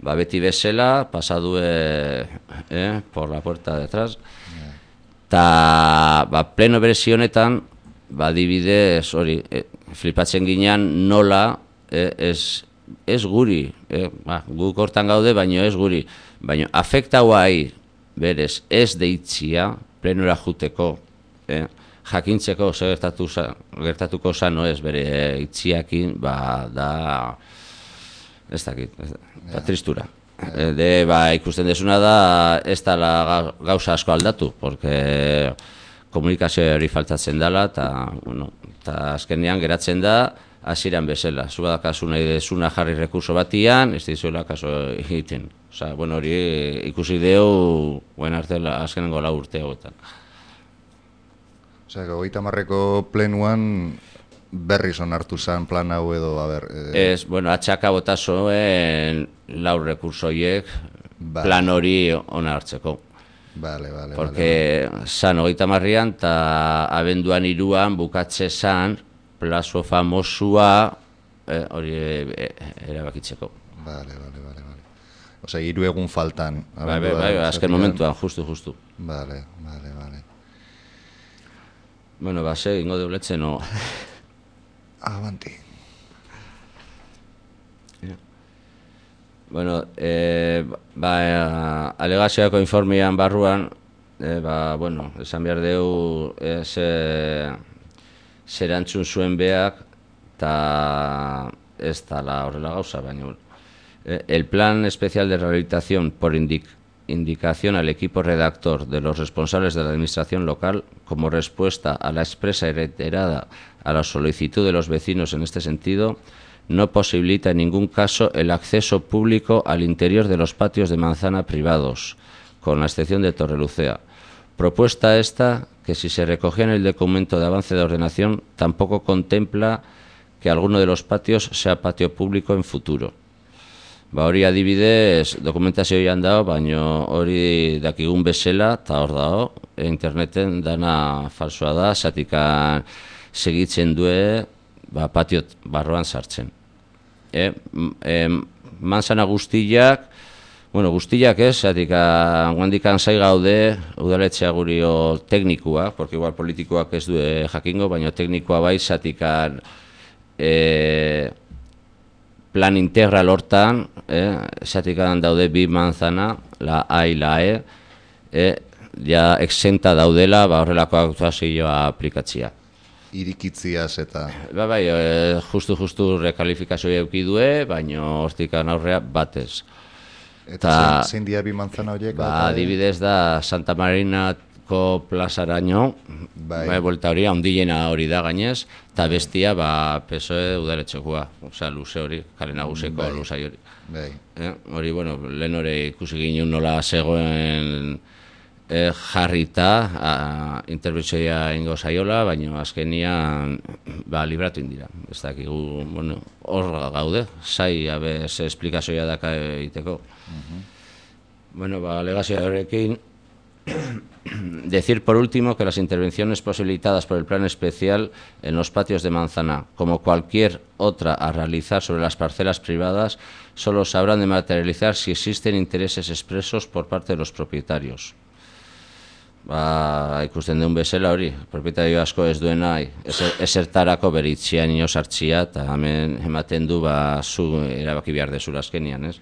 ba, beti bezala, pasadue, eh, por la puerta de atrás, eta, ba, pleno berezi honetan, ba, dibidez, hori, eh, flipatzen ginean nola, eh, ez, ez guri, eh, ba, guk hortan gaude, baino ez guri, baino afektaua berez ez deitzia, plenora juteko, eh, jakintzeko zer gertatu za, gertatuko zano ez bere itziakin, ba, da, ez dakit, ez, ba, tristura. Yeah. De, ba, ikusten desuna da, ez da la gauza asko aldatu, porque komunikazio hori faltatzen dela, eta, bueno, eta azkenean geratzen da, hasieran bezala. Zu badakazu nahi desuna jarri rekurso batian, ez dizuela kaso egiten. Osa, bueno, hori ikusi deu, buen arte, azkenengo lau urte hauetan. Osea, hogeita hamarreko plenuan berriz onartu zen plan hau edo, a ber... Eh... Ez, bueno, atxaka botazoen lau rekursoiek vale. Plan hori onartzeko. Vale, vale, porque vale. San hogeita hamarrean eta abenduan hiruan bukatze zan plazo famosua eh, hori eh, erabakitzeko. Vale, vale, vale, vale. Osea, hiru egun faltan. Bai, bai, bai, azken momentuan, justu, justu. Vale, vale, vale. Bueno, ba, se, ingo deuletzen, no... Avanti. Yeah. Bueno, eh, ba, eh, alegazioako informean barruan, eh, ba, bueno, esan behar deu, eh, ze, zerantzun zuen beak, eta ez tala horrela gauza, baina, eh, el plan especial de rehabilitación por indic indicación al equipo redactor de los responsables de la administración local como respuesta a la expresa y reiterada a la solicitud de los vecinos en este sentido, no posibilita en ningún caso el acceso público al interior de los patios de manzana privados, con la excepción de Torrelucea. Propuesta esta que, si se recogía en el documento de avance de ordenación, tampoco contempla que alguno de los patios sea patio público en futuro. Ba, hori adibidez, dokumentazioan dago, baina hori dakigun bezala, eta hor dago, interneten dana falsoa da, zatikan segitzen due, ba, patiot barroan sartzen. E, e, manzana guztiak, bueno, guztiak ez, zatikan guandikan zai gaude, udaletzea gurio teknikua, porque igual politikoak ez du jakingo, baina teknikoa bai, zatikan e, plan integral hortan, eh, zatikan daude bi manzana, la A y la E, eh, ja exenta daudela, ba, horrelako aktuazioa aplikatzia. Irikitziaz eta... Ba, bai, eh, justu, justu rekalifikazioa eukidue, baina hortikan aurrea batez. Eta zein dia bi manzana horiek? Ba, adibidez da Santa Marinako plazaraino, bai, bai bolta hori, ondilena hori da gainez, eta bestia, ba, P S O E udaletxekoa, osea, luze hori, kale naguseko bai, luzai hori. Bai. Eh, hori, bueno, lehen hori ikusi ginen nola zegoen eh, jarrita, interbentzioa ingo zaiola, baina azkenian, ba, libratu indira. Ez dakigu, bueno, hor gaude, zai, abe, ze esplikazioa daka egiteko. Uh-huh. Bueno, ba, alegazioa horrekin, decir por último que las intervenciones posibilitadas por el plan especial en los patios de manzana, como cualquier otra a realizar sobre las parcelas privadas, solo se habrán de materializar si existen intereses expresos por parte de los propietarios. ba, ikusten duen bezala hori, propietario asko ez duena esertarako beritzian ino sartzia, eta hemen ematen du, ba, zu erabaki behar dezula azkenian, ez?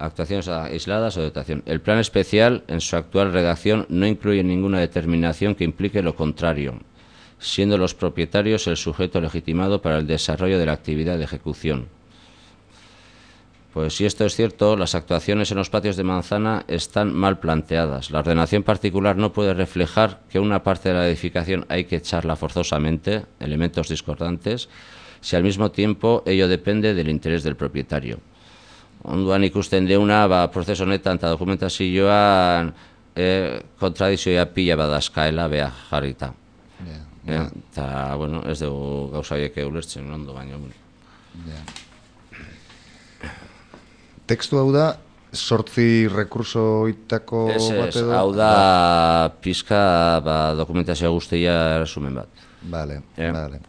Actuaciones aisladas o dotación. El plan especial, en su actual redacción, no incluye ninguna determinación que implique lo contrario, siendo los propietarios el sujeto legitimado para el desarrollo de la actividad de ejecución. Pues si esto es cierto, las actuaciones en los patios de manzana están mal planteadas. La ordenación particular no puede reflejar que una parte de la edificación hay que echarla forzosamente, elementos discordantes, si al mismo tiempo ello depende del interés del propietario. Onduan ikusten deuna, ba, prozeso honetan eta dokumentazioan eh, kontradizioa pila badazkaela beha jarrita. Yeah, Eta, yeah. bueno, ez dugu gauza horiek ulertzen ondo, baina. Yeah. Tekstu hau da, sortzi rekurso itako bat edo? Hau da, pizka ba, dokumentazioa guztia resumen bat. Vale, eh? vale.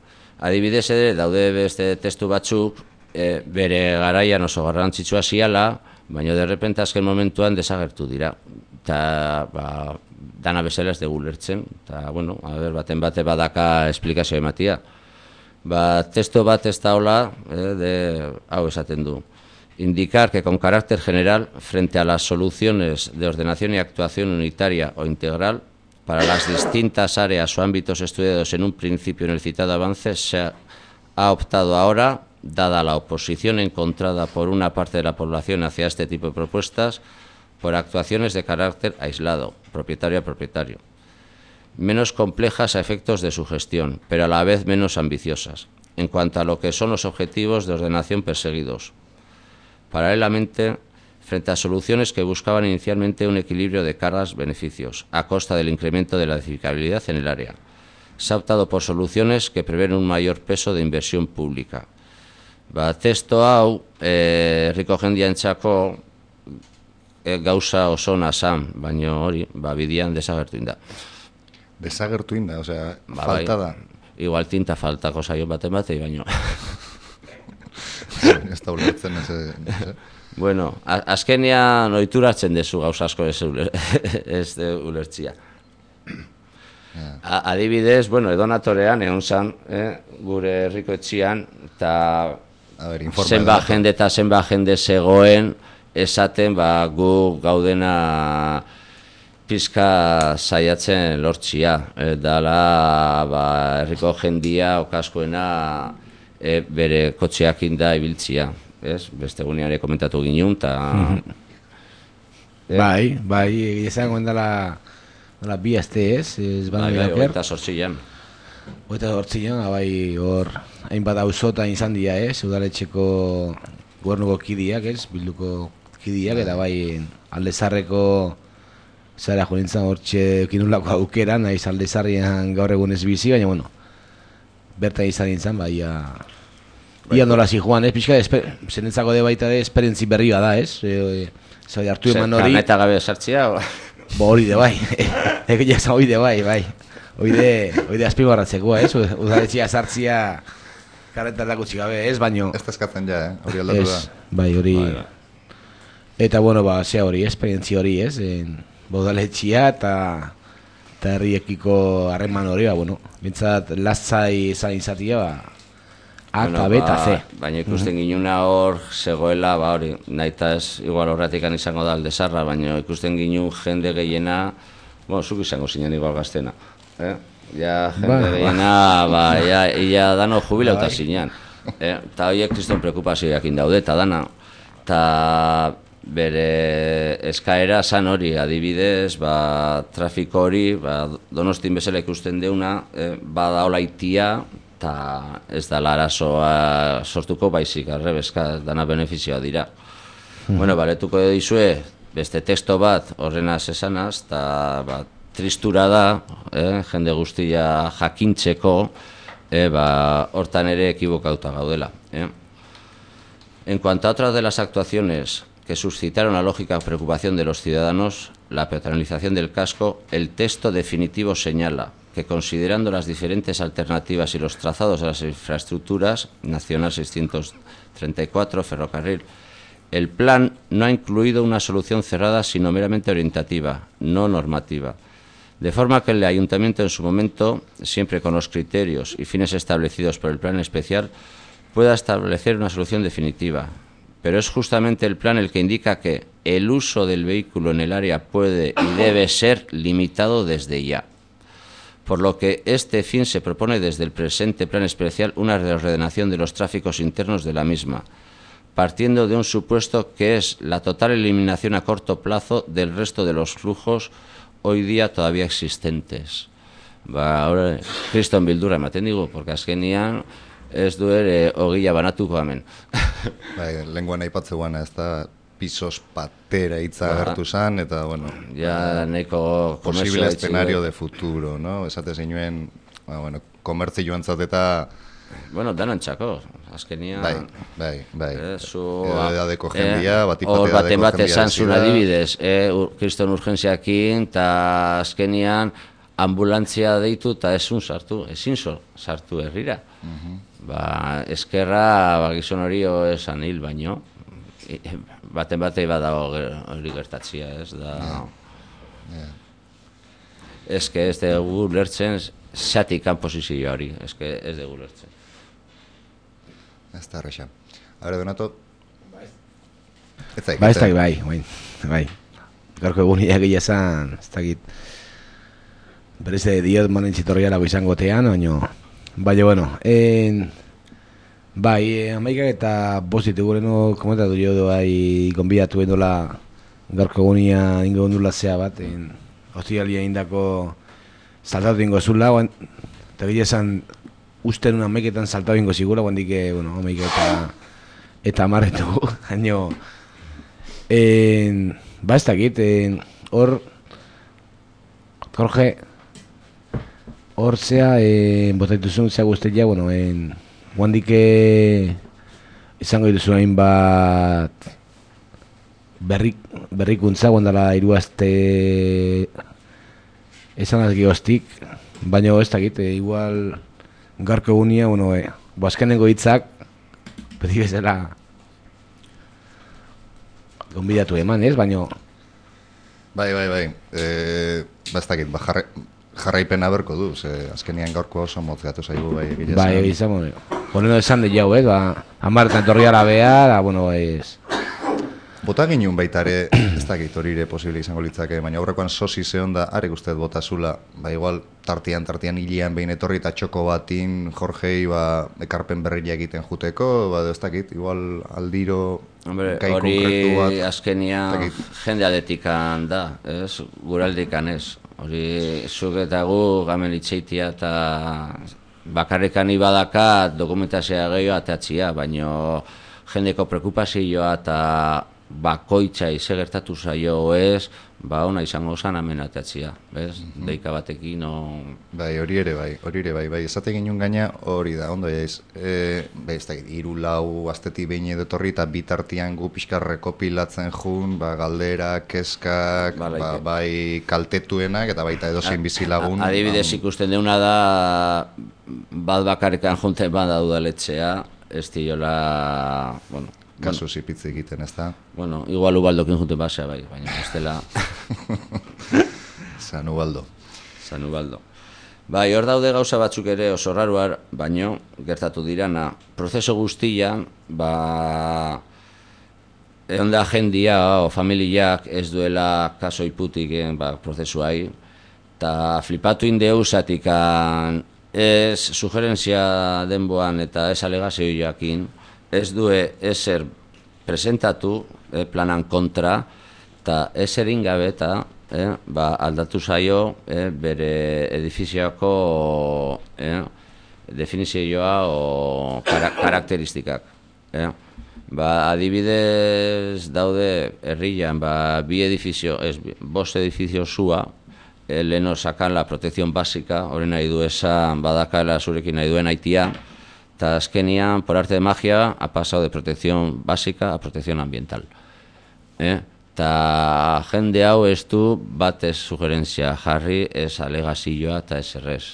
Adibidez ere, daude beste testu batzuk, e, bere garaian oso garrantzitsua ziala, baina derrepente azken momentuan desagertu dira. Eta, ba, dana bezala ez dugu lertzen, eta, bueno, a ber, baten bate badaka esplikazioa ematia. Ba, testo bat ez da hola, eh, de, hau esaten du. Indicar que con carácter general, frente a las soluciones de ordenación y actuación unitaria o integral, para las distintas áreas o ámbitos estudiados en un principio en el citado avance, se ha, ha optado ahora, dada la oposición encontrada por una parte de la población hacia este tipo de propuestas, por actuaciones de carácter aislado, propietario a propietario, menos complejas a efectos de su gestión, pero a la vez menos ambiciosas, en cuanto a lo que son los objetivos de ordenación perseguidos. Paralelamente, frente a soluciones que buscaban inicialmente un equilibrio de cargas-beneficios, a costa del incremento de la edificabilidad en el área, se ha optado por soluciones que prevén un mayor peso de inversión pública. Ba, testo hau, eh, herriko jendiantzako eh, gauza oso nazan, baina hori, ba, bidian desagertu inda. Desagertu inda, osea, ba, falta da. Bai, igual tinta faltako zaio baten batei, baina. Ez da ulertzen ez, ez. Bueno, azkenean ohituratzen dezu gauza asko ez, uler, ez de ulertzia. Yeah. Adibidez, bueno, edonatorean egon zan, eh, gure herriko etxian, eta zenba jende eta zenba jende zegoen, esaten, ba, gu gaudena pizka saiatzen lortzia. E, dala, ba, herriko jendia, okaskoena, e, bere kotxeak inda ibiltzia. Ez? Beste gunean ere komentatu ginen, eta... Bai, bai, izango endala la bi aste ez, ez bai, bai, oita sortzian. Oita sortzian, bai, hor, hainbat auzota izan dira ez, udaletxeko gobernuko kidiak ez, bilduko kidiak, eta bai, aldezarreko zara jo nintzen hortxe kinulako aukera, nahiz aldezarrian gaur egun ez bizi, baina, bueno, berta izan nintzen, bai, ia, ia nola zi joan, ez, pixka, zenentzako de baita de esperientzi berria da, ez, e, zai hartu eman hori. Karneta gabe sartzia, o... Bo hori de bai, eko jasa hori de bai, bai. Oide, oide azpimarratzeko, ez? Udaletxia sartzia karretan gutxi gabe, ez? Baino... Ez eskatzen ja, eh? Hori aldatu da. Bai, hori... Eta, bueno, ba, zea hori, esperientzia hori, ez? Udaletxia eta... Eta herriekiko harreman hori, ba, bueno... Bintzat, lastzai izan izatia, ba... A, bueno, B eta C. Ba, baina ikusten ginuna hor zegoela, ba hori, naita ez igual horretikan izango da aldezarra, baina ikusten ginu jende gehiena, bueno, zuk izango zinen igual gaztena, eh? Ja, jende ba, gehiena, ba, ja, ia dano jubilauta zinean, eh? Ta horiek kriston preokupazioak indaude, eta dana, eta bere eskaera zan hori, adibidez, ba, trafiko hori, ba, Donostin bezala ikusten deuna, eh, bada hola itia, eta ez da arazoa sortuko baizik, arrebezka, dana benefizioa dira. Mm. Bueno, baletuko dizue, beste teksto bat horrenaz esanaz, eta ba, tristura da, eh, jende guztia jakintzeko, eh, ba, hortan ere ekibokauta gaudela. Eh. En cuanto a otras de las actuaciones que suscitaron la lógica preocupación de los ciudadanos, la peatonalización del casco, el texto definitivo señala que considerando las diferentes alternativas y los trazados de las infraestructuras, Nacional seiscientos treinta y cuatro, ferrocarril, el plan no ha incluido una solución cerrada sino meramente orientativa, no normativa. de forma que el ayuntamiento en su momento, siempre con los criterios y fines establecidos por el plan especial, pueda establecer una solución definitiva. Pero es justamente el plan el que indica que el uso del vehículo en el área puede y debe ser limitado desde ya. Por lo que este fin se propone desde el presente plan especial una reordenación de los tráficos internos de la misma, partiendo de un supuesto que es la total eliminación a corto plazo del resto de los flujos hoy día todavía existentes. Ba, ahora, kriston bildura ematen digu, porque azkenian ez du ere ogila banatuko hemen. Bai, lenguan aipatzeuana, ez da pisos patera hitza agertu zan, eta, bueno, ja, nahiko posible escenario de futuro, no? Esate zinuen, bueno, komertzi joan zateta... Bueno, danantzako, azkenian... Bai, bai, bai. Zu... Edadeko jendia, batipat hor edadeko baten bat jendia esan zuen adibidez, kriston urgentziakin, eta azkenian ambulantzia deitu eta ezun sartu, ezin sartu herrira. Ba, eskerra, ba, gizon hori esan hil baino, baten batei badago hori gertatzia, ez da... Ez que ez dugu lertzen, zatik kanposizio hori, ez que ez dugu lertzen. Ez da errexan. Hore, Donato? Ba, ez dakit, bai, bai, bai. Gaurko egun iagila esan, ez dakit, bereze diot manen txitorrialago izango tean, baina... Baina, bueno, en... bai, amaikak eta bostit egureno komentatu jo doai gonbidatu endola gaurko egunia ingo ondula zea bat, en... hostialia indako saltatu ingo zula, eta gile esan usten una amaiketan saltatu ingo zigula, guan dike, bueno, amaikak eta eta amarretu, haino... En... Ba, ez dakit, en... hor... Jorge... Hor zea, eh, botaituzun zea guztia, bueno, en... Guandike izango dituzun hainbat berrik, berrikuntza, guandala iruazte esan azki hostik, baina ez dakit, e, igual garko egunia, bueno, e, boazkenengo hitzak, beti bezala gonbidatu eman, ez, baina... Bai, bai, bai, e, ba ez dakit, ba, jarre... jarraipena berko du, ze azkenian gaurko oso mozgatu zaigu bai egile bai, izan, bueno, honeno esan de jau, eh, ba, amartan torriara behar, bueno, ez... Bota ginen baitare, ez dakit hori ere posible izango litzake, baina aurrekoan sosi zehon da, arek ustez bota zula, ba igual tartian, tartian hilean behin etorri eta txoko batin, Jorgei, ba, ekarpen berria egiten juteko, ba, ez dakit, igual aldiro... Hombre, hori azkenia jendea detikan da, ez, guraldikan ez. Hori, zuk eta gu gamen itxeitia eta bakarrekan ibadaka dokumentazioa gehiago atatzia, baina jendeko preokupazioa eta bakoitza ize gertatu zaio ez, ba ona izango zan amenatatzia, bez? Mm-hmm. Deika batekin, o... Bai, hori ere bai, hori ere bai, bai, esate ginen gaina hori da, ondo jaiz, e, bai, ez da, hiru lau astetik behin edotorri eta bitartian gu pixka rekopilatzen jun, ba, galdera, keskak, ba, ba, bai kaltetuenak eta baita edozein bizilagun. Adibidez ikusten deuna da, bat bakarrekan junten bada udaletxea, ez diola, bueno, kasu zipitze egiten, ez da? Bueno, igual Ubaldokin junten basea, bai, baina ez dela... San Ubaldo. San Ubaldo. Bai, hor daude gauza batzuk ere oso raruar, baino, gertatu dirana, prozeso guztian, ba... egon da jendia o familiak ez duela kaso iputik ba, prozesuai, eta flipatu indeu zatikan ez sugerentzia denboan eta ez alegazioakin, ez due ezer presentatu eh, planan kontra, eta ezer ingabe eta eh, ba, aldatu zaio eh, bere edifizioako eh, definizioa o kara karakteristikak. Eh. Ba, adibidez daude herrian, ba, bi edifizio, ez, bost edifizio zua, eh, leheno sakan la protección básica, hori nahi du esan badakala zurekin nahi duen aitia, eta azkenian, por arte de magia, ha pasado de protección básica a protección ambiental. Eh? Eta jende hau ez du batez sugerentzia jarri, ez alegazioa eta ez errez.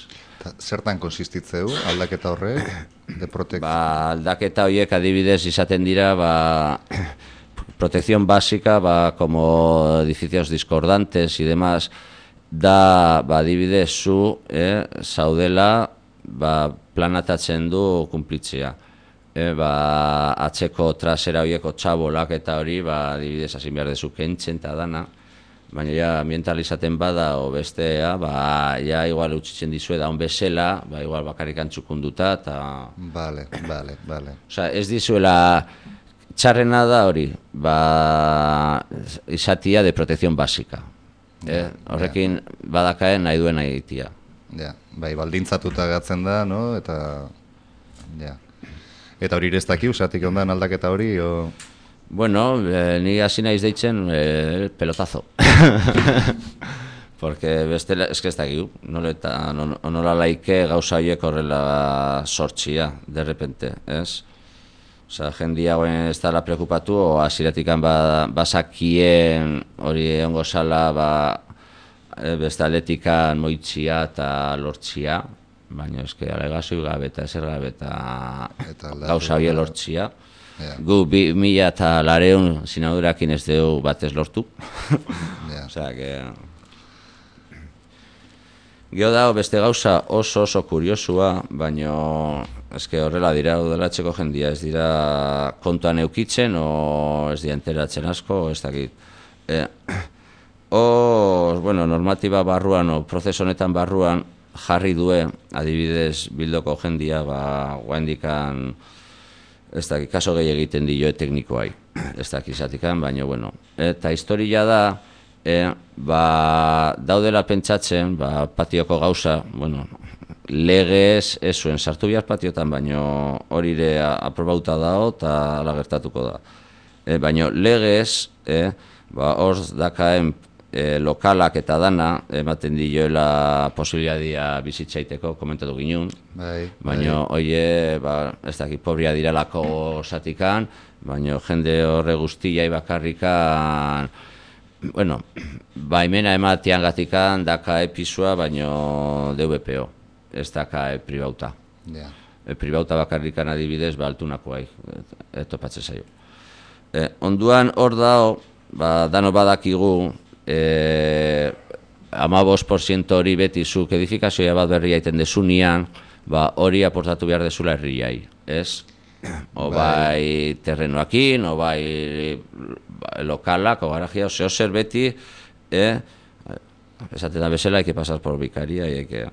Zertan konsistitzeu aldaketa horrek? De protec... Ba, aldaketa horiek adibidez izaten dira, ba, protección básica, ba, como edificios discordantes y demás, da, ba, adibidez, zu, eh, zaudela, ba, planatatzen du kumplitzea. E, ba, atzeko trasera horieko txabolak eta hori, ba, adibidez, hasi behar dezu kentzen eta dana, baina ja, ambientalizaten bada, o bestea, ba, ja, igual utzitzen dizue da, on bezala, ba, igual bakarrik antzukunduta, eta... Vale, vale, vale. Osa, ez dizuela, txarrena da hori, ba, izatia de protección básica. Eh? Horrekin, badakaen nahi duen nahi ditia. Ja, bai, baldintzatuta gatzen da, no, eta... Ja. Eta hori ez daki, usatik ondan aldaketa hori, o... Bueno, eh, ni hasi naiz deitzen eh, pelotazo. Porque bestela, eske ez dakigu, nola, nola laike gauza horiek horrela sortxia, de repente, ez? Osa, jendia guen ez dala preokupatu, o hasiratikan ba, basakien hori egongo zala, ba, bestaletikan moitzia eta lortzia, baina eske alegazio gabe eta ezer gabe eta gauza hori lortzia. Yeah. Gu bi mila eta lareun sinadurakin ez dugu batez lortu. Yeah. Osea, que... Gio dago beste gauza oso oso kuriosua, baina eske horrela dira udalatzeko jendia, ez dira kontuan eukitzen, o ez dira enteratzen asko, ez dakit. Eh, o, bueno, normatiba barruan, o prozeso honetan barruan, jarri due, adibidez, bildoko jendia, ba, guaindikan, ez dakit, kaso gehi egiten dio teknikoai, ez dakit izatikan, baina, bueno. Eta historia da, e, ba, daudela pentsatzen, ba, patioko gauza, bueno, legez ez zuen sartu bihar patiotan, baina hori ere aprobauta dago eta ala gertatuko da. E, baina legez, e, ba, hor dakaen E, lokalak eta dana ematen dioela posibilidadia bizitzaiteko, komentatu ginun. Bai, baina oie, ba, ez dakit, pobria direlako zatikan, baina jende horre guztiai bakarrikan, bueno, baimena ematean gatikan daka episua, baina D V P O, ez daka e pribauta. Yeah. E pribauta bakarrikan adibidez, ba, altunakoai, etopatzen zaio. E, onduan hor dao, ba, dano badakigu, Eh, amabos por ciento hori beti zuk edifikazioa bat berria iten desunian, ba, hori aportatu behar dezula herriai, ez? O bai terrenoakin, o bai lokalak, o garajia, o zeo zer beti, eh? Esaten da bezala, hay que pasar por bikaria, hay que...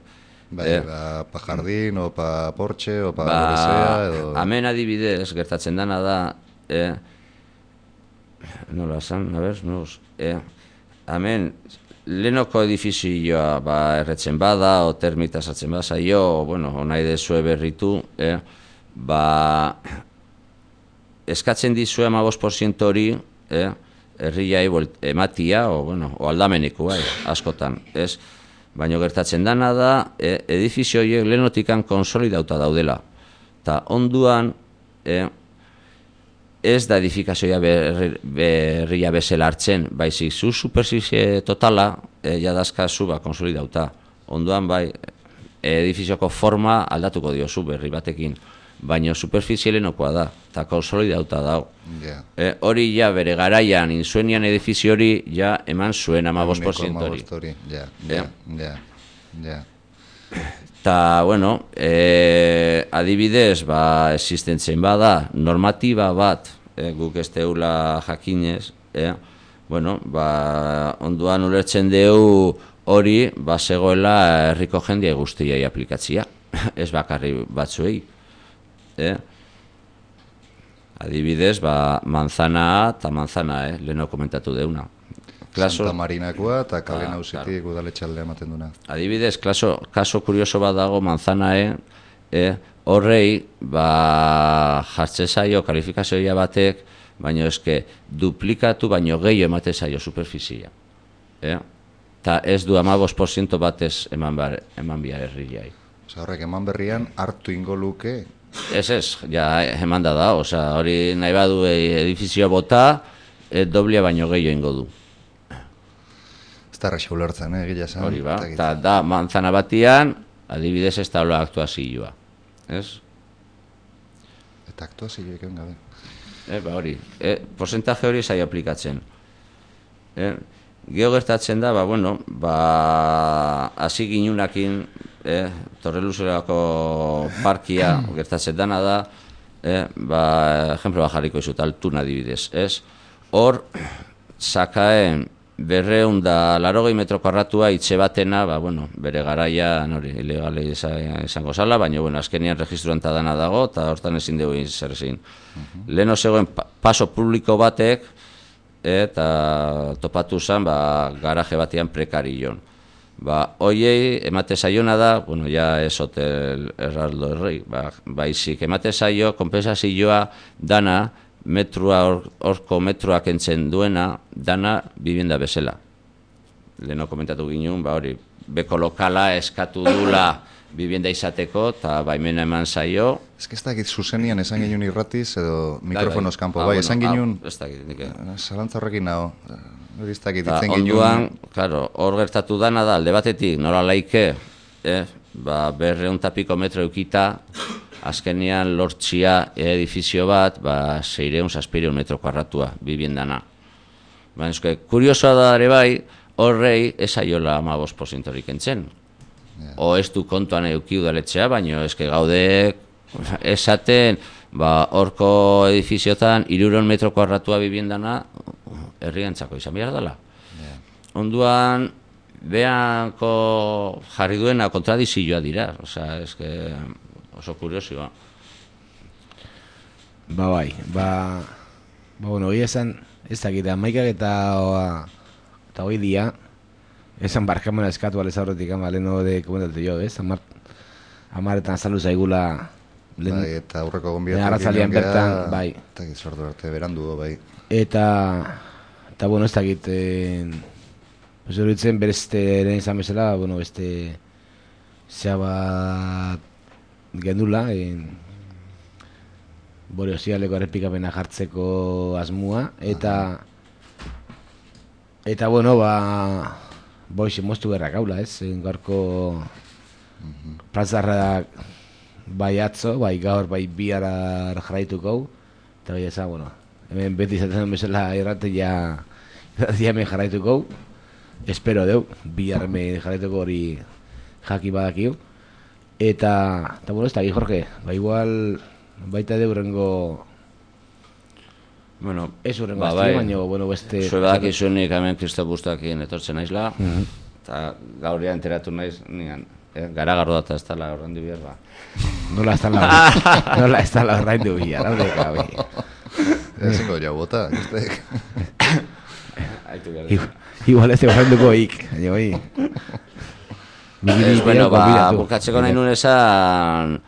Bai, eh? ba, pa jardín, o pa porche, o pa ba, gorizea, edo... Hemen adibidez, gertatzen dana da, eh? Nola zan, a ber, nos... Eh? Hemen, lehenoko edifizioa ba, erretzen bada, o termita sartzen bada, zaio, bueno, nahi dezue berritu, eh, ba, eskatzen dizue amabos por ciento hori, eh, herriai ematia, o, bueno, o aldameneko, bai, askotan, ez? Baina gertatzen dana da, eh, edifizio horiek lehenotikan konsolidauta daudela. Ta onduan, eh, ez da edifikazioa berri, berria bezala hartzen, baizik zu superficie totala e, jadazkazu ba, konsolidauta. Onduan bai, edifizioko forma aldatuko diozu berri batekin, baina superficie lehenokoa da, eta konsolidauta dago. Yeah. E, hori ja bere garaian, inzuenian edifizio hori, ja eman zuen amabos por ciento hori. Ja, ja, ja, ja. Eta, bueno, e, adibidez, ba, existentzen bada, normatiba bat, e, guk ez deula jakinez, e, bueno, ba, onduan ulertzen deu hori, ba, zegoela herriko jendia guztiai aplikatzia, ez bakarri batzuei. E, adibidez, ba, manzana eta manzana, eh, leheno komentatu deuna. Klaso, Santa Marinakoa eta kale nausitik claro. Udaletxaldea ematen duna. Adibidez, klaso, kaso kurioso bat dago manzanae, eh, horrei, ba, jartze zaio kalifikazioa batek, baina eske duplikatu baino gehiago emate zaio superfizia. Eh? Ta ez du amabos por ciento batez eman, bar, eman bia herriai. Osa horrek eman berrian hartu ingo luke? Ez ez, ja eman da da, osa hori nahi badu edifizioa bota, e, doblia baino gehiago ingo du. Ez da raxa ulertzen, eh, gila zan. Hori ba, eta da manzana batian, adibidez ez da hola aktuazioa, ez? Eta aktuazioa eken gabe. E, ba hori, e, porcentaje hori zai aplikatzen. E, Geo gertatzen da, ba, bueno, ba, hasi ginunakin, eh, Torreluzeako parkia gertatzen dana da, eh, ba, ejemplo bat jarriko izut, Altuna adibidez, ez? Hor, sakaen berreun da larogei metro karratua itxe batena, ba, bueno, bere garaian hori, ilegale izango zala, baina, bueno, azkenian registruan ta dana dago, eta hortan ezin dugu zer ezin. Leheno zegoen pa paso publiko batek, eta topatu zen, ba, garaje batean prekarion. Ba, hoiei emate zaiona da, bueno, ja ez hotel Heraldo Herrei, ba, baizik, emate zaio, kompensazioa dana, metrua, horko metroak entzen duena, dana bibienda bezala. Leheno komentatu ginen, ba hori, beko lokala eskatu dula bibienda izateko, eta baimena eman zaio. Ez que ez dakit zuzenian esan ginen irratiz, edo mikrofonoz kanpo, bai, esan ginen, ez dakit, nik. Zalantza horrekin nago, hori ez dakit, itzen ginen. Onduan, klaro, hor gertatu dana da, alde batetik, nola laike, eh, ba, berreun tapiko metro eukita, azkenean lortzia edifizio bat, ba, seireun zazpireun metro karratua, bibiendana. Baina, eske, kuriosoa da ere bai, horrei esaiola amabos porzentorik entzen. Yeah. O ez du kontuan euki udaletxea, baina eske gaude esaten, ba, horko edifiziotan, iruron metro karratua bibiendana, herriantzako izan behar dela. Yeah. Onduan, behanko jarri duena kontradizioa dira, osea, eske... oso kuriosioa. Ba bai, ba... Ba, bueno, hoi esan, ez dakit, amaikak eta... Eta hoi dia, esan barkamena eskatu alez aurretik, ama, leheno de komentatu jo, ez? Amar, amaretan salu zaigula... Len, bai, eta aurreko gonbiatu arratzalian bertan, bai. Eta gizortu arte, berandu, bai. Eta... Eta, bueno, ez dakit... Eh, pues horitzen berezte eren izan bezala, bueno, beste... Zea bat... gendula, en, bore osialeko errepikapena jartzeko asmua, eta eta bueno, ba boixe moztu berrak haula, ez? Gaurko plazarrak bai atzo, bai gaur, bai bihar jarraituko, eta bai eza, bueno, hemen beti izaten bezala errate ja hemen jarraituko, espero deu, bihar hemen jarraituko hori jaki badakiu. Eta, eta bueno, ez da, Jorge, ba igual baita de urrengo... Bueno, ez urrengo ba, bai, baina, bueno, beste... Zue badak izunik hemen Kristo Bustakin etortzen naizla, eta mm -hmm. gauria enteratu naiz, nigan, eh, garagarro data ez dala horrein du bihar, ba. Nola ez dala, nola ez dala horrein du bihar, hau deka, bai. Ezingo jau bota, justek. Igual ez horrein duko ik, baina, bai. Ez, bueno, ba, bukatzeko nahi nun esan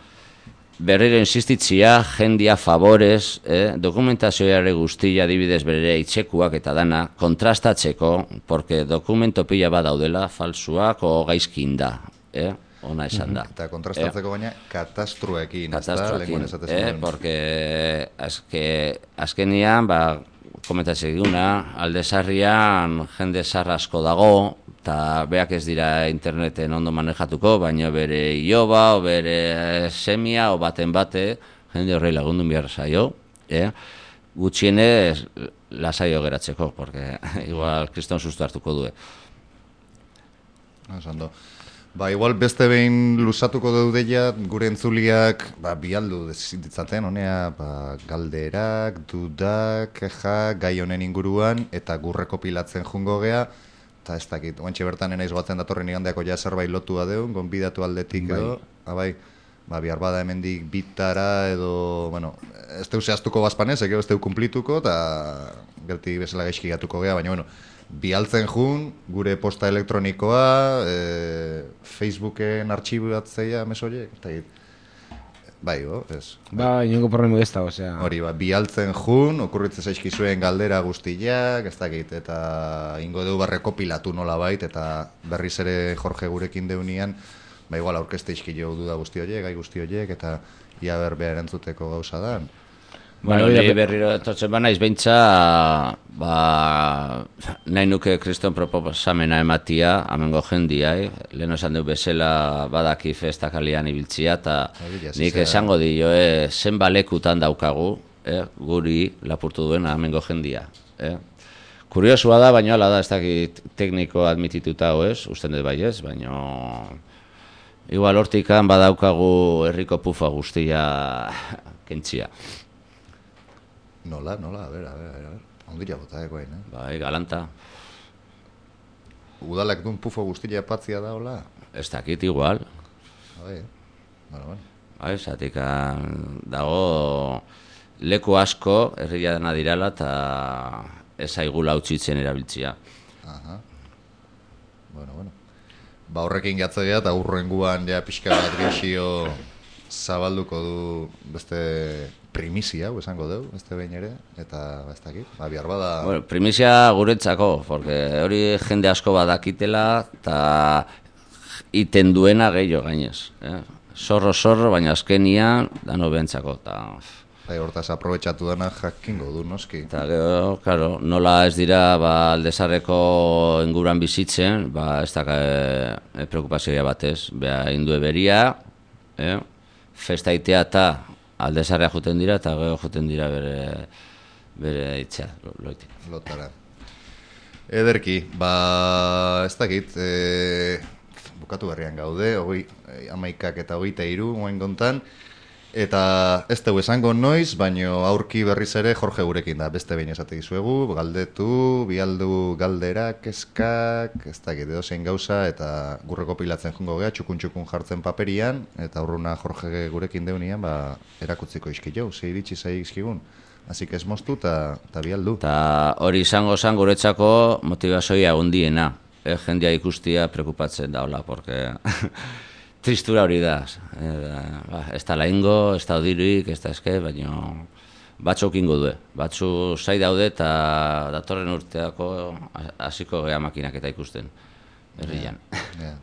berriro insistitzia, jendia favorez, eh, dokumentazioare guztia adibidez bere itxekuak eta dana kontrastatzeko, porque dokumento pila bat daudela, falsuak o gaizkin da, eh, ona esan da. Eta kontrastatzeko baina katastruekin, katastruekin, eh, porque azke, azkenian, ba, komentatzea diguna, aldezarrian jende zarra asko dago, eta beak ez dira interneten ondo manejatuko, baina bere iloba, o bere semia, o baten bate, jende horrei lagundun behar zaio, eh? Gutxienez lasaio geratzeko, porque igual kriston susto hartuko du. Osando. Ba, igual beste behin luzatuko daudeia, gure entzuliak, ba, bialdu ditzaten, honea, ba, galderak, dudak, keja, gai honen inguruan, eta gurreko pilatzen jungo gea, eta ez dakit, oantxe bertan enaiz goatzen datorren igandeako ja zerbait lotua deun, gonbidatu aldetik edo, abai, ba, bihar bada hemendik bitara edo, bueno, ez teu zehaztuko bazpanez, eke ez teu kumplituko, eta gerti bezala gaizki gatuko gea, baina, bueno, bialtzen jun, gure posta elektronikoa, e, Facebooken artxibatzea mesoiek, eta bai, bo, ez. Ba, inongo problema ez da, osea. Hori, ba, bialtzen jun, okurritzen zaizkizuen galdera guztiak, ez dakit, eta ingo deu barreko pilatu nola bait, eta berriz ere Jorge gurekin deunian, ba, igual aurkezte izkilo duda guzti horiek, gai guzti horiek, eta ia berbe erantzuteko gauza da. Bueno, ni berriro etortzen ba naiz beintza, ba, nahi nuke kriston proposamena ematia, amengo jendia, eh? Lehen esan du bezala badaki festakalian ibiltzia, eta nik esango dio, eh, zen balekutan daukagu, eh, guri lapurtu duena amengo jendia. Eh? Kuriosua da, baina hala da, ez dakit tekniko admitituta hau ez, usten dut bai ez, baina igual hortikan badaukagu herriko pufa guztia kentzia. Nola, nola, a ber, a ber, a ber, ondila bota ekoain, eh? Bai, galanta. Udalak duen pufo guztia patzia da, hola? Ez dakit igual. Bai, bueno, bueno. Bai, zatik dago leku asko herria dena dirala eta ez aigula utzitzen erabiltzia. Aha. Bueno, bueno. Ba horrekin gatzea eta urrenguan ja pixka bat geixio zabalduko du beste primizia, hau esango dugu, beste behin ere, eta ez dakit, ba, bihar bada... Bueno, primizia guretzako, porque hori jende asko badakitela eta iten duena gehiago gainez. Eh? Zorro, zorro, baina azkenian dano behentzako. Ta... Bai, hortaz aprobetxatu dena jakingo du, noski. Eta gero, claro, nola ez dira ba, Aldezarreko inguruan bizitzen, ba, ez da e, preokupazioa batez. Beha, indue beria, eh? Festa itea eta Aldezarrea juten dira, eta gero juten dira bere, bere itzea, loitik. Lotara. Ederki, ba, ez dakit, e... bukatu berrian gaude, hogei, amaikak eta hogeita hiru moen gontan, eta ez dugu esango noiz, baino aurki berriz ere Jorge gurekin da, beste behin esate dizuegu, galdetu, bialdu galderak, eskak, ez dakit, edo zein gauza, eta gurreko pilatzen jungo gea, txukun-txukun jartzen paperian, eta aurruna Jorge gurekin deunian, ba, erakutziko izki jau, ze iritsi zai izkigun. Así que ez moztu eta bialdu. Eta hori izango zan guretzako motivazioa hundiena. Eh, jendia ikustia prekupatzen daula, porque tristura hori da. Eh, ba, ez da laingo, ez da odiruik, ez da eske, baina batzuk ingo due. Batzu zai daude eta datorren urteako hasiko gea makinak eta ikusten. Herrian. Yeah, yeah.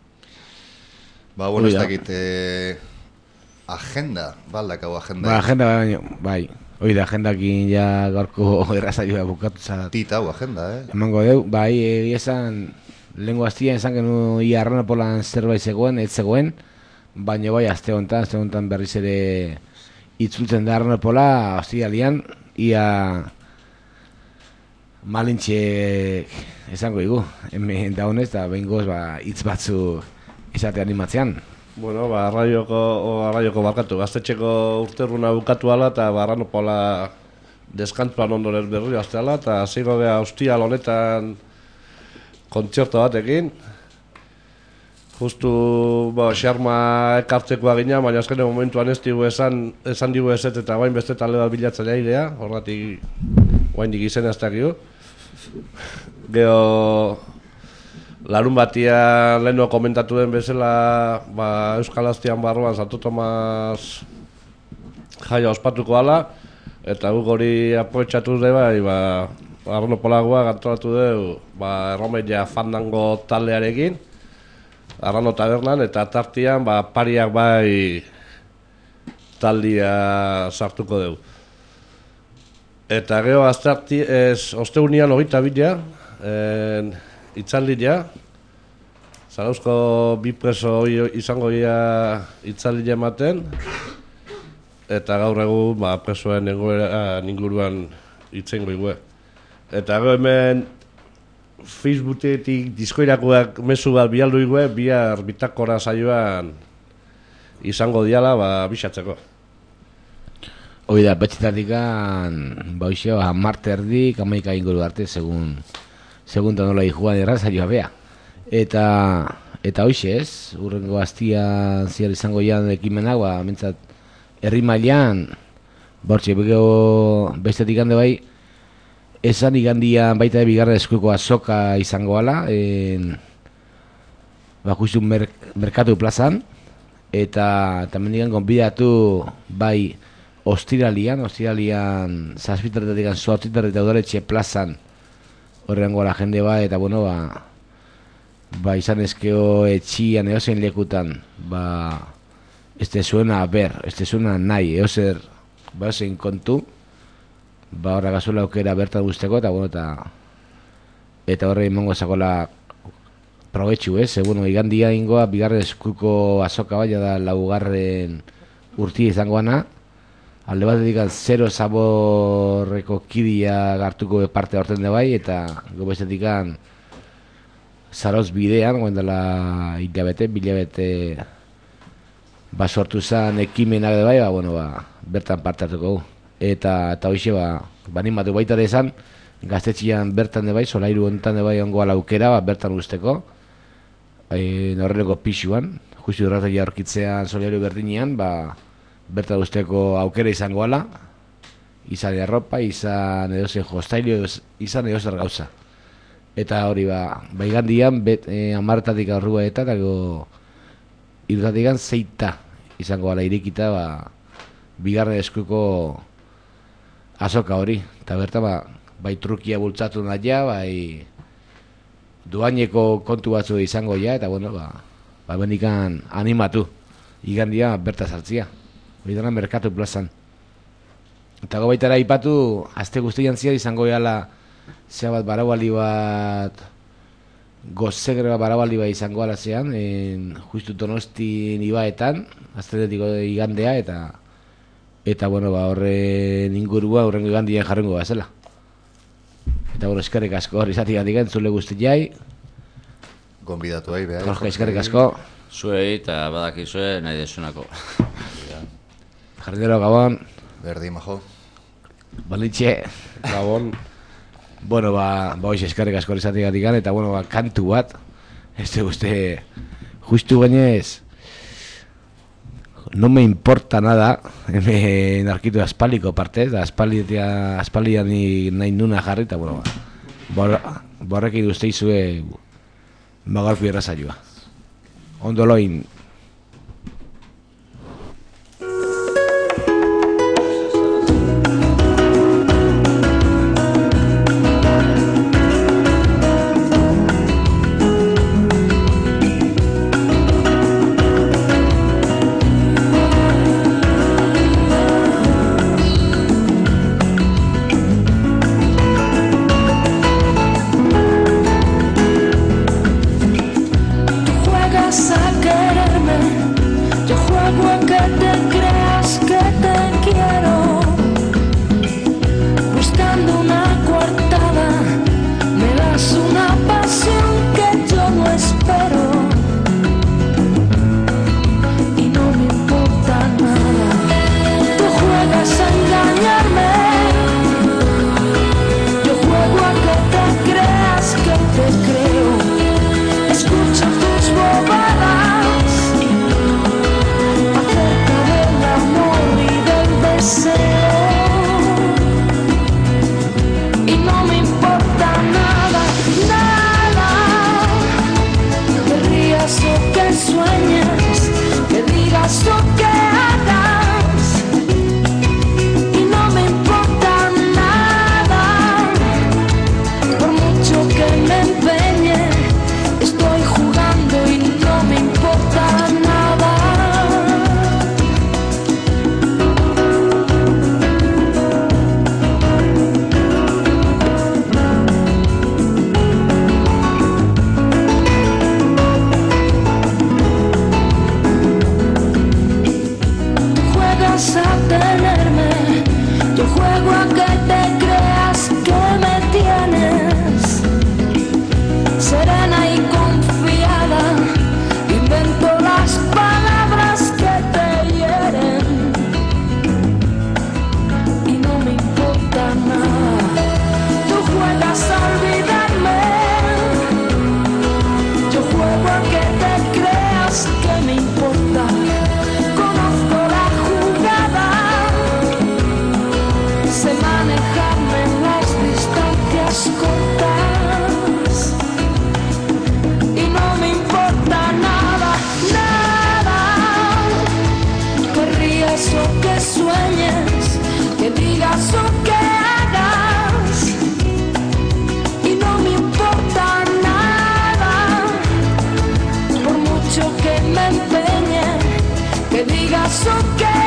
Ba, bueno, ez dakit, eh, agenda, baldakau agenda. Ba, agenda, baina, bai. Hoi da, agendakin ja gaurko errazaioa bukatu zara. Tita hau agenda, eh? Emango deu, bai, egia esan, lehenko aztian esan genu ia Arranopolan zerbait zegoen, ez zegoen, baina bai, azte honetan, azte honetan berriz ere itzultzen da Arranopola, aztia lian, ia malintxe esango igu, hemen da honez, eta behin goz, ba, hitz batzu izate animatzean. Bueno, ba, arraioko, o, arraioko barkatu, gaztetxeko urterruna bukatu ala, eta ba, Arranopola deskantzuan ondorez berri azte ala, eta zigo geha hostial honetan kontzerto batekin. Justu, ba, xarma ekartzekoa gina, baina azkene momentuan ez digu esan, esan digu ezet eta bain beste talde bat bilatzen airea, horretik bain dik izena ez dakio. Gero, larun batia leheno komentatu den bezala, ba, Euskal Aztian barruan Santo Tomas jaia ospatuko ala, eta guk hori aproetxatu dut bai, ba, Arranopolagoa gantolatu dugu, ba, erromeia fandango taldearekin, Arrano tabernan, eta tartian, ba, pariak bai taldia sartuko dugu. Eta gero azterti, ez, osteunian hogeita bila, itzaldia, Zarauzko bi preso izango ia itzaldia ematen, eta gaur egun ba, presoen egoera inguruan itzengo igue. Eta gero hemen Facebooketik diskoirakoak mezu bat bialdu igue, bihar bitakora saioan izango diala ba, bisatzeko. Hoi da, betxetatikan, ba hoxeo, hamarte erdik, hamaika inguru arte, segun, segun nola juan errazaioa bea. Eta, eta hoxe ez, urrengo aztian ziar izango jan ekimenak, ba, mintzat, herri mailan, bortxe, begeo bestetik hande bai, esan igandian baita de bigarren eskuko azoka izango ala, en, ba, justu mer, merkatu plazan, eta tamen digan konbidatu bai ostiralian, ostiralian zazpiterretik zortziterretik udaletxe plazan horrengo la jende ba, eta bueno, ba, ba izan ezkeo etxian eozein lekutan, ba, este suena a ber, este suena nahi, eozer, ba eozein kontu, ba horra gazuela aukera bertan guzteko, eta bueno, eta eta horre imango zakola probetxu, ez? Eh? Bueno, igandia ingoa, bigarren eskuko azoka baina da laugarren urtia izangoana, alde batetik zero zaborreko kidia gartuko parte horten de bai, eta gobestetik zaroz bidean, guen dela hilabete, bilabete ba sortu zen ekimenak de bai, ba, bueno, ba, bertan parte hartuko. Eta, eta hoxe, ba, banimatu baita dezan, gaztetxian bertan de bai, solairu honetan de bai ongoa laukera, ba, bertan usteko, e, horreleko pixuan, justu horretak aurkitzean solairu berdinean, ba, bertan usteko aukera izango ala, izan erropa, izan edozen jostailu, izan edozer gauza. Eta hori ba, baigandian, e, amartatik aurrua eta, eta irratikan zeita izango ala irikita, ba, bigarren eskuko azoka hori. Eta bertan, ba, bai trukia bultzatu nahi, bai duaineko kontu batzu izango ja, eta bueno, ba, ba bendikan animatu, igandia berta sartzia. Hori dena merkatu plazan. Eta gobaitara ipatu, azte guztian zia izango jala, zea bat baraualdi bat, gozegre bat baraualdi bat izango ala zean, en, justu Donostin ibaetan, aztenetiko igandea, eta eta bueno, ba, horren ingurua, horrengo igandien jarrengo bat zela. Eta bueno, eskerrik asko hori zati gatik entzule guzti jai. Gonbidatu ahi, behar. Jorge, eskerrik asko. Zuei eta badakizue nahi desunako. Jardinero, Gabon. Berdi, majo. Balitxe. Gabon. Bueno, ba, ba hoxe eskerrik asko hori zati gatik eta bueno, ba, kantu bat. Ez uste, justu gainez, no me importa nada, hemen arkitu aspaliko partez, da aspalian, aspalian nahi nuna jarri, eta bueno, ba, borrekin uste izue magalpi errazaioa. Ondo loin. que digas o que